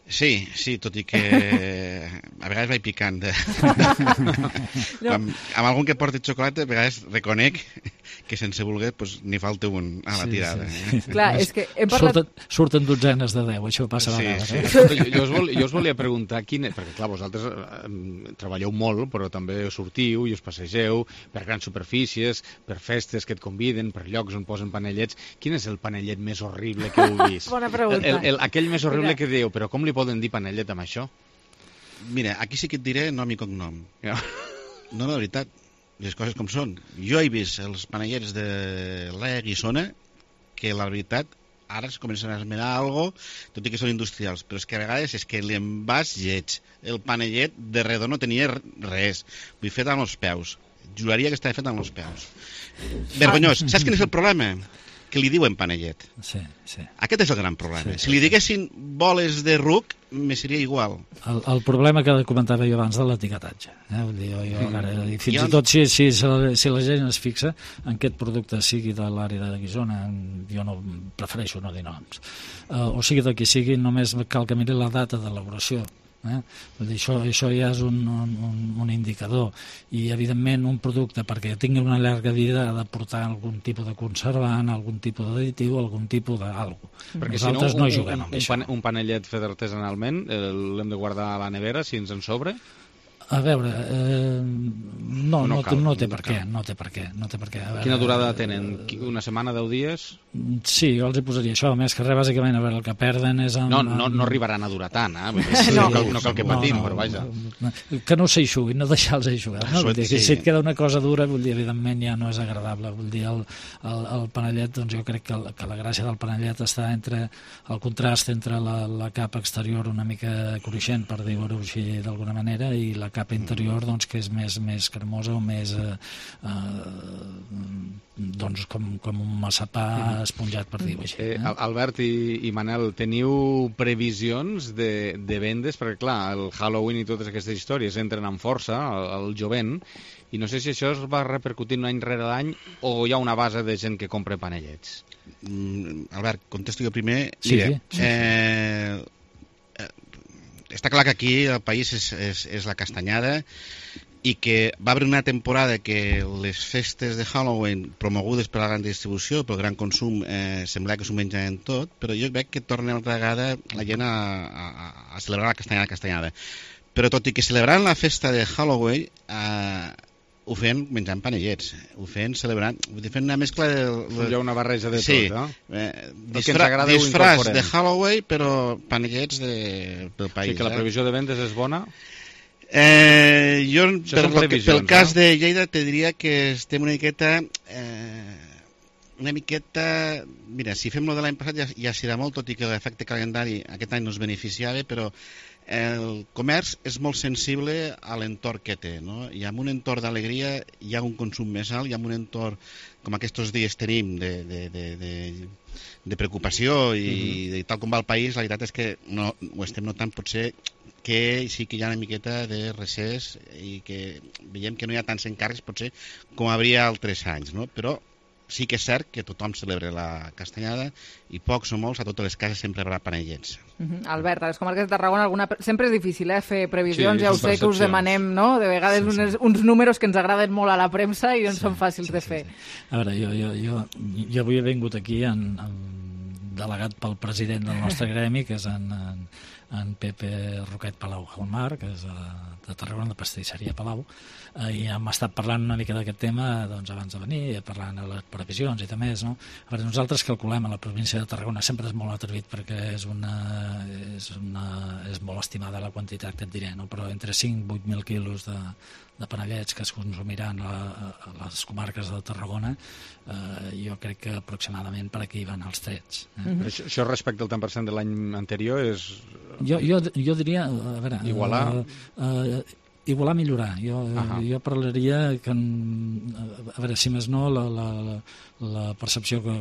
Sí, sí, tot i que a vegades vaig picant. De... no. amb, amb algun que porti xocolata, a vegades reconec que sense voler pues, n'hi falta un a la tirada. Sí, sí, sí. Clar, és que hem parlat... Surten, surten dotzenes de deu, això passa a sí, vegades. Sí. Eh? Escolta, jo, jo, us vol, jo us volia preguntar, quin, perquè clar, vosaltres eh, treballeu molt, però també sortiu i us passegeu per grans superfícies, per festes que et conviden, per llocs on posen panellets. Quin és el panellet més horrible que heu vist? Bona pregunta. El, el, aquell més horrible Mira. que dieu, però com li poden dir panellet amb això? Mira, aquí sí que et diré nom i cognom. Ja. No, la veritat, les coses com són. Jo he vist els panellets de la Guissona que la veritat ara es comencen a esmenar alguna cosa, tot i que són industrials, però és que a vegades és que l'envàs lleig, el panellet de redó no tenia res, vull fet amb els peus, juraria que estava fet amb els peus. Vergonyós. Saps quin és el problema? Que li diuen panellet. Sí, sí. Aquest és el gran problema. Sí, si li diguessin boles de ruc, me seria igual. El, el problema que comentava jo abans de l'etiquetatge. Eh? Vull dir, jo, jo, ara, i fins Jo- i tot si, si, si, la, si la gent es fixa en aquest producte sigui de l'àrea de Guissona, jo no prefereixo no dir noms. Uh, o sigui de qui sigui, només cal que miri la data d'elaboració. Eh? Vull dir, això, això ja és un, un, un indicador, i evidentment un producte perquè tingui una llarga vida ha de portar algun tipus de conservant, algun tipus d'additiu, algun tipus d'algo. Perquè Nosaltres si no, no un, juguem un, amb un, això. pan, un panellet fet artesanalment eh, l'hem de guardar a la nevera si ens en sobre? A veure, eh, no, O no no, cal, no té no per cal. què, no té per què, no té per què. A veure, Quina durada tenen? Qui- Una setmana, deu dies? Sí, jo els hi posaria això, a més que res, bàsicament, a veure, el que perden és... Amb, No, no, no arribaran a durar tant, eh? Vull dir, no, cal, no cal que patim, no, però vaja. Que no s'eixuguin, no deixar-los eixugar. No? Vull dir, que Sí. si et queda una cosa dura, vull dir, evidentment ja no és agradable. Vull dir, el, el, el panellet, doncs jo crec que, el, que la gràcia del panellet està entre el contrast entre la, la capa exterior una mica cruixent, per dir-ho així d'alguna manera, i la capa capa interior doncs, que és més, més cremosa o més eh, eh, doncs, com, com un massapà esponjat, per dir-ho així. Eh, Albert i, i Manel, teniu previsions de, de vendes? Perquè, clar, el Halloween i totes aquestes històries entren amb força al, al jovent, i no sé si això es va repercutint any rere l'any o hi ha una base de gent que compra panellets. Mm, Albert, contesto jo primer. Sí, Mira, sí, sí. Eh, eh, està clar que aquí el país és, és, és la castanyada, i que va haver una temporada que les festes de Halloween promogudes per la gran distribució, pel gran consum, eh, sembla que s'ho menjaven tot, però jo veig que torna una vegada la gent a, a, a celebrar la castanyada castanyada. Però tot i que celebrant la festa de Halloween, eh, ho feien menjant panellets, ho feien celebrant, vull dir, fent una mescla de... Hi ha una barreja de sí, tot, no? Eh, disfra, disfraç de Halloween, però panellets de, del país. Sí, que la previsió de vendes és bona? Eh, jo, per, pel cas no? de Lleida, te diria que estem una miqueta... Eh, una miqueta... Mira, si fem lo de l'any passat ja, ja serà molt, tot i que l'efecte calendari aquest any no es beneficiava, però el comerç és molt sensible a l'entorn que té, no? I en un entorn d'alegria hi ha un consum més alt, i en un entorn com aquests dies tenim de, de, de, de, de preocupació i mm-hmm. de tal com va el país, la veritat és que no, ho estem notant potser que sí que hi ha una miqueta de recés i que veiem que no hi ha tants encàrrecs potser com hauria altres anys, no? Però sí que és cert que tothom celebra la castanyada i pocs o molts, a totes les cases sempre hi haurà panellets. Uh-huh. Albert, a les comarques de Tarragona alguna... sempre és difícil eh, fer previsions, sí, ja ho sé que us demanem, no? De vegades sí, sí. Uns, uns números que ens agraden molt a la premsa i no sí, són fàcils sí, de fer. Sí, sí. A veure, jo, jo, jo, jo avui he vingut aquí en, en delegat pel president del nostre gremi, que és en, en, en Pepe Roquet Palau Gelmar, que és de, de Tarragona, de Pastisseria Palau, eh, i hem estat parlant una mica d'aquest tema doncs, abans de venir, parlant de les previsions i també més, no? A veure, nosaltres calculem a la província de Tarragona, sempre és molt atrevit perquè és, una, és, una, és molt estimada la quantitat que et diré, no? Però entre cinc i vuit mil quilos de, de panellets que es consumiran a, a les comarques de Tarragona, eh, jo crec que aproximadament per aquí van els trets. Eh? Mm-hmm. Això, això respecte al tant per cent de l'any anterior és... Jo, jo, jo diria... A veure, igualar... Uh, uh, igualar, millorar. Jo, uh-huh. jo parlaria que, a veure, si més no, la, la, la percepció que,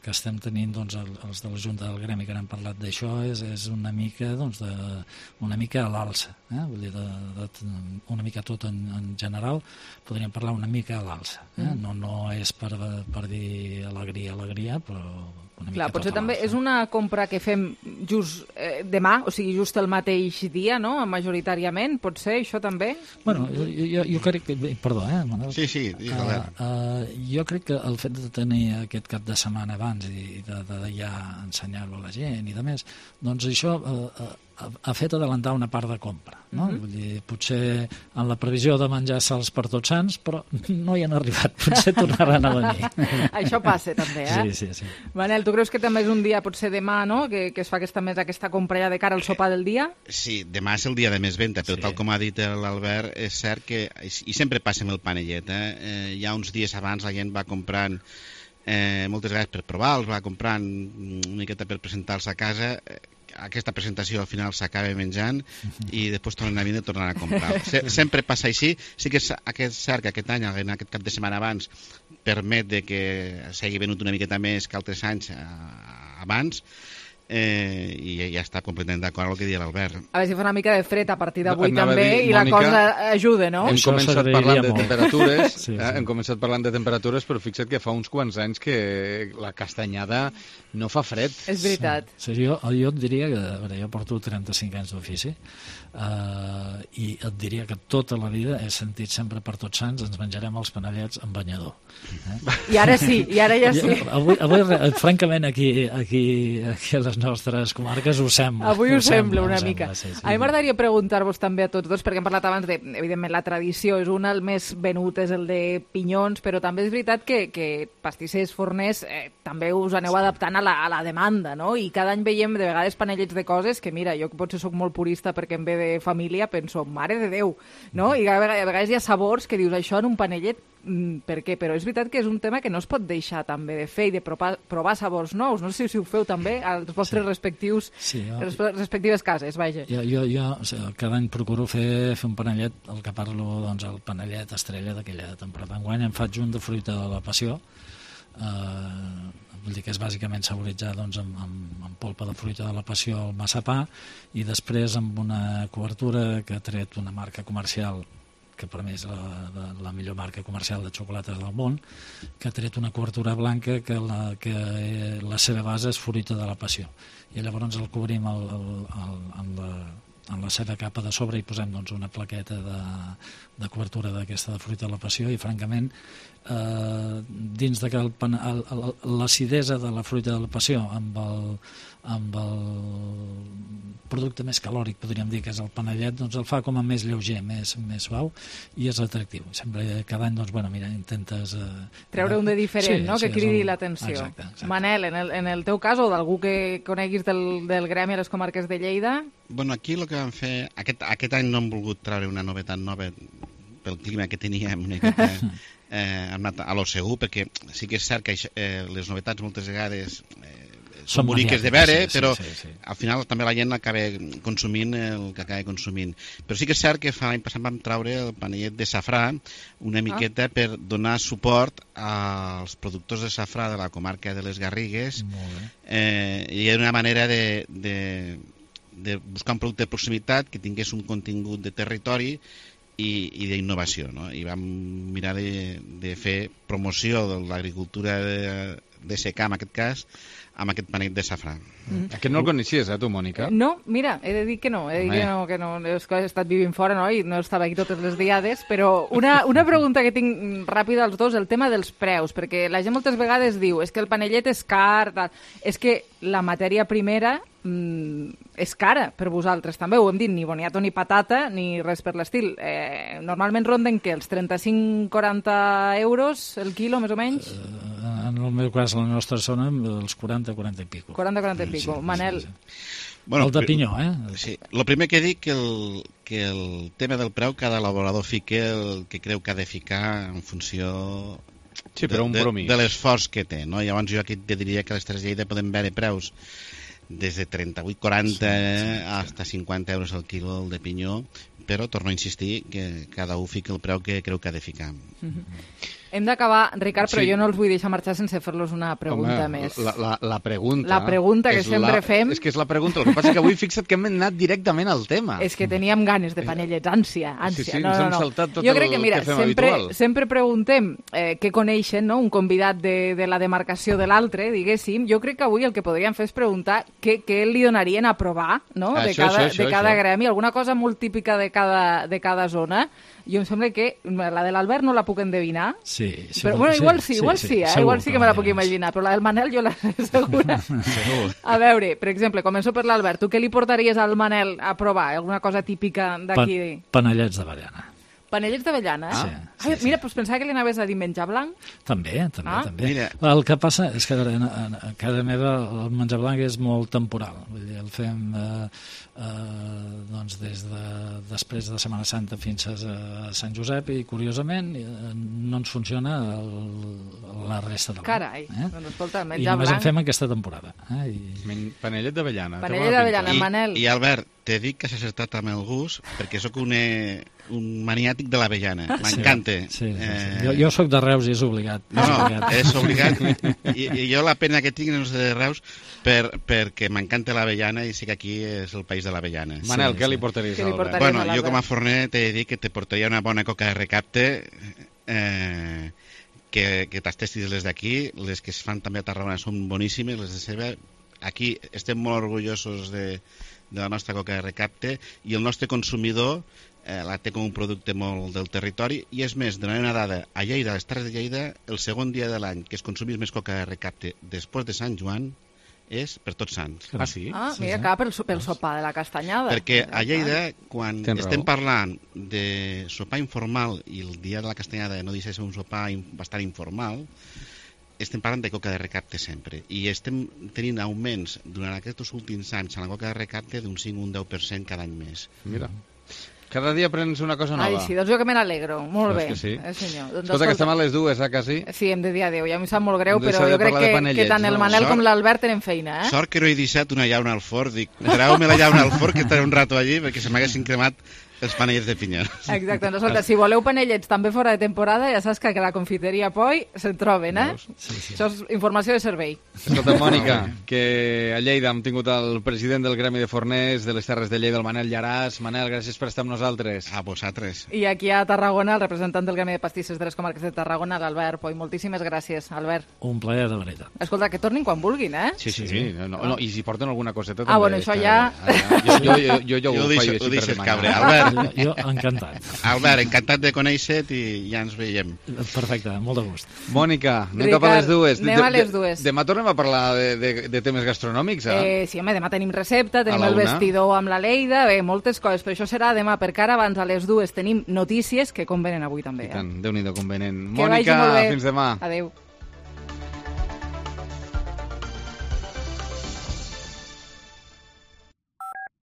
que estem tenint doncs, els de la Junta del Gremi que n'han parlat d'això és, és una mica doncs, de, una mica a l'alça. Eh? Vull dir, de, de, una mica tot en, en general, podríem parlar una mica a l'alça. Eh? Mm. No, no és per, per dir alegria, alegria, però... Clar, potser també és una compra que fem just eh, demà, o sigui, just el mateix dia, no?, majoritàriament, pot ser això també? Bueno, jo, jo, jo crec que... Perdó, eh, Manel? Sí, sí, uh, uh, jo crec que el fet de tenir aquest cap de setmana abans i de, de, de ja ensenyar-lo a la gent i de més, doncs això uh, uh, ha fet adelantar una part de compra, no? Uh-huh. Vull dir, potser en la previsió de menjar sals per Tots Sants, però no hi han arribat, potser tornaran a venir. Això passa també, eh? Sí, sí, sí. Manel, tu creus que també és un dia, potser demà, no?, que, que es fa aquesta, més aquesta compra ja de cara al sopar del dia? Sí, demà és el dia de més venda, però sí. Tal com ha dit l'Albert, és cert que, i sempre passa amb el panellet, eh? eh ja uns dies abans la gent va comprant eh, moltes vegades per provar, els va comprant una miqueta per presentar-los a casa, eh, aquesta presentació al final s'acaba menjant i després tornen a venir i tornen a comprar. Se, sempre passa així. Sí que és, aquest cert que aquest any, en aquest cap de setmana abans, permet de que s'hagi venut una miqueta més que altres anys eh, abans, eh, i ja està completament d'acord amb el que deia l'Albert. A veure si fa una mica de fred a partir d'avui també dir, i Mònica, la cosa ajuda, no? Hem començat parlant de temperatures, sí, sí. Eh, hem començat parlant de temperatures, però fixa't que fa uns quants anys que la castanyada no fa fred. És veritat. Sí, sí, jo, jo et diria que, a veure, jo porto trenta-cinc anys d'ofici, Uh, i et diria que tota la vida he sentit sempre per Tots Sants ens menjarem els panellets amb banyador. Eh? I ara sí, i ara ja sí. Avui, avui francament, aquí, aquí, aquí a les nostres comarques ho sembla. Avui ho, ho sembla, una sembla, mica. Sí, sí. A mi m'agradaria preguntar-vos també a tots dos, perquè hem parlat abans de, evidentment, la tradició és una, el més venut és el de pinyons, però també és veritat que, que pastissers, forners, eh, també us aneu adaptant a la, a la demanda, no? I cada any veiem de vegades panellets de coses que, mira, jo potser sóc molt purista perquè em ve de família, penso, mare de Déu, no? I a vegades hi ha sabors que dius, això en un panellet mm, per què, però és veritat que és un tema que no es pot deixar també de fer i de provar, provar sabors nous. No sé si ho feu també als vostres sí. respectius sí, jo... les respectives cases, vaja. Jo, jo, jo o sigui, cada any procuro fer, fer un panellet, el que parlo, doncs, el panellet estrella d'aquella temporada. Enguany em faig un de fruita de la passió, eh, vull dir que és bàsicament saboritzar doncs, amb, amb, amb polpa de fruita de la passió al massapà i després amb una cobertura que ha tret una marca comercial que per mi és la, la, la millor marca comercial de xocolates del món, que ha tret una cobertura blanca que la, que la seva base és fruita de la passió. I llavors el cobrim el, el, el, en, la, en la seva capa de sobre i posem doncs, una plaqueta de, de cobertura d'aquesta de fruita de la passió i francament eh, dins de que el, el, el, l'acidesa de la fruita de la passió amb el, amb el producte més calòric, podríem dir, que és el panellet, doncs el fa com a més lleuger, més, més suau, i és atractiu. Sempre, cada any, doncs, bueno, mira, intentes... Eh, treure un de diferent, sí, no?, sí, que cridi el... l'atenció. Exacte, exacte. Manel, en el, en el teu cas, o d'algú que coneguis del, del gremi a les comarques de Lleida? Bueno, aquí el que vam fer... Aquest, aquest any no hem volgut treure una novetat nova pel clima que teníem, una miqueta, eh, hem anat a lo segur, perquè sí que és cert que eh, les novetats moltes vegades... Eh, són boniques de veure, sí, sí, però sí, sí. al final també la gent acaba consumint el que acaba consumint. Però sí que és cert que fa l'any passat vam treure el panellet de safrà una miqueta ah. per donar suport als productors de safrà de la comarca de les Garrigues eh, i era una manera de, de, de buscar un producte de proximitat que tingués un contingut de territori i, i d'innovació, no? I vam mirar de, de fer promoció de l'agricultura de, de secà, en aquest cas, amb aquest panell de safrà. Mm. Aquest no el coneixies, eh, tu, Mònica? No, mira, he de dir que no, he de dir que no, que no, és que he estat vivint fora, no?, i no estava aquí totes les diades, però una, una pregunta que tinc ràpida als dos, el tema dels preus, perquè la gent moltes vegades diu, és que el panellet és car, tal. És que la matèria primera mm, és cara per vosaltres també, ho hem dit, ni boniato ni patata, ni res per l'estil. Eh, normalment ronden que els trenta-cinc a quaranta euros el quilo, més o menys? Uh, en el meu cas, a la nostra zona, els quaranta a quaranta i pico. quaranta a quaranta i pico. Sí, Manel? Sí, sí. Bueno, el de pinyó, eh? Sí. El primer que dic que el, que el tema del preu cada elaborador fica el que creu que ha de ficar en funció sí, però un de, bromís. de, de l'esforç que té, no? Llavors jo aquí te diria que a les Terres de Lleida podem veure preus des de trenta-vuit a quaranta sí, sí, sí. hasta cinquanta euros al quilo el de pinyó, però torno a insistir que cada un fica el preu que creu que ha de ficar. Mm-hmm. Hem d'acabar, Ricard, però sí. jo no els vull deixar marxar sense fer-los una pregunta Home, més. La, la, la pregunta... La pregunta que sempre la, fem... És que és la pregunta, el que passa és que avui fixa't que hem anat directament al tema. És que teníem ganes de panellets, ànsia, ànsia. Sí, sí, no, ens no, hem no. saltat tot jo crec el que, mira, que fem sempre, habitual. sempre preguntem eh, què coneixen, no?, un convidat de, de la demarcació de l'altre, diguéssim. Jo crec que avui el que podríem fer és preguntar què, què li donarien a provar, no?, de això, cada, això, de cada això. gremi, alguna cosa molt típica de cada, de cada zona. Jo em sembla que la de l'Albert no la puc endevinar. Sí, sí. Però, bueno, igual sí, sí, igual sí, sí, eh? segur igual sí que me la que puc imaginar, però la del Manel jo la sé segura. A veure, per exemple, començo per l'Albert. Tu què li portaries al Manel a provar? Alguna cosa típica d'aquí? Pa panellets d'avellana. Panellets d'avellana? Ah, Ai, sí, sí. Mira, doncs pensava que li anaves a dir menjar blanc. També, també, Ah. també. Mira. El que passa és que a, veure, a, a casa meva el menjar blanc és molt temporal. Vull dir, el fem eh, eh, doncs des de després de Setmana Santa fins a Sant Josep i, curiosament, eh, no ens funciona el, la resta de l'any. Carai, eh? doncs escolta, I menjar només blanc... en fem aquesta temporada. Eh? I... Panellet d'avellana. Panellet d'avellana, I, Manel. I Albert, te dic que s'ha acertat amb el gust perquè sóc un, eh, un maniàtic de l'avellana. M'encanta. Sí, sí, sí, sí. Eh... Jo, jo sóc de Reus i és obligat. No, és no, obligat. és obligat. I, I jo la pena que tinc no és de Reus per, perquè m'encanta l'avellana i sé que aquí és el país de l'avellana. Manel, Sí, què sí. li portaries Què li a l'Albert? portaries? Bueno, a jo com a l'Albert. forner t'he de dir que te portaria una bona coca de recapte eh, que, que tastessis les d'aquí. Les que es fan també a Tarragona són boníssimes, les de Ceba. Aquí estem molt orgullosos de, de la nostra coca de recapte i el nostre consumidor eh, la té com un producte molt del territori i és més, donaré una dada, a Lleida, a les Terres de Lleida, el segon dia de l'any que es consumís més coca de recapte després de Sant Joan és per Tots Sants. Ah, sí? Ah, mira, acaba pel, pel sopar de la castanyada. Perquè a Lleida, quan Tens estem raó. parlant de sopar informal i el dia de la castanyada no deixa de ser un sopar in, bastant informal, estem parlant de coca de recapte sempre. I estem tenint augments durant aquests últims anys a la coca de recapte d'un cinc o un deu per cent cada any més. Mira. Cada dia aprens una cosa nova. Ai, sí, doncs jo que me n'alegro. Molt Doncs bé. que sí. Eh, senyor. Doncs, Escolta, que estem a les dues, eh, quasi? Sí, hem de dir adéu. Ja m'hi sap molt greu, Hem de però deixar jo de crec parlar de que, panellets, que tant el no? Manel Sort- com l'Albert tenen feina, eh? Sort que no he deixat una llauna al forn. Dic, treu-me la llauna al forn, que estaré un rato allí, perquè se m'haguessin cremat els panellets de pinya. Exacte. Doncs, escolta, si voleu panellets també fora de temporada, ja saps que a la confiteria Poi se'n troben, eh? Sí, sí. Això és informació de servei. Escolta, Mònica, que a Lleida hem tingut el president del Gremi de Forners de les Terres de Lleida, el Manel Llaràs. Manel, gràcies per estar amb nosaltres. A vosaltres. I aquí a Tarragona, el representant del Gremi de Pastisses de les Comarques de Tarragona, l'Albert Poi. Moltíssimes gràcies, Albert. Un plaer de veritat. Escolta, que tornin quan vulguin, eh? Sí, sí, sí. No, no, I si porten alguna coseta Ah, també. bueno, això ja... Jo, jo, jo, jo, jo, Jo ho ho faig deixo- així ho per deixes demanar. cabre. Albert. Jo, encantat. Albert, encantat de conèixer-te i ja ens veiem. Perfecte, molt de gust. Mònica, anem Ricard, cap a les dues. anem a les dues. Demà tornem a parlar de, de, de temes gastronòmics, eh? Eh, sí, home, demà tenim recepta, tenim la el una. vestidor amb la Leida, bé, moltes coses, però això serà demà, perquè ara abans a les dues tenim notícies que convenen avui també. I Eh? tant, Déu-n'hi-do convenient. Que vagi Mònica, molt bé. fins demà. Adéu.